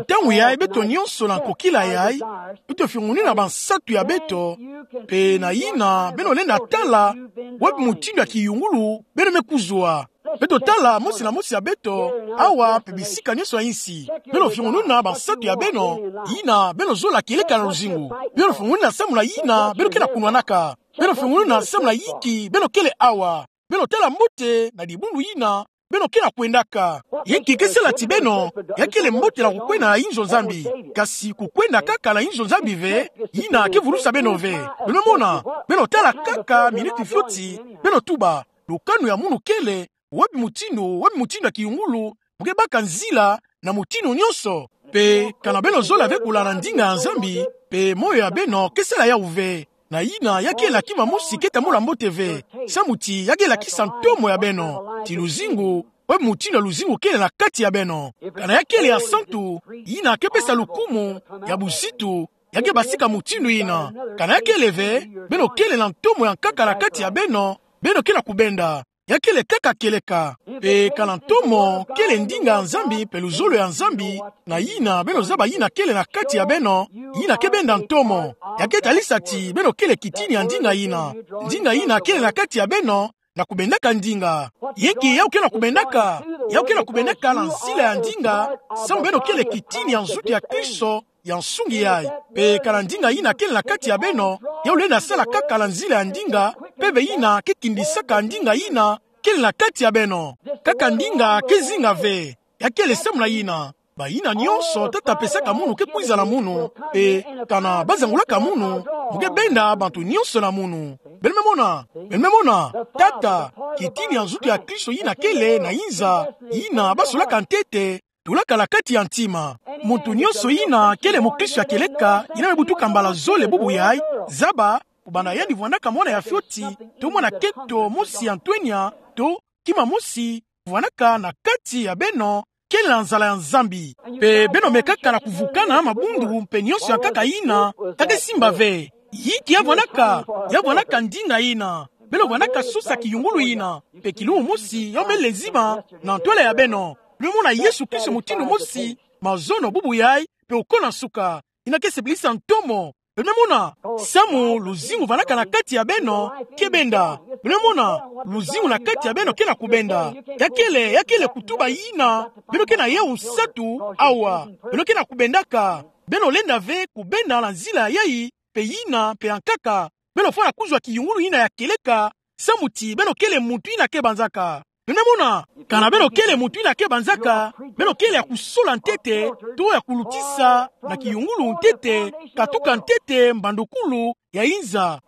Ntangu yayi beto nyonso na nkokila yayi, beto fiongonina bansatu ya beto, mpe na yina beno lenda tala wapi mutindu ya kiyungulu beno me kuzwa. Beto tala mosi na mosi ya beto, awa mpe bisika nyonso ya insi. Beno fiongonina bansatu ya beno, yina beno zola kieleka na luzingu. Beno fiongonina samu na yina beno ke na kunwanaka. Beno fiongonina samu na yinki beno kele awa. Beno tala mbote na dibundu yina beno ke na kwendaka. Yinki ke sala ti beno, ya kele mbote na kukwenda na inzo Nzambi. Kasi kukwenda kaka na inzo Nzambi ve, yina ke vulusa beno ve. Beno mona, beno tala kaka minuti fioti, beno tuba, lukanu ya munu kele, wapi mutindu, wapi mutindu ya kiyungulu Mo ke baka nzila na mutindu nyonso. Pe kana beno zola ve kulana ndinga ya Nzambi, pe moyo ya beno ke sala yawu ve. Na yina, ya kele na kima mosi ke tambula mbote ve. Samu ti ya ke lakisa ntomo ya beno. Ti luzingu, obi mutindu ya luzingu kele na kati ya beno. Kana ya kele ya santu, yina ke pesa lukumu, ya buzitu, ya ke basika mutindu yina. Kana ya kele ve, beno kele na ntomo ya nkaka na kati ya beno, beno ke na kubenda. Ya kele kaka kieleka. Pe kana ntomo kele ndinga ya Nzambi, pe luzolo ya Nzambi, na yina, beno zaba yina kele na kati ya beno, yina ke benda ntomo. Ya ke talisa ti beno kele kitini ya ndinga yina. Ndinga yina kele na kati ya beno, na kubendaka ndinga. Yinki yawu ke na kubendaka? Yawu ke na kubendaka na nzila ya ndinga, samu beno kele kitini ya nzutu ya Kristo, ya nsungi yayi. Pe kana ndinga yina kele na kati ya beno, yawu lenda sala kaka na nzila ya ndinga, mpeve yina ke kindisaka ndinga yina kele na kati ya beno. Kaka ndinga ke zinga ve. Ya kele samu na yina, bayina nyonso Tata apesaka munu ke kwiza na munu, pe kana bazangulaka munu, mo ke benda bantu nyonso na munu. Beno me mona, beno me mona, Tata, kitini ya nzutu ya Kristo yina kele na yinza, yina basolaka ntete, tulaka na kati ya ntima. Muntu nyonso yina kele mukristo ya kieleka, yina me butuka mbala zole bubu yayi, zaba, kubanda yandi vwandaka mwana ya fioti, to mwana keto mosi ya ntwenya, to kima mosi, vwandaka na kati ya beno, kele na nzala ya Nzambi. Pe beno mekaka na kuvukana mabundu mpe nyonso ya nkaka yina, ka ke simba ve. Yinki ya vwandaka? Ya vwandaka ndinga yina. Beno vwandaka sosa kiyungulu yina, mpe kilumbu mosi, yawu me lezima na ntwala ya beno. Beno mona Yesu Kristo mutindu mosi, mazono, bubu yayi, mpe oko na nsuka. Yina ke sepelisa ntomo. Beno me mona, samu luzingu vwandaka na kati ya beno, ke benda. Beno me mona, luzingu na kati ya beno ke na kubenda. Ya kele, ya kele kutuba yina, beno ke na yawu nsatu awa. Beno ke na kubendaka. Beno lenda ve kubenda na nzila yayi, mpe yina, mpe ya nkaka. Beno fwana kuzwa kiyungulu yina ya kieleka, samu ti beno kele muntu yina ke banzaka. Beno me mona, kana beno kele muntu yina ke banzaka, beno kele ya kusola ntete, to ya kulutisa na kiyungulu ntete, katuka ntete mbandukulu ya yinza.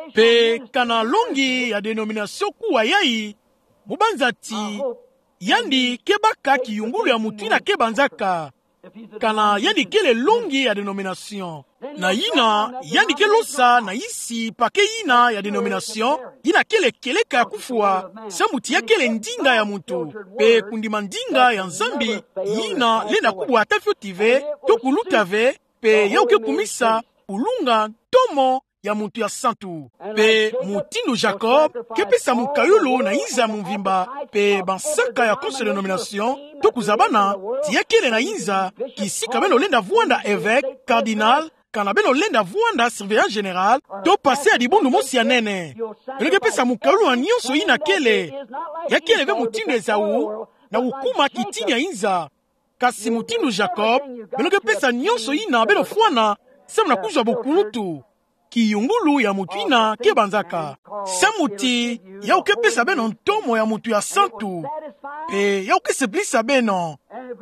Mpe kana longi ya denomination kuwa yayi, mo banza ti yandi ke baka kiyungulu ya muntu yina ke banzaka. Kana yandi kele longi ya denomination, na yina, yandi ke losa na yisi paquet yina ya denomination, yina kele kieleka ya kufwa, samu ti ya kele ndinga ya muntu. Mpe kundima ndinga ya Nzambi, yina lenda kubwa ata fioti ve, to kuluta ve, mpe yawu ke kumisa kulunga ntomo ya muntu ya santu. Mpe mutindu Jacob ke pesa mukayulu na yinza ya mvimba, mpe bansaka ya conseil de denomination, to kuzabana ti ya kele na yinza, kisika beno lenda vwanda évêque, cardinal, kana beno lenda vwanda surveillant général, to pasteur ya dibundu mosi ya nene. Beno ke pesa mukayulu na nyonso yina kele. Ya kele ve mutindu Esaü, na kukuma kitini ya yinza. Kasi mutindu Jacob, beno ke pesa nyonso yina beno fwana, samu na kuzwa bokulutu. Kiyungulu ya muntu yina ke banzaka. Samu ti, yawu ke pesa beno ntomo ya muntu ya santu. Mpe yawu ke sepelisa beno.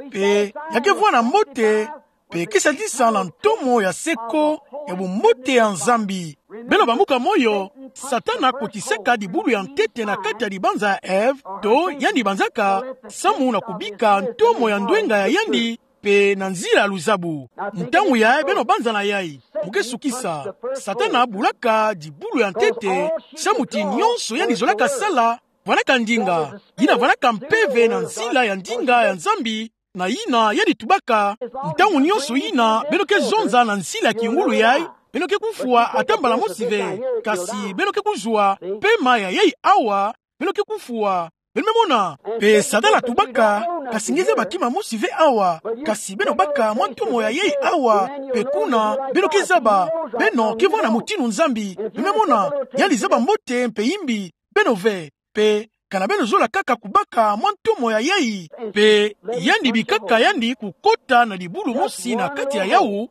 Mpe ya ke vwanda mbote, mpe ke sadisa na ntomo ya seko, ya bumbote ya Nzambi. Beno bambuka moyo, Satana akotisaka dibulu ya ntete na kati ya dibanza ya Ève, to yandi banzaka, samu na kubika ntomo ya ndwenga ya yandi, mpe na nzila ya luzabu. Ntangu yayi beno banza na yayi, mo ke sukisa. Satana abulaka dibulu ya ntete, samu ti nyonso yandi zolaka sala, vwandaka ndinga, yina vwandaka mpeve na nzila ya ndinga ya Nzambi, na yina yandi tubaka, ntangu nyonso yina beno ke zonza na nzila ya kiyungulu yayi, beno ke kufwa ata mbala mosi ve, kasi beno ke kuzwa pema ya yayi awa, beno ke kufwa. Beno me mona, mpe Satana atubaka, kasi nge zaba kima mosi ve awa, kasi beno baka mwa ntomo ya yayi awa, mpe kuna, beno ke zaba, beno ke vwanda mutindu Nzambi, beno me mona, yandi zaba mbote mpe yimbi, beno ve, mpe kana beno zola kaka kubaka mwa ntomo ya yayi, mpe yandi bikaka yandi kukota na dibulu mosi na kati ya yawu,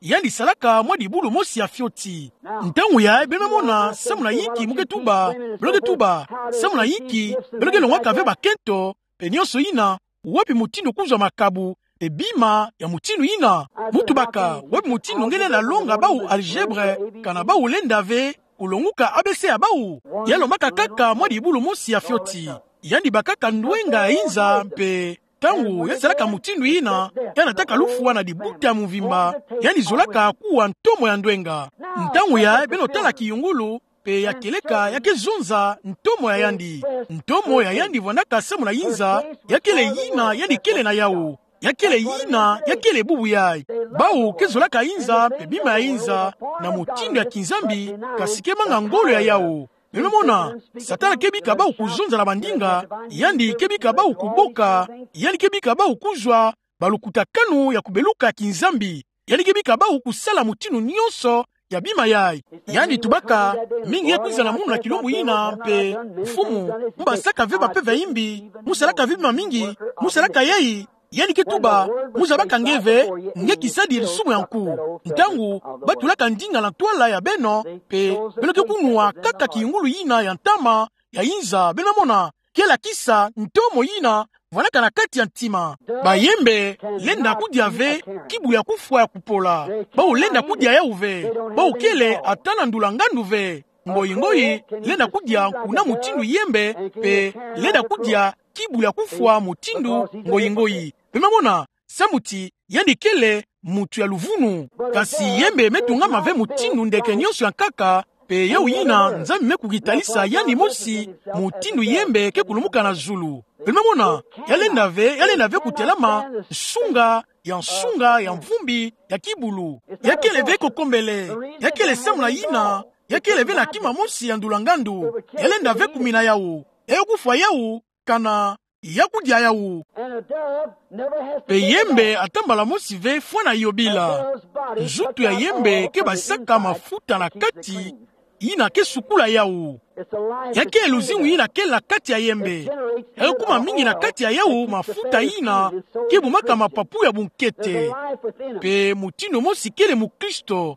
yandi salaka mwa dibulu mosi ya fioti. Ntangu yayi beno me mona, samu na yinki mo ke tuba, beno ke tuba, samu na yinki beno ke longwaka ve bakento, mpe nyonso yina, wapi mutindu kuzwa makabu, mpe bima ya mutindu yina, mo tubaka, wapi mutindu nge lenda longa bawu algèbre, kana bawu lenda ve kulonguka A B C ya bawu, ya lombaka kaka mwa dibulu mosi ya fioti. yandi bakaka ndwenga ya inza, mpe ntangu ya zalaka mutindu yina, ya nataka lufwa na libuta ya mvimba, yandi zolaka kuwa ntomo ya ndwenga. Ntangu yayi beno tala kiyungulu, mpe ya kieleka ya ke zonza ntomo ya yandi. Ntomo ya yandi vwandaka samu na inza, ya kele yina yandi kele na yawu. Ya kele yina, ya kele bubu yayi. Bawu ke zolaka inza, mpe bima ya inza, na mutindu ya kinzambi, kasi ke manga ngolo ya yawu. Beno mona, Satana ke bika bawu kuzonza na bandinga, yandi ke bika bawu kuboka, yandi ke bika bawu kuzwa balukutakanu ya kubeluka kinzambi. Yandi ke bika bawu kusala mutindu nyonso ya bima yayi. Yandi tubaka, mingi ye kwiza na munu na kilumbu yina, mpe: Mfumu, mu basaka ve bapeve ya imbi, mu salaka ve bima mingi, mu salaka yayi. Yandi ke tuba: Mu zabaka nge ve, nge kisadidi lisumu ya nku. Ntangu batulaka ndinga na ntwala ya beno, mpe beno ke kunwa kaka kiyungulu yina ya ntama, ya inza, beno mona, ke lakisa ntomo yina vwandaka na kati ya ntima. Bayembe lenda kudia ve kibulu ya kufwa ya kupola. Bawu lenda kudia yawu ve. Bawu kele ata na ndula ngandu ve. Ngoyi-ngoyi lenda kudia nkuna mutindu yembe, mpe lenda kudia kibulu ya kufwa mutindu ngoyi-ngoyi. Beno mona, samu ti yandi kele muntu ya luvunu. Kasi yembe me tungama ve mutindu ndeke nyonso ya nkaka, mpe yawu yina Nzambi me kukitalisa yandi mosi, mutindu yembe ke kulumuka na zulu. Beno mona, ya lenda ve, ya lenda ve kutelama nsunga ya nsunga ya mvumbi ya kibulu. Ya kele ve kokombele, ya kele samu na yina, ya kele ve na kima mosi ya ndula ngandu. Ya lenda ve kumina yawu. Ya kufwa yawu, kana ya kudia yawu. Mpe yembe ata mbala mosi ve fwana yobila. Nzutu ya yembe ke basaka mafuta na kati, yina ke sukula yawu. Ya kele luzingu yina kele na kati ya yembe. Ya kuma mingi na kati ya yawu mafuta yina ke bumaka mapapu ya bunkete. Mpe mutindu mosi kele mukristo.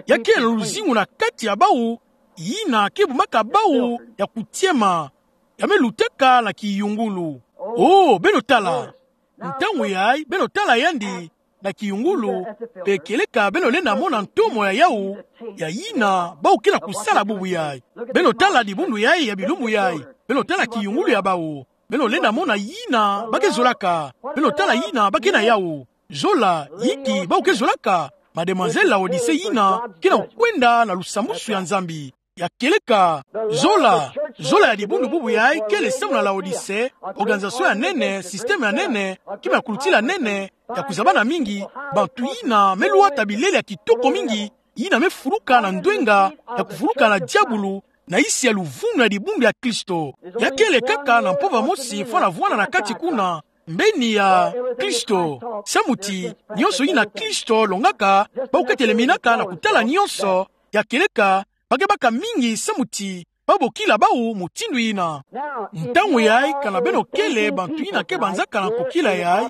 Ya kele luzingu na kati ya bawu, yina ke bumaka bawu ya kutiema. Ya me lutaka na kiyungulu. Oh, beno tala. Ntangu yayi, beno tala yandi na kiyungulu, mpe kieleka beno lenda mona ntomo ya yawu, ya yina bawu ke na kusala bubu yayi. Beno tala dibundu yayi ya bilumbu yayi. Beno tala kiyungulu ya bawu. Beno lenda mona yina ba ke zolaka. Beno tala yina ba ke na yawu. Zola, inki bawu ke zolaka? Mademoiselle Laodicée yina ke na kukwenda na lusambwasu ya Nzambi. Ya kieleka, zola, zola ya dibundu bubu yayi kele samu na Laodicée, organisation ya nene, système ya nene, kima ya kulutila nene, ya kuzabana mingi, bantu yina me lwata bilele ya kitoko mingi, yina me fuluka na ndwenga, ya kufuluka na diabulu, na yisi ya luvunu ya dibundu ya Kristo. Ya kele kaka na mpova mosi fwana vwanda na kati kuna, mbeni ya Kristo. Samu ti, nyonso yina Kristo longaka, bawu ke teleminaka na kutala nyonso, ya kieleka, ba ke baka mingi samu ti ba bokila bawu mutindu yina. Ntangu yayi, kana beno kele bantu yina ke banzaka na kokila yayi,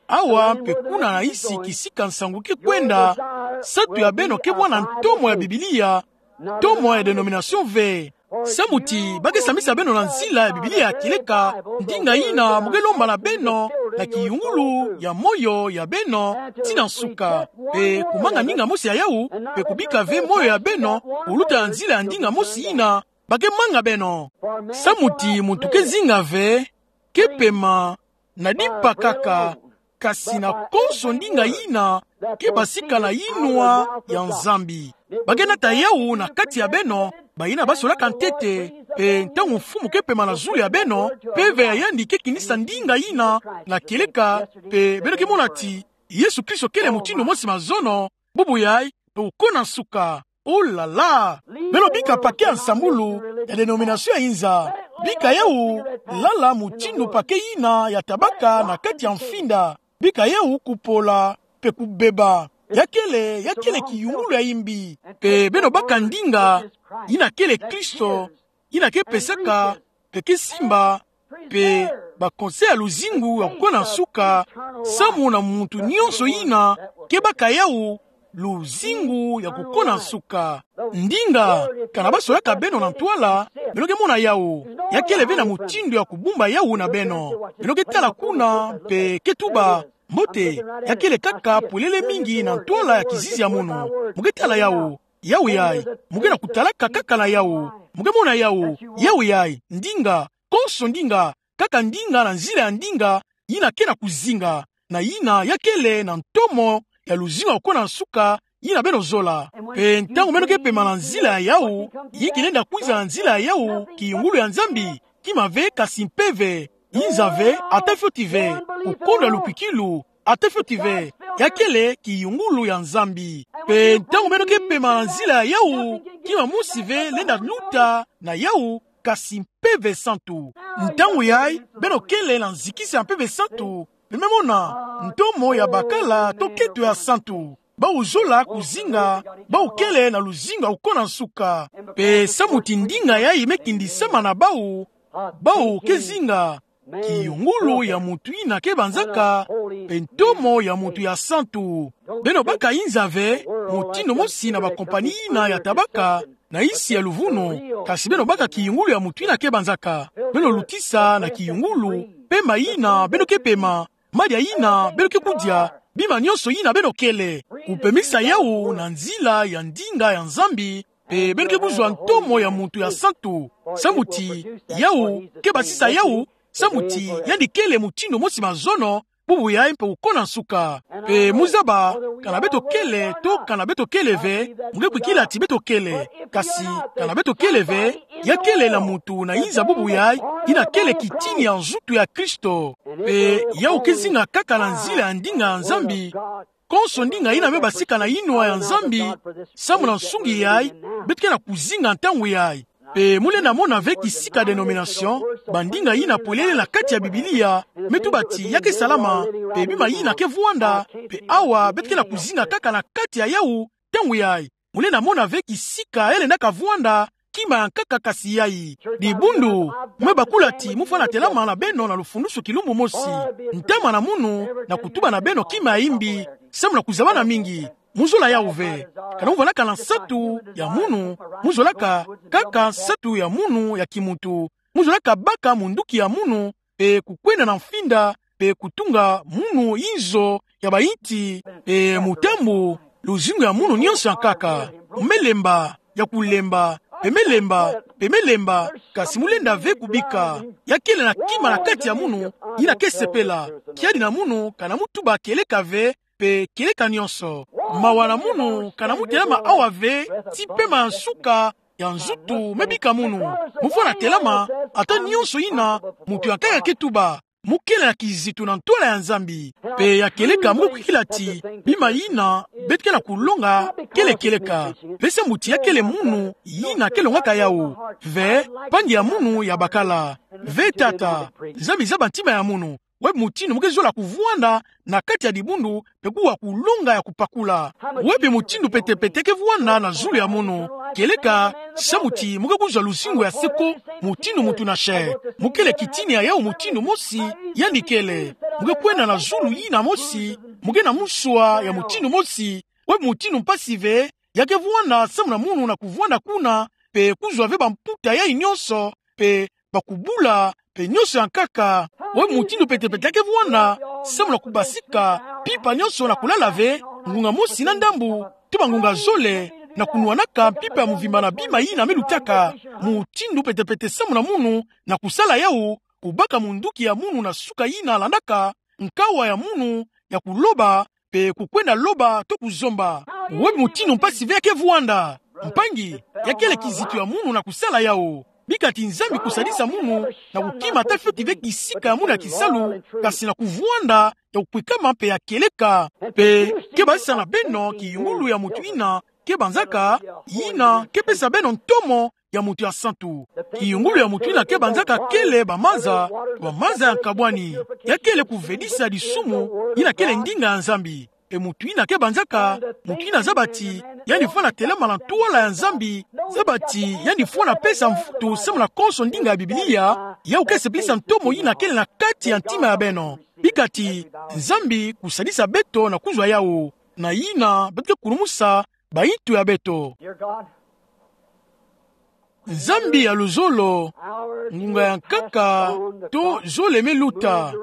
awa mpe kuna na yisi kisika nsangu ke kwenda, nsatu ya beno ke bwana ntomo ya Biblia, ntomo ya dénomination ve. Samu ti ba ke sambisa beno na nzila ya Biblia ya kieleka, ndinga yina mu ke lomba na beno na kiyungulu ya moyo ya beno tii na nsuka. Mpe kumanga ndinga mosi ya yawu, mpe kubika ve moyo ya beno kuluta na nzila ya ndinga mosi yina ba ke manga beno. Samu ti muntu ke zinga ve, ke pema na dipa kaka, kasi na konso ndinga yina ke basika na yinwa ya Nzambi. Ba ke nata yawu na kati ya beno, bayina ba solaka ntete, mpe ntangu Mfumu ke pema na zulu ya beno, mpeve ya yandi ke kinisa ndinga yina na kieleka, mpe beno ke mona ti Yesu Kristo kele mutindu mosi mazono, bubu yayi, mpe kukona nsuka. Oh là là! Beno bika paquet ya nsambulu ya dénomination ya inza. Bika yawu lala mutindu paquet yina ya tabaka na kati ya mfinda. Bika yawu kupola mpe kubeba. Ya kele, ya kele kiyungulu ya imbi. Mpe beno baka ndinga yina kele Kristo, yina ke pesaka, mpe ke simba, mpe ba conseil ya luzingu ya kukona nsuka, samu na muntu nyonso yina ke baka yawu, luzingu ya kukona nsuka. Ndinga, kana ba solaka beno na ntwala, beno ke mona yawu. Ya kele ve na mutindu ya kubumba yawu na beno. Beno ke tala kuna, mpe ke tuba: Mbote, ya kele kaka polele mingi na ntwala ya kizizi ya munu. Mu ke tala yawu. Yawu yayi, mu ke na kutalaka kaka na yawu. Mu ke mona yawu. Yawu yayi, ndinga, konso ndinga, kaka ndinga na nzila ya ndinga, yina ke na kuzinga, na yina ya kele na ntomo ya luzingu ya kukona nsuka, yina beno zola. Mpe ntangu beno ke pema na nzila ya yawu, yinki lenda kwiza na nzila ya yawu, kiyungulu ya Nzambi, kima ve kasi mpeve, yinza ve, ata fioti ve, kukonda lukwikilu, ata fioti ve, ya kele kiyungulu ya Nzambi. Mpe ntangu beno ke pema na nzila ya yawu, kima mosi ve lenda luta na yawu, kasi mpeve santu. Ntangu yayi, beno kele na nzikisa ya mpeve santu, beno me mona ntomo ya bakala to keto ya santu. Bawu zola kuzinga, bawu kele na luzingu ya kukona nsuka. Mpe samu ti ndinga yayi me kindisama na bawu, bawu ke zinga kiyungulu ya mutu yina ke banzaka, mpe ntomo ya mutu ya santu. Beno baka yinza ve, mutindu mosi na bakompani yina ya tabaka, na yisi ya luvunu, kasi beno baka kiyungulu ya mutu yina ke banzaka. Beno lutisa na kiyungulu, pema yina beno ke pema, madia yina beno ke kudia, bima nyonso yina beno kele. Kupemisa yawu na nzila ya ndinga ya Nzambi, mpe beno ke kuzwa ntomo ya mutu ya santu. Samu ti yawu ke basisa yawu, samu ti yandi kele mutindu mosi mazono, bubu yayi mpe kukona nsuka. Mpe muzaba, kana beto kele, to kana beto kele ve, mu ke kwikila ti beto kele. Kasi, kana beto kele ve, ya kele na mutu na yinza bubu yayi, yina kele kitini ya nzutu ya Kristo. Mpe yawu ke zinga kaka na nzila ya ndinga ya Nzambi, konso ndinga yina me basika na yinwa ya Nzambi, samu na nsungi yayi, beto ke na kuzinga ntangu yayi. Mpe mu lenda mona ve kisika denomination, bandinga yina polele na kati ya Biblia, me tuba ti ya ke salama, mpe bima yina ke vwanda, mpe awa beto ke na kuzinga kaka na kati ya yawu, ntangu yayi. Mu lenda mona ve kisika ya lenda ka vwanda, kima ya nkaka kasi yayi. Dibundu, mu me bakula ti mu fwana telama na beno na lufundusu kilumbu mosi. Ntama na munu, na kutuba na beno kima ya imbi, samu na kuzabana mingi. Mu zola yawu ve. Kana mu vwandaka na nsatu ya munu, mu zolaka kaka nsatu ya munu ya kimuntu. Mu zolaka baka munduki ya munu, mpe kukwenda na mfinda, mpe kutunga munu inzo ya bayinti, mpe mutambu, luzingu ya munu nyonso ya nkaka. Mu me lemba, ya kulemba, mpe me lemba, mpe me lemba, kasi mu lenda ve kubika. Ya kele na kima na kati ya munu, yina ke sepela. Kiadi na munu, kana mu tuba kieleka ve, mpe kieleka nyonso. Mawa na munu, kana mu telama awa ve, tii pema ya nsuka ya nzutu me bika munu. Mu fwana telama, ata nyonso yina mutu ya nkaka ke tuba. Mu kele na kizitu na ntwala ya Nzambi. Mpe ya kieleka mu ke kwikila ti bima yina beto ke na kulonga kele kieleka. Mpe samu ti ya kele munu yina ke longaka yawu. Ve, mpangi ya munu ya bakala. Ve tata, Nzambi zaba ntima ya munu. Wapi mutindu mu ke zola kuvwanda na kati ya dibundu, mpe kuwa kulonga ya kupakula? Wapi mutindu pete-pete ke vwanda na zulu ya munu? Kieleka, samu ti mu ke kuzwa luzingu ya seko, mutindu muntu na se. Mu kele kitini ya yawu mutindu mosi, yandi kele. Mu ke kwenda na zulu yina mosi, mu ke na muswa ya mutindu mosi. Wapi mutindu mpasi ve ya ke vwanda samu na munu na kuvwanda kuna, mpe kuzwa ve bamputa yayi nyonso, mpe bakubula, mpe nyonso ya nkaka? Wapi mutindu pete-pete ya ke vwanda samu na kubasika mpimpa nyonso na kulala ve, ngunga mosi na ndambu, to bangunga zole, na kunwanaka mpimpa ya mvimba na bima yina me lutaka? Mutindu pete-pete samu na munu na kusala yawu, kubaka munduki ya munu na suka yina landaka, nkawa ya munu ya kuloba, mpe kukwenda loba to kuzomba. Wapi mutindu mpasi ve ya ke vwanda? Mpangi, ya kele kizitu ya munu na kusala yawu. Bika ti Nzambi kusadisa munu na kukima ata fioti ve kisika ya munu ya kisalu, kasi na kuvwanda ya kukwikama mpe ya kieleka. Mpe ke basisa na beno kiyungulu ya mutu yina ke banzaka, yina ke pesa beno ntomo ya mutu ya santu. Kiyungulu ya mutu yina ke banzaka kele bamaza, bamaza ya nkabwani. Ya kele kuvedisa disumu, yina kele ndinga ya Nzambi. Mpe mutu yina ke banzaka, mutu yina zaba ti yandi fwana telama na ntwala ya Nzambi, zaba ti yandi fwana pesa mvutu samu na konso ndinga ya Biblia, yawu ke sepelisa ntomo yina kele na kati ya ntima ya beno. Bika ti Nzambi kusadisa beto na kuzwa yawu, na yina beto ke kulumusa bayintu ya beto. Nzambi ya luzolo, ngunga ya nkaka to zole me luta,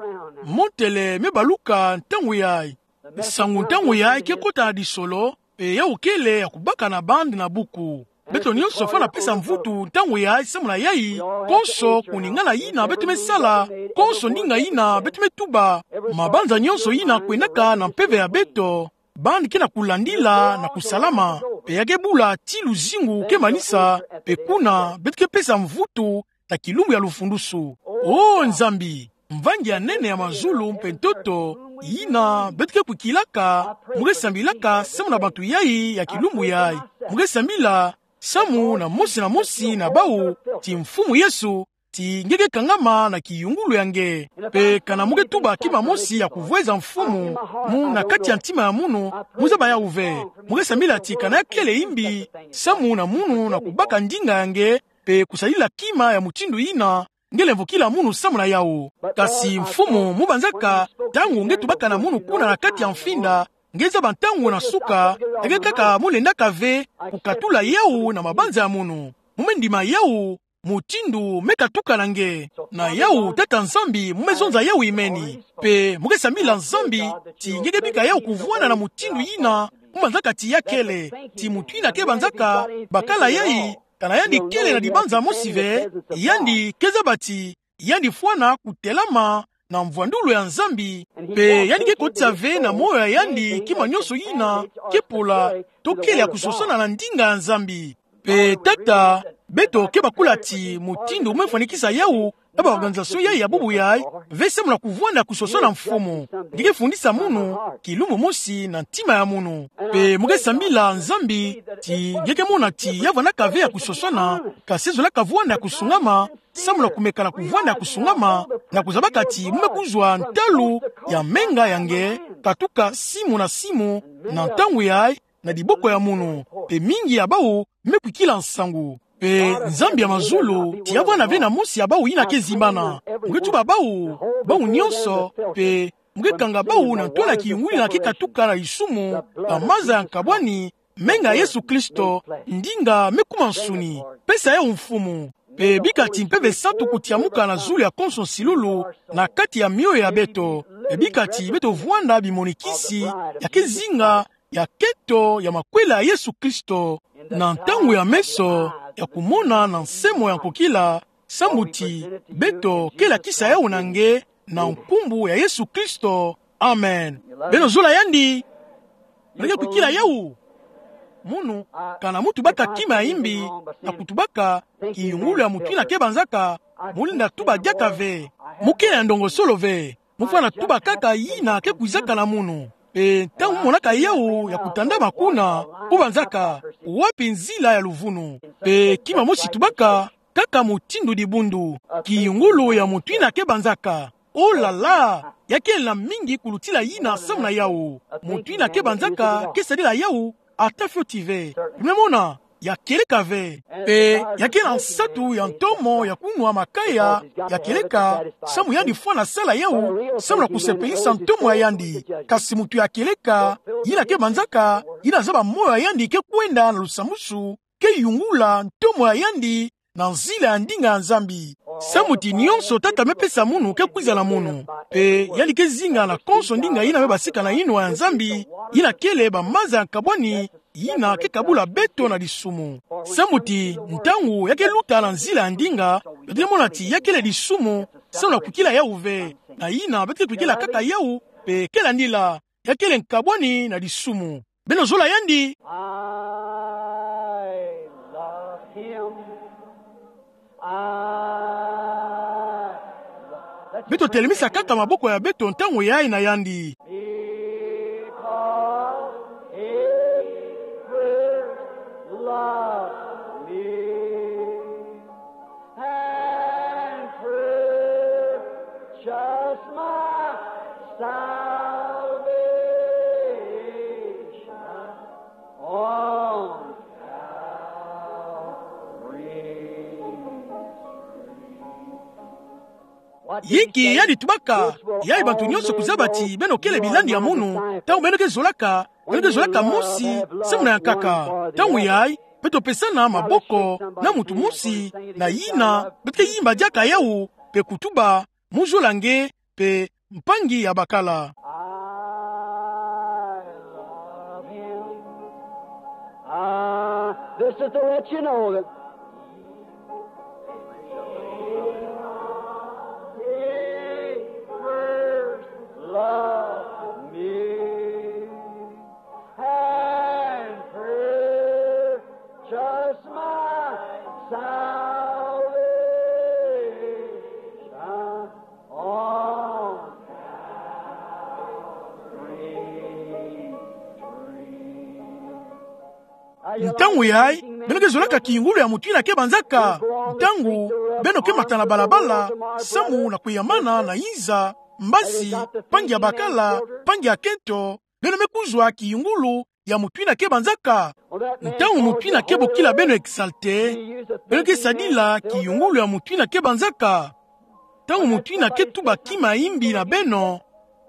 montele me baluka ntangu yayi. Nsangu ntangu yayi ke kota na disolo, mpe yawu kele ya kubaka na bande na buku. Beto nyonso fwana pesa mvutu ntangu yayi samu na yayi, konso kuningana yina beto mesala, konso ndinga yina beto metuba, mabanza nyonso yina kwendaka na mpeve ya beto, bani ke na kulandila na kusalama, mpe ya ke bula tii luzingu ke manisa, mpe kuna beto ke pesa mvutu na kilumbu ya lufundusu. O Nzambi, mvangi ya nene ya mazulu mpe ntoto, yina beto ke kwikilaka, mu ke sambilaka samu na bantu yayi ya kilumbu yayi. Mu ke sambila samu na mosi na mosi na bawu, ti Mfumu Yesu, ti nge ke kangama na kiyungulu ya nge. Mpe kana mu ke tuba kima mosi ya kuvweza Mfumu, mu na kati ya ntima ya munu, mu zaba yawu ve. Mu ke sambila ti kana ya kele yimbi samu na munu na kubaka ndinga ya nge, mpe kusadila kima ya mutindu yina nge lemvokila munu samu na yawu. Kasi Mfumu, mu banzaka, ntangu nge tubaka na munu kuna na kati ya mfinda, nge zaba ntangu na suka, ya ke kaka mu lendaka ve kukatula yawu na mabanza ya munu. Mu me ndima yawu, mutindu me katuka na nge. Na yawu, Tata Nzambi, mu me zonza yawu imeni. Mpe mu ke sambila Nzambi, ti nge ke bika yawu kuvwanda na mutindu yina mu banzaka ti ya kele, ti mutu yina ke banzaka bakala yayi, kana yandi kele na dibanza mosi ve, yandi ke zaba ti yandi fwana kutelama na mvwandulu ya Nzambi, mpe yandi ke kotisa ve na moyo ya yandi kima nyonso yina ke pola to kele ya kusosana na ndinga ya Nzambi. Mpe Tata, beto ke bakula ti mutindu mu me fwanikisa yawu na ba organisation yayi ya bubu yayi, ve samu na kuvwanda kusosana Mfumu. Nge ke fundisa munu, kilumbu mosi na ntima ya munu. Mpe mu ke sambila Nzambi, ti nge ke mona ti ya vwandaka ve ya kusosana, kasi zolaka vwanda ya kusungama, samu na kumeka na kuvwanda ya kusungama, na kuzabaka ti mu me kuzwa ntalu ya menga ya nge, katuka simu na simu, na ntangu yayi, na diboko ya munu, mpe mingi ya bawu me kwikila nsangu. Mpe Nzambi ya mazulu, ti ya vwanda ve na mosi ya bawu yina ke zimbana. Mu ke tuba bawu, bawu nyonso, mpe mu ke kanga bawu na ntwala ya kiyungulu yina ke katuka na lisumu, na maza ya nkabwani, menga ya Yesu Kristo, ndinga me kuma nsuni. Pesa yawu Mfumu. Mpe bika ti Mpeve Santu kutiamuka na zulu ya konso nsilulu, na kati ya mioyo ya beto. Mpe bika ti beto vwanda bimonikisi ya ke zinga ya keto ya makwela ya Yesu Kristo, na ntangu ya meso ya kumona na nsemo ya nkokila, sambu ti beto ke lakisa yawu na nge, na nkumbu ya Yesu Kristo. Amen. Beno zola yandi? Beno ke kwikila yawu? Munu, kana mu tubaka kima ya yimbi, na kutubaka kiyungulu ya mutu yina ke banzaka, mu lenda tuba diaka ve. Mu kele ya ndongosolo ve. Mu fwana tuba kaka yina ke kwizaka na munu. Mpe ntangu mu monaka yawu ya kutandama kuna, mu banzaka: Wapi nzila ya luvunu? Mpe kima mosi tubaka, kaka mutindu dibundu, kiyungulu ya mutu yina ke banzaka. Oh là là! Ya kele na mingi kulutila yina samu na yawu. Mutu yina ke banzaka ke sadila yawu ata fioti ve. Beno me mona, ya kieleka ve. Mpe ya kele na nsatu ya ntomo ya kunwa makaya, ya kieleka, samu yandi fwana sala yawu samu na kusepelisa ntomo ya yandi. Kasi mutu ya kieleka, yina ke banzaka, yina zaba moyo ya yandi ke kwenda na lusambwasu, ke yungula ntomo ya yandi na nzila ya ndinga ya Nzambi. Samu ti nyonso Tata me pesa munu ke kwiza na munu. Mpe yandi ke zinga na konso ndinga yina me basika na yinwa ya Nzambi, yina kele bamaza ya nkabwani, yina ke kabula beto na disumu. Samu ti ntangu ya ke luta na nzila ya ndinga, beto ke mona ti ya kele disumu, samu na kwikila yawu ve. Na yina beto ke kwikila kaka yawu, mpe kele ndila, ya kele nkabwani na disumu. Beno zola yandi? I love him. I love him. Beto telemisa kaka maboko ya beto ntangu yayi na yandi. Because he first loved me and purchased my salvation on Calvary's tree. Yinki yandi tubaka? Yayi bantu nyonso kuzaba ti beno kele bilandi ya munu, ntangu beno ke zolaka, beno ke zolaka mosi samu na yankaka. Ntangu yayi, beto pesana maboko na mutu mosi na yina beto ke yimba diaka yawu, mpe kutuba: Mu zola nge, mpe mpangi ya bakala. I love him. I This is to let you know that He first loved me and purchased my salvation on Calvary's tree. Ntangu yayi, beno ke zolaka kiyungulu ya moto yina ke banzaka. Ntangu beno ke mata na balabala, samu na kuyamana na inza, mbasi, mpangi ya bakala, mpangi ya kento, beno me kuzwa kiyungulu ya moto yina ke banzaka. Ntangu moto yina ke bokila beno exalté, beno ke sadila kiyungulu ya moto yina ke banzaka. Ntangu moto yina ke tuba kima ya imbi na beno,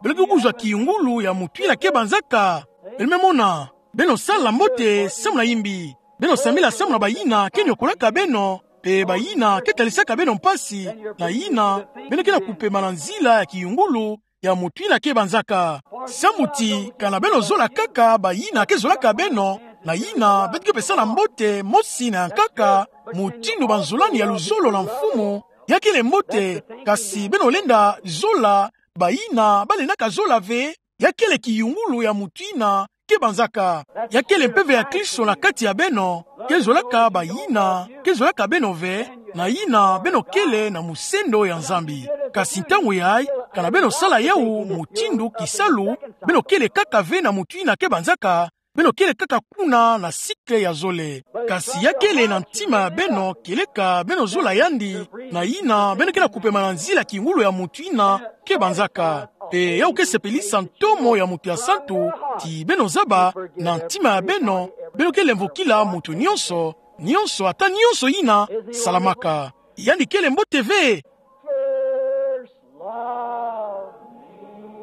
beno ke kuzwa kiyungulu ya moto yina ke banzaka. Beno me mona, beno sala mbote samu na imbi. Beno sambila samu na bayina ke niokolaka beno, mpe bayina ke talisaka beno mpasi, na yina beno ke na kupema na nzila ya kiyungulu ya moto yina ke banzaka. Samu ti, kana beno zola kaka bayina ke zolaka beno, na yina beto ke pesa na mbote mosi na yankaka, mutindu banzolani ya luzolo na Mfumu. Ya kele mbote, kasi beno lenda zola bayina balendaka zola ve. Ya kele kiyungulu ya moto yina ke banzaka. Ya kele mpeve ya Kristo na kati ya beno, ke zolaka bayina ke zolaka beno ve, na yina beno kele na mosendo ya Nzambi. Kasi ntangu yayi, kana beno sala yawu mutindu kisalu, beno kele kaka ve na moto yina ke banzaka, beno kele kaka kuna na cycle ya zole. Kasi ya kele na ntima ya beno kieleka beno zola yandi, na yina beno ke na kupema na nzila kiyungulu ya moto yina ke banzaka. Mpe yawu ke sepelisa ntomo ya moto ya santu, ti beno zaba na ntima ya beno, beno ke lemvokila moto nionso, nionso, ata nionso yina salamaka. Yandi kele mbote ve. First love me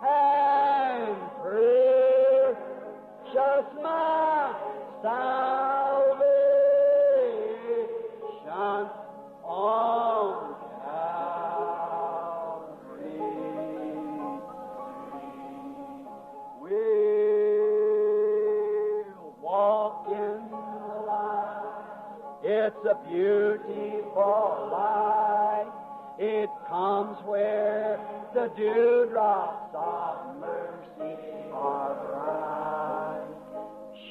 and purchase my salvation on Calvary. We'll walk in the light. It's a beautiful light. It comes where the dewdrops of mercy are bright.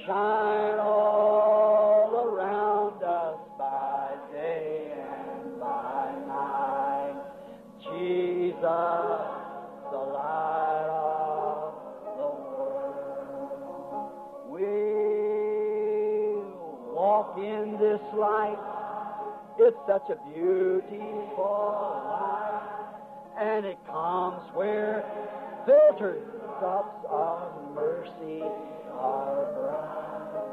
Shine all around us by day and by night. Jesus, the light of the world. We'll walk in this light. It's such a beautiful light. And it comes where the dewdrops of mercy are bright.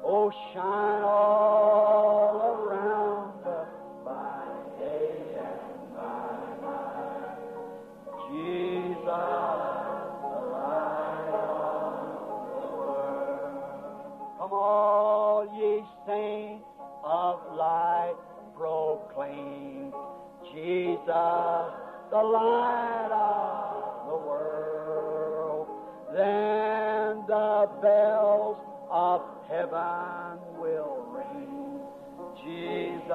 Oh, shine all around us by day and by night. Jesus, the light of the world. Come, all ye saints of light, proclaim Jesus, the light of the world. Then the bells of heaven will ring. Jesus,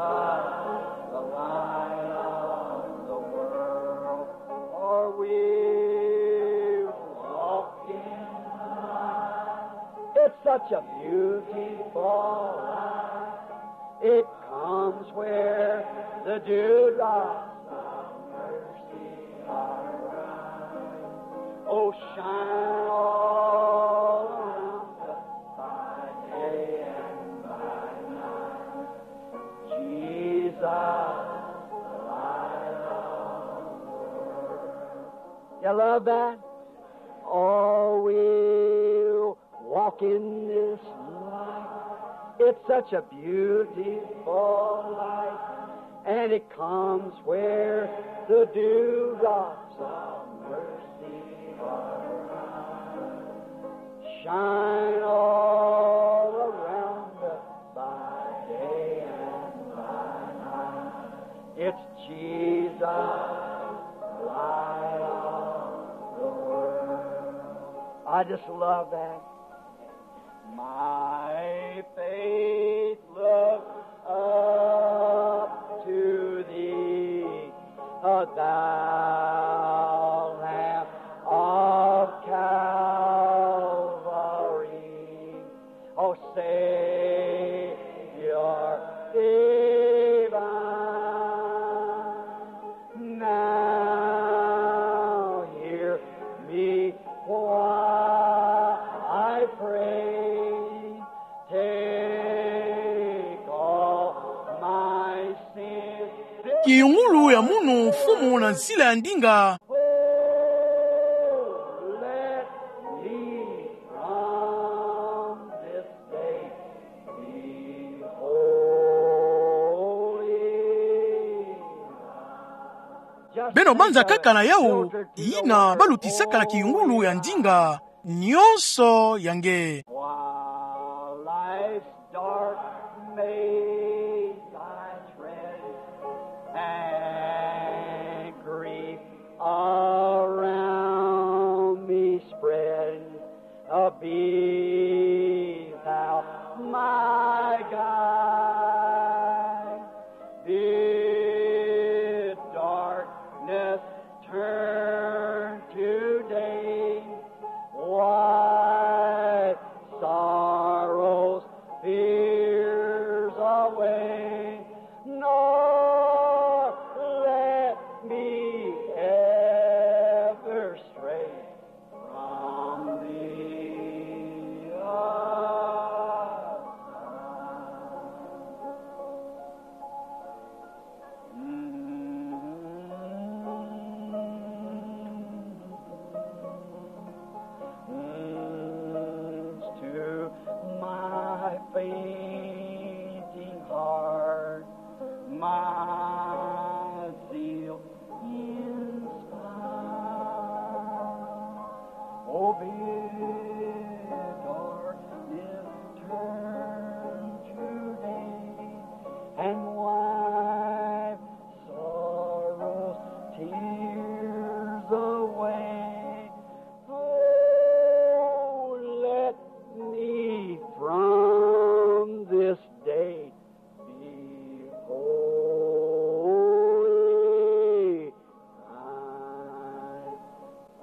the light of the world. Are we walking? It's such a beautiful light. It comes where the dewdrops of mercy are bright. Oh, shine all around us by day and by night. Jesus, the light of the world. You love that? Oh, we'll walk in this light. It's such a beautiful light, and it comes where the dewdrops of mercy are bright. Shine all around us by day and by night. It's Jesus, the light of the world. I just love that. My faith looks up to thee, thou Lamb of Calvary. O Savior divine, now hear me while I pray. Take all my sins. Kiyungulu ya munu mfumu na nzila ya ndinga. Oh, let me from this day be holy. Beno banza kaka na yawu, yina balutisaka na kiyungulu ya ndinga nyonso ya nge. While life's dark maze I tread, and grief around me spread, be thou my guide. Bid darkness turn to day, wipe sorrows, fears away, nor let me ever stray from thee aside. To my fainting heart, my zeal inspire. O bid darkness turn to day, and wipe sorrow's tears away. Oh, let me from this day be holy.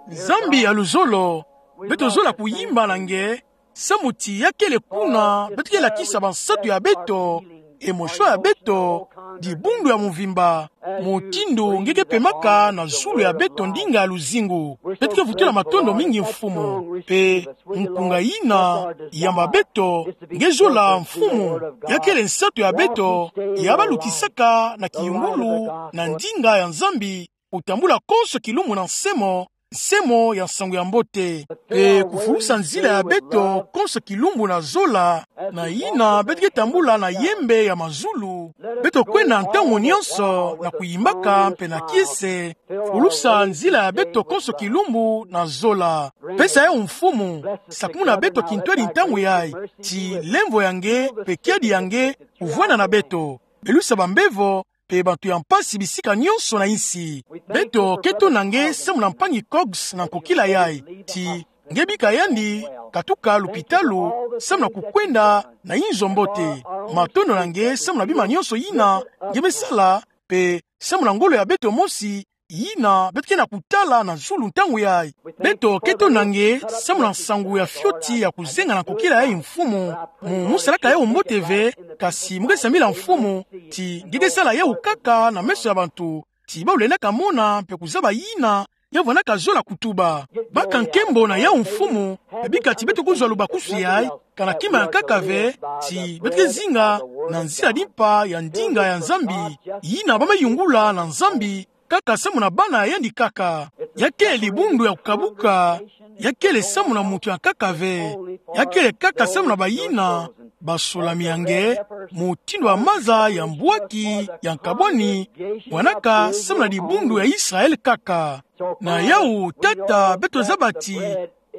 Nzambi ya luzolo, beto zola kuyimba na nge, samu ti ya kele kuna beto ke lakisa bansatu ya beto, emotion ya beto, dibundu ya mvimba, mutindu nge ke pemaka na zulu ya beto ndinga ya luzingu. Beto ke vutula matondo mingi Mfumu, mpe nkunga yina yamba beto, nge zola Mfumu, ya kele nsatu ya beto, ya balutisaka na kiyungulu na ndinga ya Nzambi, kutambula konso kilumbu na nsemo, nsemo ya nsangu ya mbote. Mpe kufulusa nzila ya beto konso kilumbu na zola, na yina beto ke tambula na yembe ya mazulu. Beto kwenda ntangu nyonso na kuyimbaka mpe na kiese, fulusa nzila ya beto konso kilumbu na zola. Pesa yawu Mfumu, sakumuna beto kintwadi ntangu yayi, ti lemvo ya nge, mpe kiadi ya nge, kuvwanda na beto. Belusa bambevo, mpe bantu ya mpasi bisika nyonso na insi. Beto ke tonda nge samu na mpangi Cox na nkokila yayi, ti nge bika yandi katuka lupitalu, samu na kukwenda na inzo mbote. Matondo na nge samu na bima nyonso yina nge me sala, mpe samu na ngolo ya beto mosi, yina beto ke na kutala na zulu ntangu yayi. Beto ke tonda nge samu na nsangu ya fioti ya kuzenga na nkokila yayi Mfumu, mu musalaka yawu mbote ve, kasi mu ke sambila Mfumu, ti nge ke sala yawu kaka na meso ya bantu, ti bawu lendaka mona mpe kuzaba yina ya vwandaka zola kutuba. Baka nkembo na yawu Mfumu, mpe bika ti beto kuzwa lubakusu yayi, kana kima ya nkaka ve, ti beto ke zinga na nzila dimpa ya ndinga ya Nzambi, yina ba me yungula na Nzambi, kaka samu na bana ya yandi kaka. Ya kele dibundu ya kukabuka, ya kele samu na muntu ya nkaka ve. Ya kele kaka samu na bayina basolami ya nge, mutindu ya maza ya mbwaki ya nkabwani, bwanaka samu na dibundu ya Israel kaka. Na yawu Tata, beto zaba ti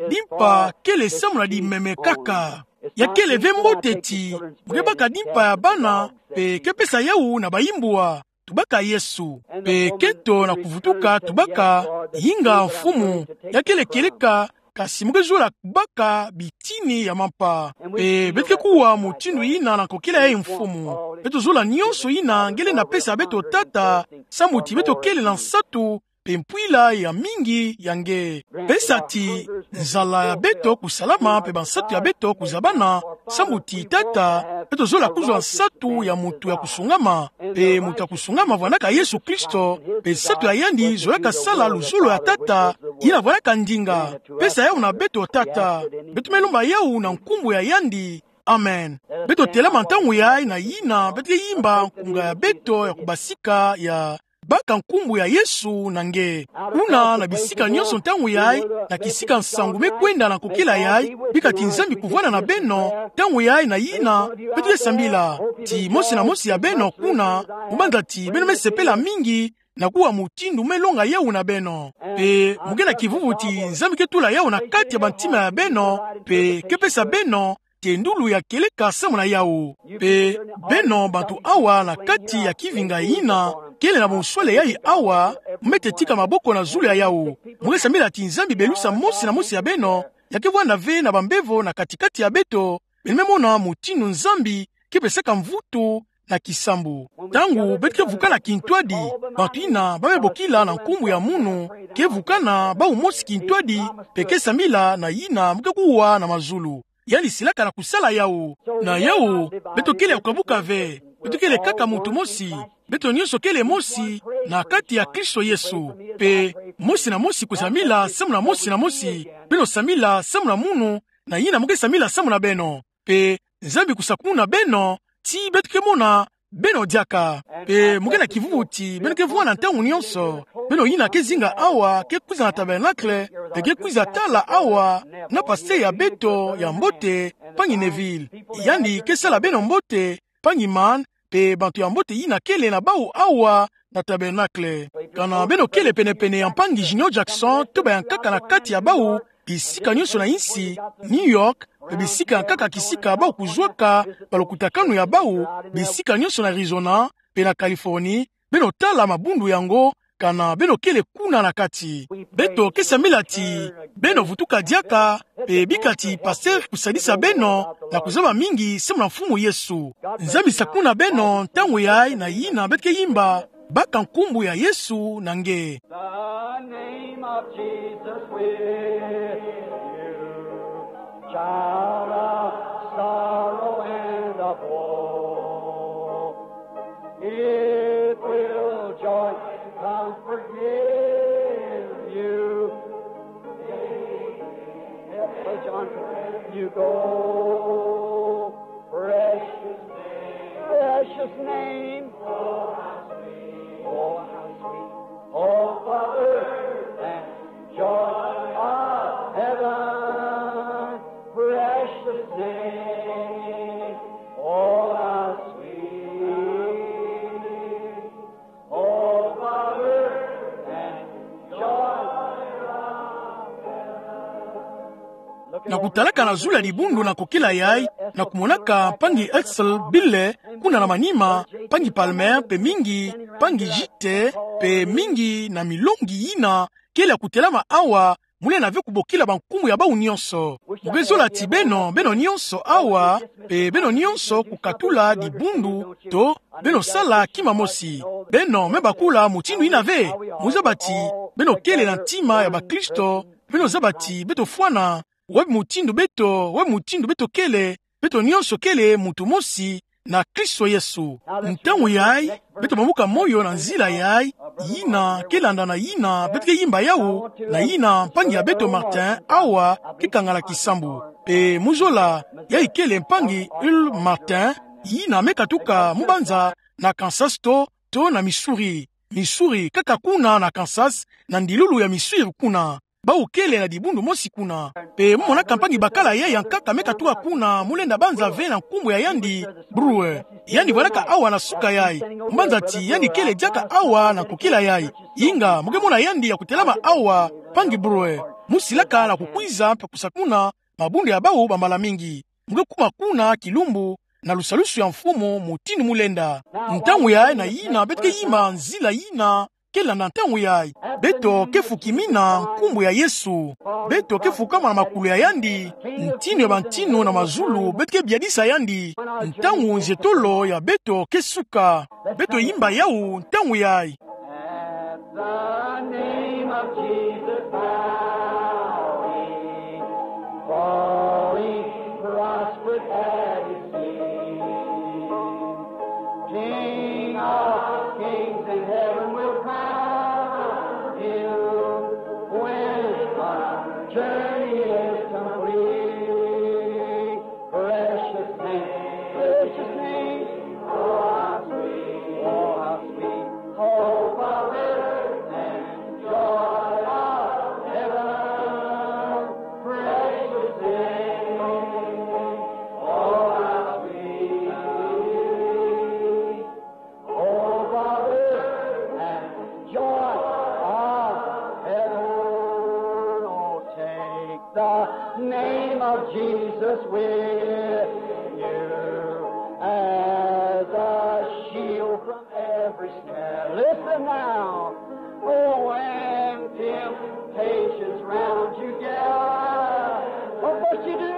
dimpa kele samu na dimeme kaka. Ya kele ve mbote ti mu ke baka dimpa ya bana, mpe ke pesa yawu na bayimbwa. Tubaka Yesu. Mpe kento na kuvutuka tubaka, yinga Mfumu, ya kele kieleka, kasi mo ke zola baka bitini ya mampa. Mpe beto ke kuwa mutindu yina na kokila yayi mfumu. Beto zola nionso yina nge lenda pesa beto, Tata, sambu ti beto kele na nsatu mpe mpwila ya mingi ya nge. Pesa ti nzala ya beto kusalama mpe bansatu ya beto kuzabana, sambu ti, Tata, beto zola kuzwa nsatu ya mutu ya kusungama. Mpe mutu ya kusungama vwanaka Yesu Kristo, mpe nsatu ya yandi zolaka sala luzolo ya Tata, yina vwanaka ndinga. Pesa yawu na beto, Tata. Beto me lomba yawu na nkumbu ya yandi. Amen. Beto telama ntangu yayi na yina beto ke yimba nkunga ya beto ya kubasika ya baka nkumbu ya Yesu na nge. Kuna na bisika nionso ntangu yayi, na kisika nsangu me kwenda na kokila yayi, bika ti Nzambi kuvwanda na beno ntangu yayi na yina beto ke sambila. Ti mosi na mosi ya beno kuna, mu banza ti beno me sepela mingi na kuwa mutindu me longa yawu na beno. Mpe mo ke na kivuvu ti Nzambi ke tula yawu na kati ya bantima ya beno, mpe ke pesa beno tendulu ya kieleka samu na yawu. Mpe beno bantu awa na kati ya kivinga yina kele na bunswele yayi awa, mo me tetika maboko na zulu ya yawu. Mo ke sambila ti Nzambi belusa mosi na mosi ya beno, ya ke vwanda ve na bambevo na kati-kati ya beto, beno me mona mutindu Nzambi ke pesaka mvutu na kisambu. Ntangu beto ke vukana kintwadi, bantu yina ba me bokila na nkumbu ya munu ke vukana bawu mosi kintwadi, mpe ke sambila na yina mo ke kuwa na mazulu. Yandi silaka na kusala yawu. Na yawu, beto kele ya kukabuka ve. Beto kele kaka mutu mosi. Beto nionso kele mosi na kati ya Kristo Yesu. Mpe mosi na mosi kusambila samu na mosi na mosi. Beno sambila samu na munu, na yina mo ke sambila samu na beno. Mpe Nzambi kusakumuna beno, ti beto ke mona beno diaka. Mpe mo ke na kivuvu ti beno ke vwanda ntangu nionso. Beno yina ke zinga awa, ke kwiza na tabernacle, mpe ke kwiza tala awa na pasteur ya beto ya mbote, mpangi Neville. Yandi ke sala beno mbote, mpangi Mann, mpe bantu ya mbote yina kele na bawu awa na tabernacle. Kana beno kele pene-pene ya mpangi Junior Jackson to bayankaka na kati ya bawu, bisika nionso na insi, New York, mpe bisika yankaka kisika bawu kuzwaka balokutakanu ya bawu, bisika nionso na Arizona mpe na Californie, beno tala mabundu yango, kana beno kele kuna na kati. Beto ke sambila ti beno vutuka diaka, mpe bika ti pasteur kusadisa beno na kuzaba mingi samu na Mfumu Yesu. Nzambi sakumuna beno ntangu yayi na yina beto ke yimba baka nkumbu ya Yesu na nge. The name of Jesus with you, child of sorrow and of woe. It will joy and comfort give you. Help John, you go. Precious name, precious name. Oh, how sweet, oh, how sweet. Oh, Father, and joy of heaven. Precious name. Oh, how sweet. Oh, Father, and joy of heaven. Na kutalaka na zulu ya dibundu na kokila yayi, na kumonaka mpangi Hesel Bille kuna na manima, mpangi Palmer mpe mingi, mpangi Jite mpe mingi na milongi yina kele ya kutelama awa, mu lenda ve kubokila bankumbu ya bawu nionso. Mu ke zola ti beno, beno nionso awa, mpe beno nionso kukatula dibundu, to beno sala kima mosi. Beno me bakula mutindu yina ve. Mu zaba ti beno kele na ntima ya bakristo. Beno zaba ti beto fwana, wapi mutindu beto, wapi mutindu beto kele, beto nionso kele mutu mosi na Kristo Yesu. Ntangu yayi, beto bambuka moyo na nzila yayi, yina ke landa na yina beto ke yimba yawu, na yina mpangi ya beto Martin awa ke kangala kisambu. Mpe mu zola, yayi kele mpangi Earl Martin, yina me katuka mu banza na Kansas to, to na Missouri. Missouri, kaka kuna na Kansas, na ndilulu ya Missouri kuna. Bawu kele na dibundu mosi kuna. Mpe mu monaka mpangi bakala yayi yankaka me katuka kuna, mu lenda banza ve na nkumbu ya yandi, Brewer. Yandi vwandaka awa na suka yayi. Mu banza ti yandi kele diaka awa na kokila yayi. Inga, mu ke mona yandi ya kutelama awa, mpangi Brewer. Mu silaka na kukwiza mpe kusakumuna mabundu ya bawu bambala mingi. Mu ke kuma kuna kilumbu na lusalusu ya Mfumu mutindu mu lenda. Ntangu yayi na yina beto ke yimba nzila yina kela na ntangu yayi. Beto kefuki mina nkumbu ya Yesu. Beto kefuka mana makulu ya yandi. Ntinu ya bantinu na mazulu beto kebiadisa yandi. Ntangu nzietolo ya beto kesuka. Beto yimba yawu ntangu yayi. At the name of Jesus, bowing, falling, prostrate at his feet. King of kings in heaven will crown him when our journey is complete. Precious name, precious name, oh how sweet, oh how sweet, hope of earth and joy of heaven. Precious name, oh how sweet, oh, Father, and joy of heaven. Oh, take the name of Jesus with you as a shield from every snare. Listen now. Oh, when temptations round you gather, what must you do?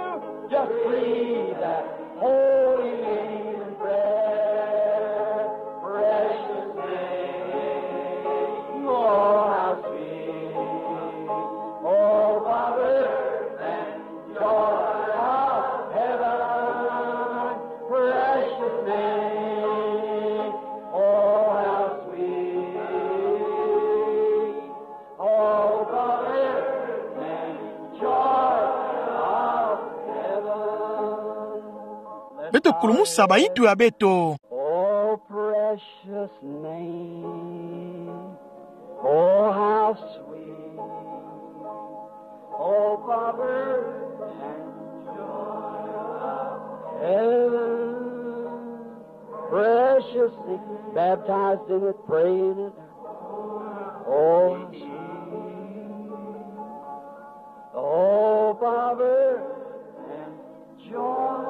Just breathe that holy name in prayer. Precious name, oh how sweet, oh Father and joy of heaven. Precious name, oh how sweet, oh Father and joy of heaven. Beto kulumusa bayitu ya beto. Oh, precious name. Oh, how sweet. Oh, Father and joy of heaven. Precious name. Baptized in it, prayed in it. Oh, how sweet. Oh, Father and joy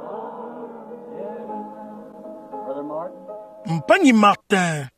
of heaven. Brother Martin. Mpani Martin.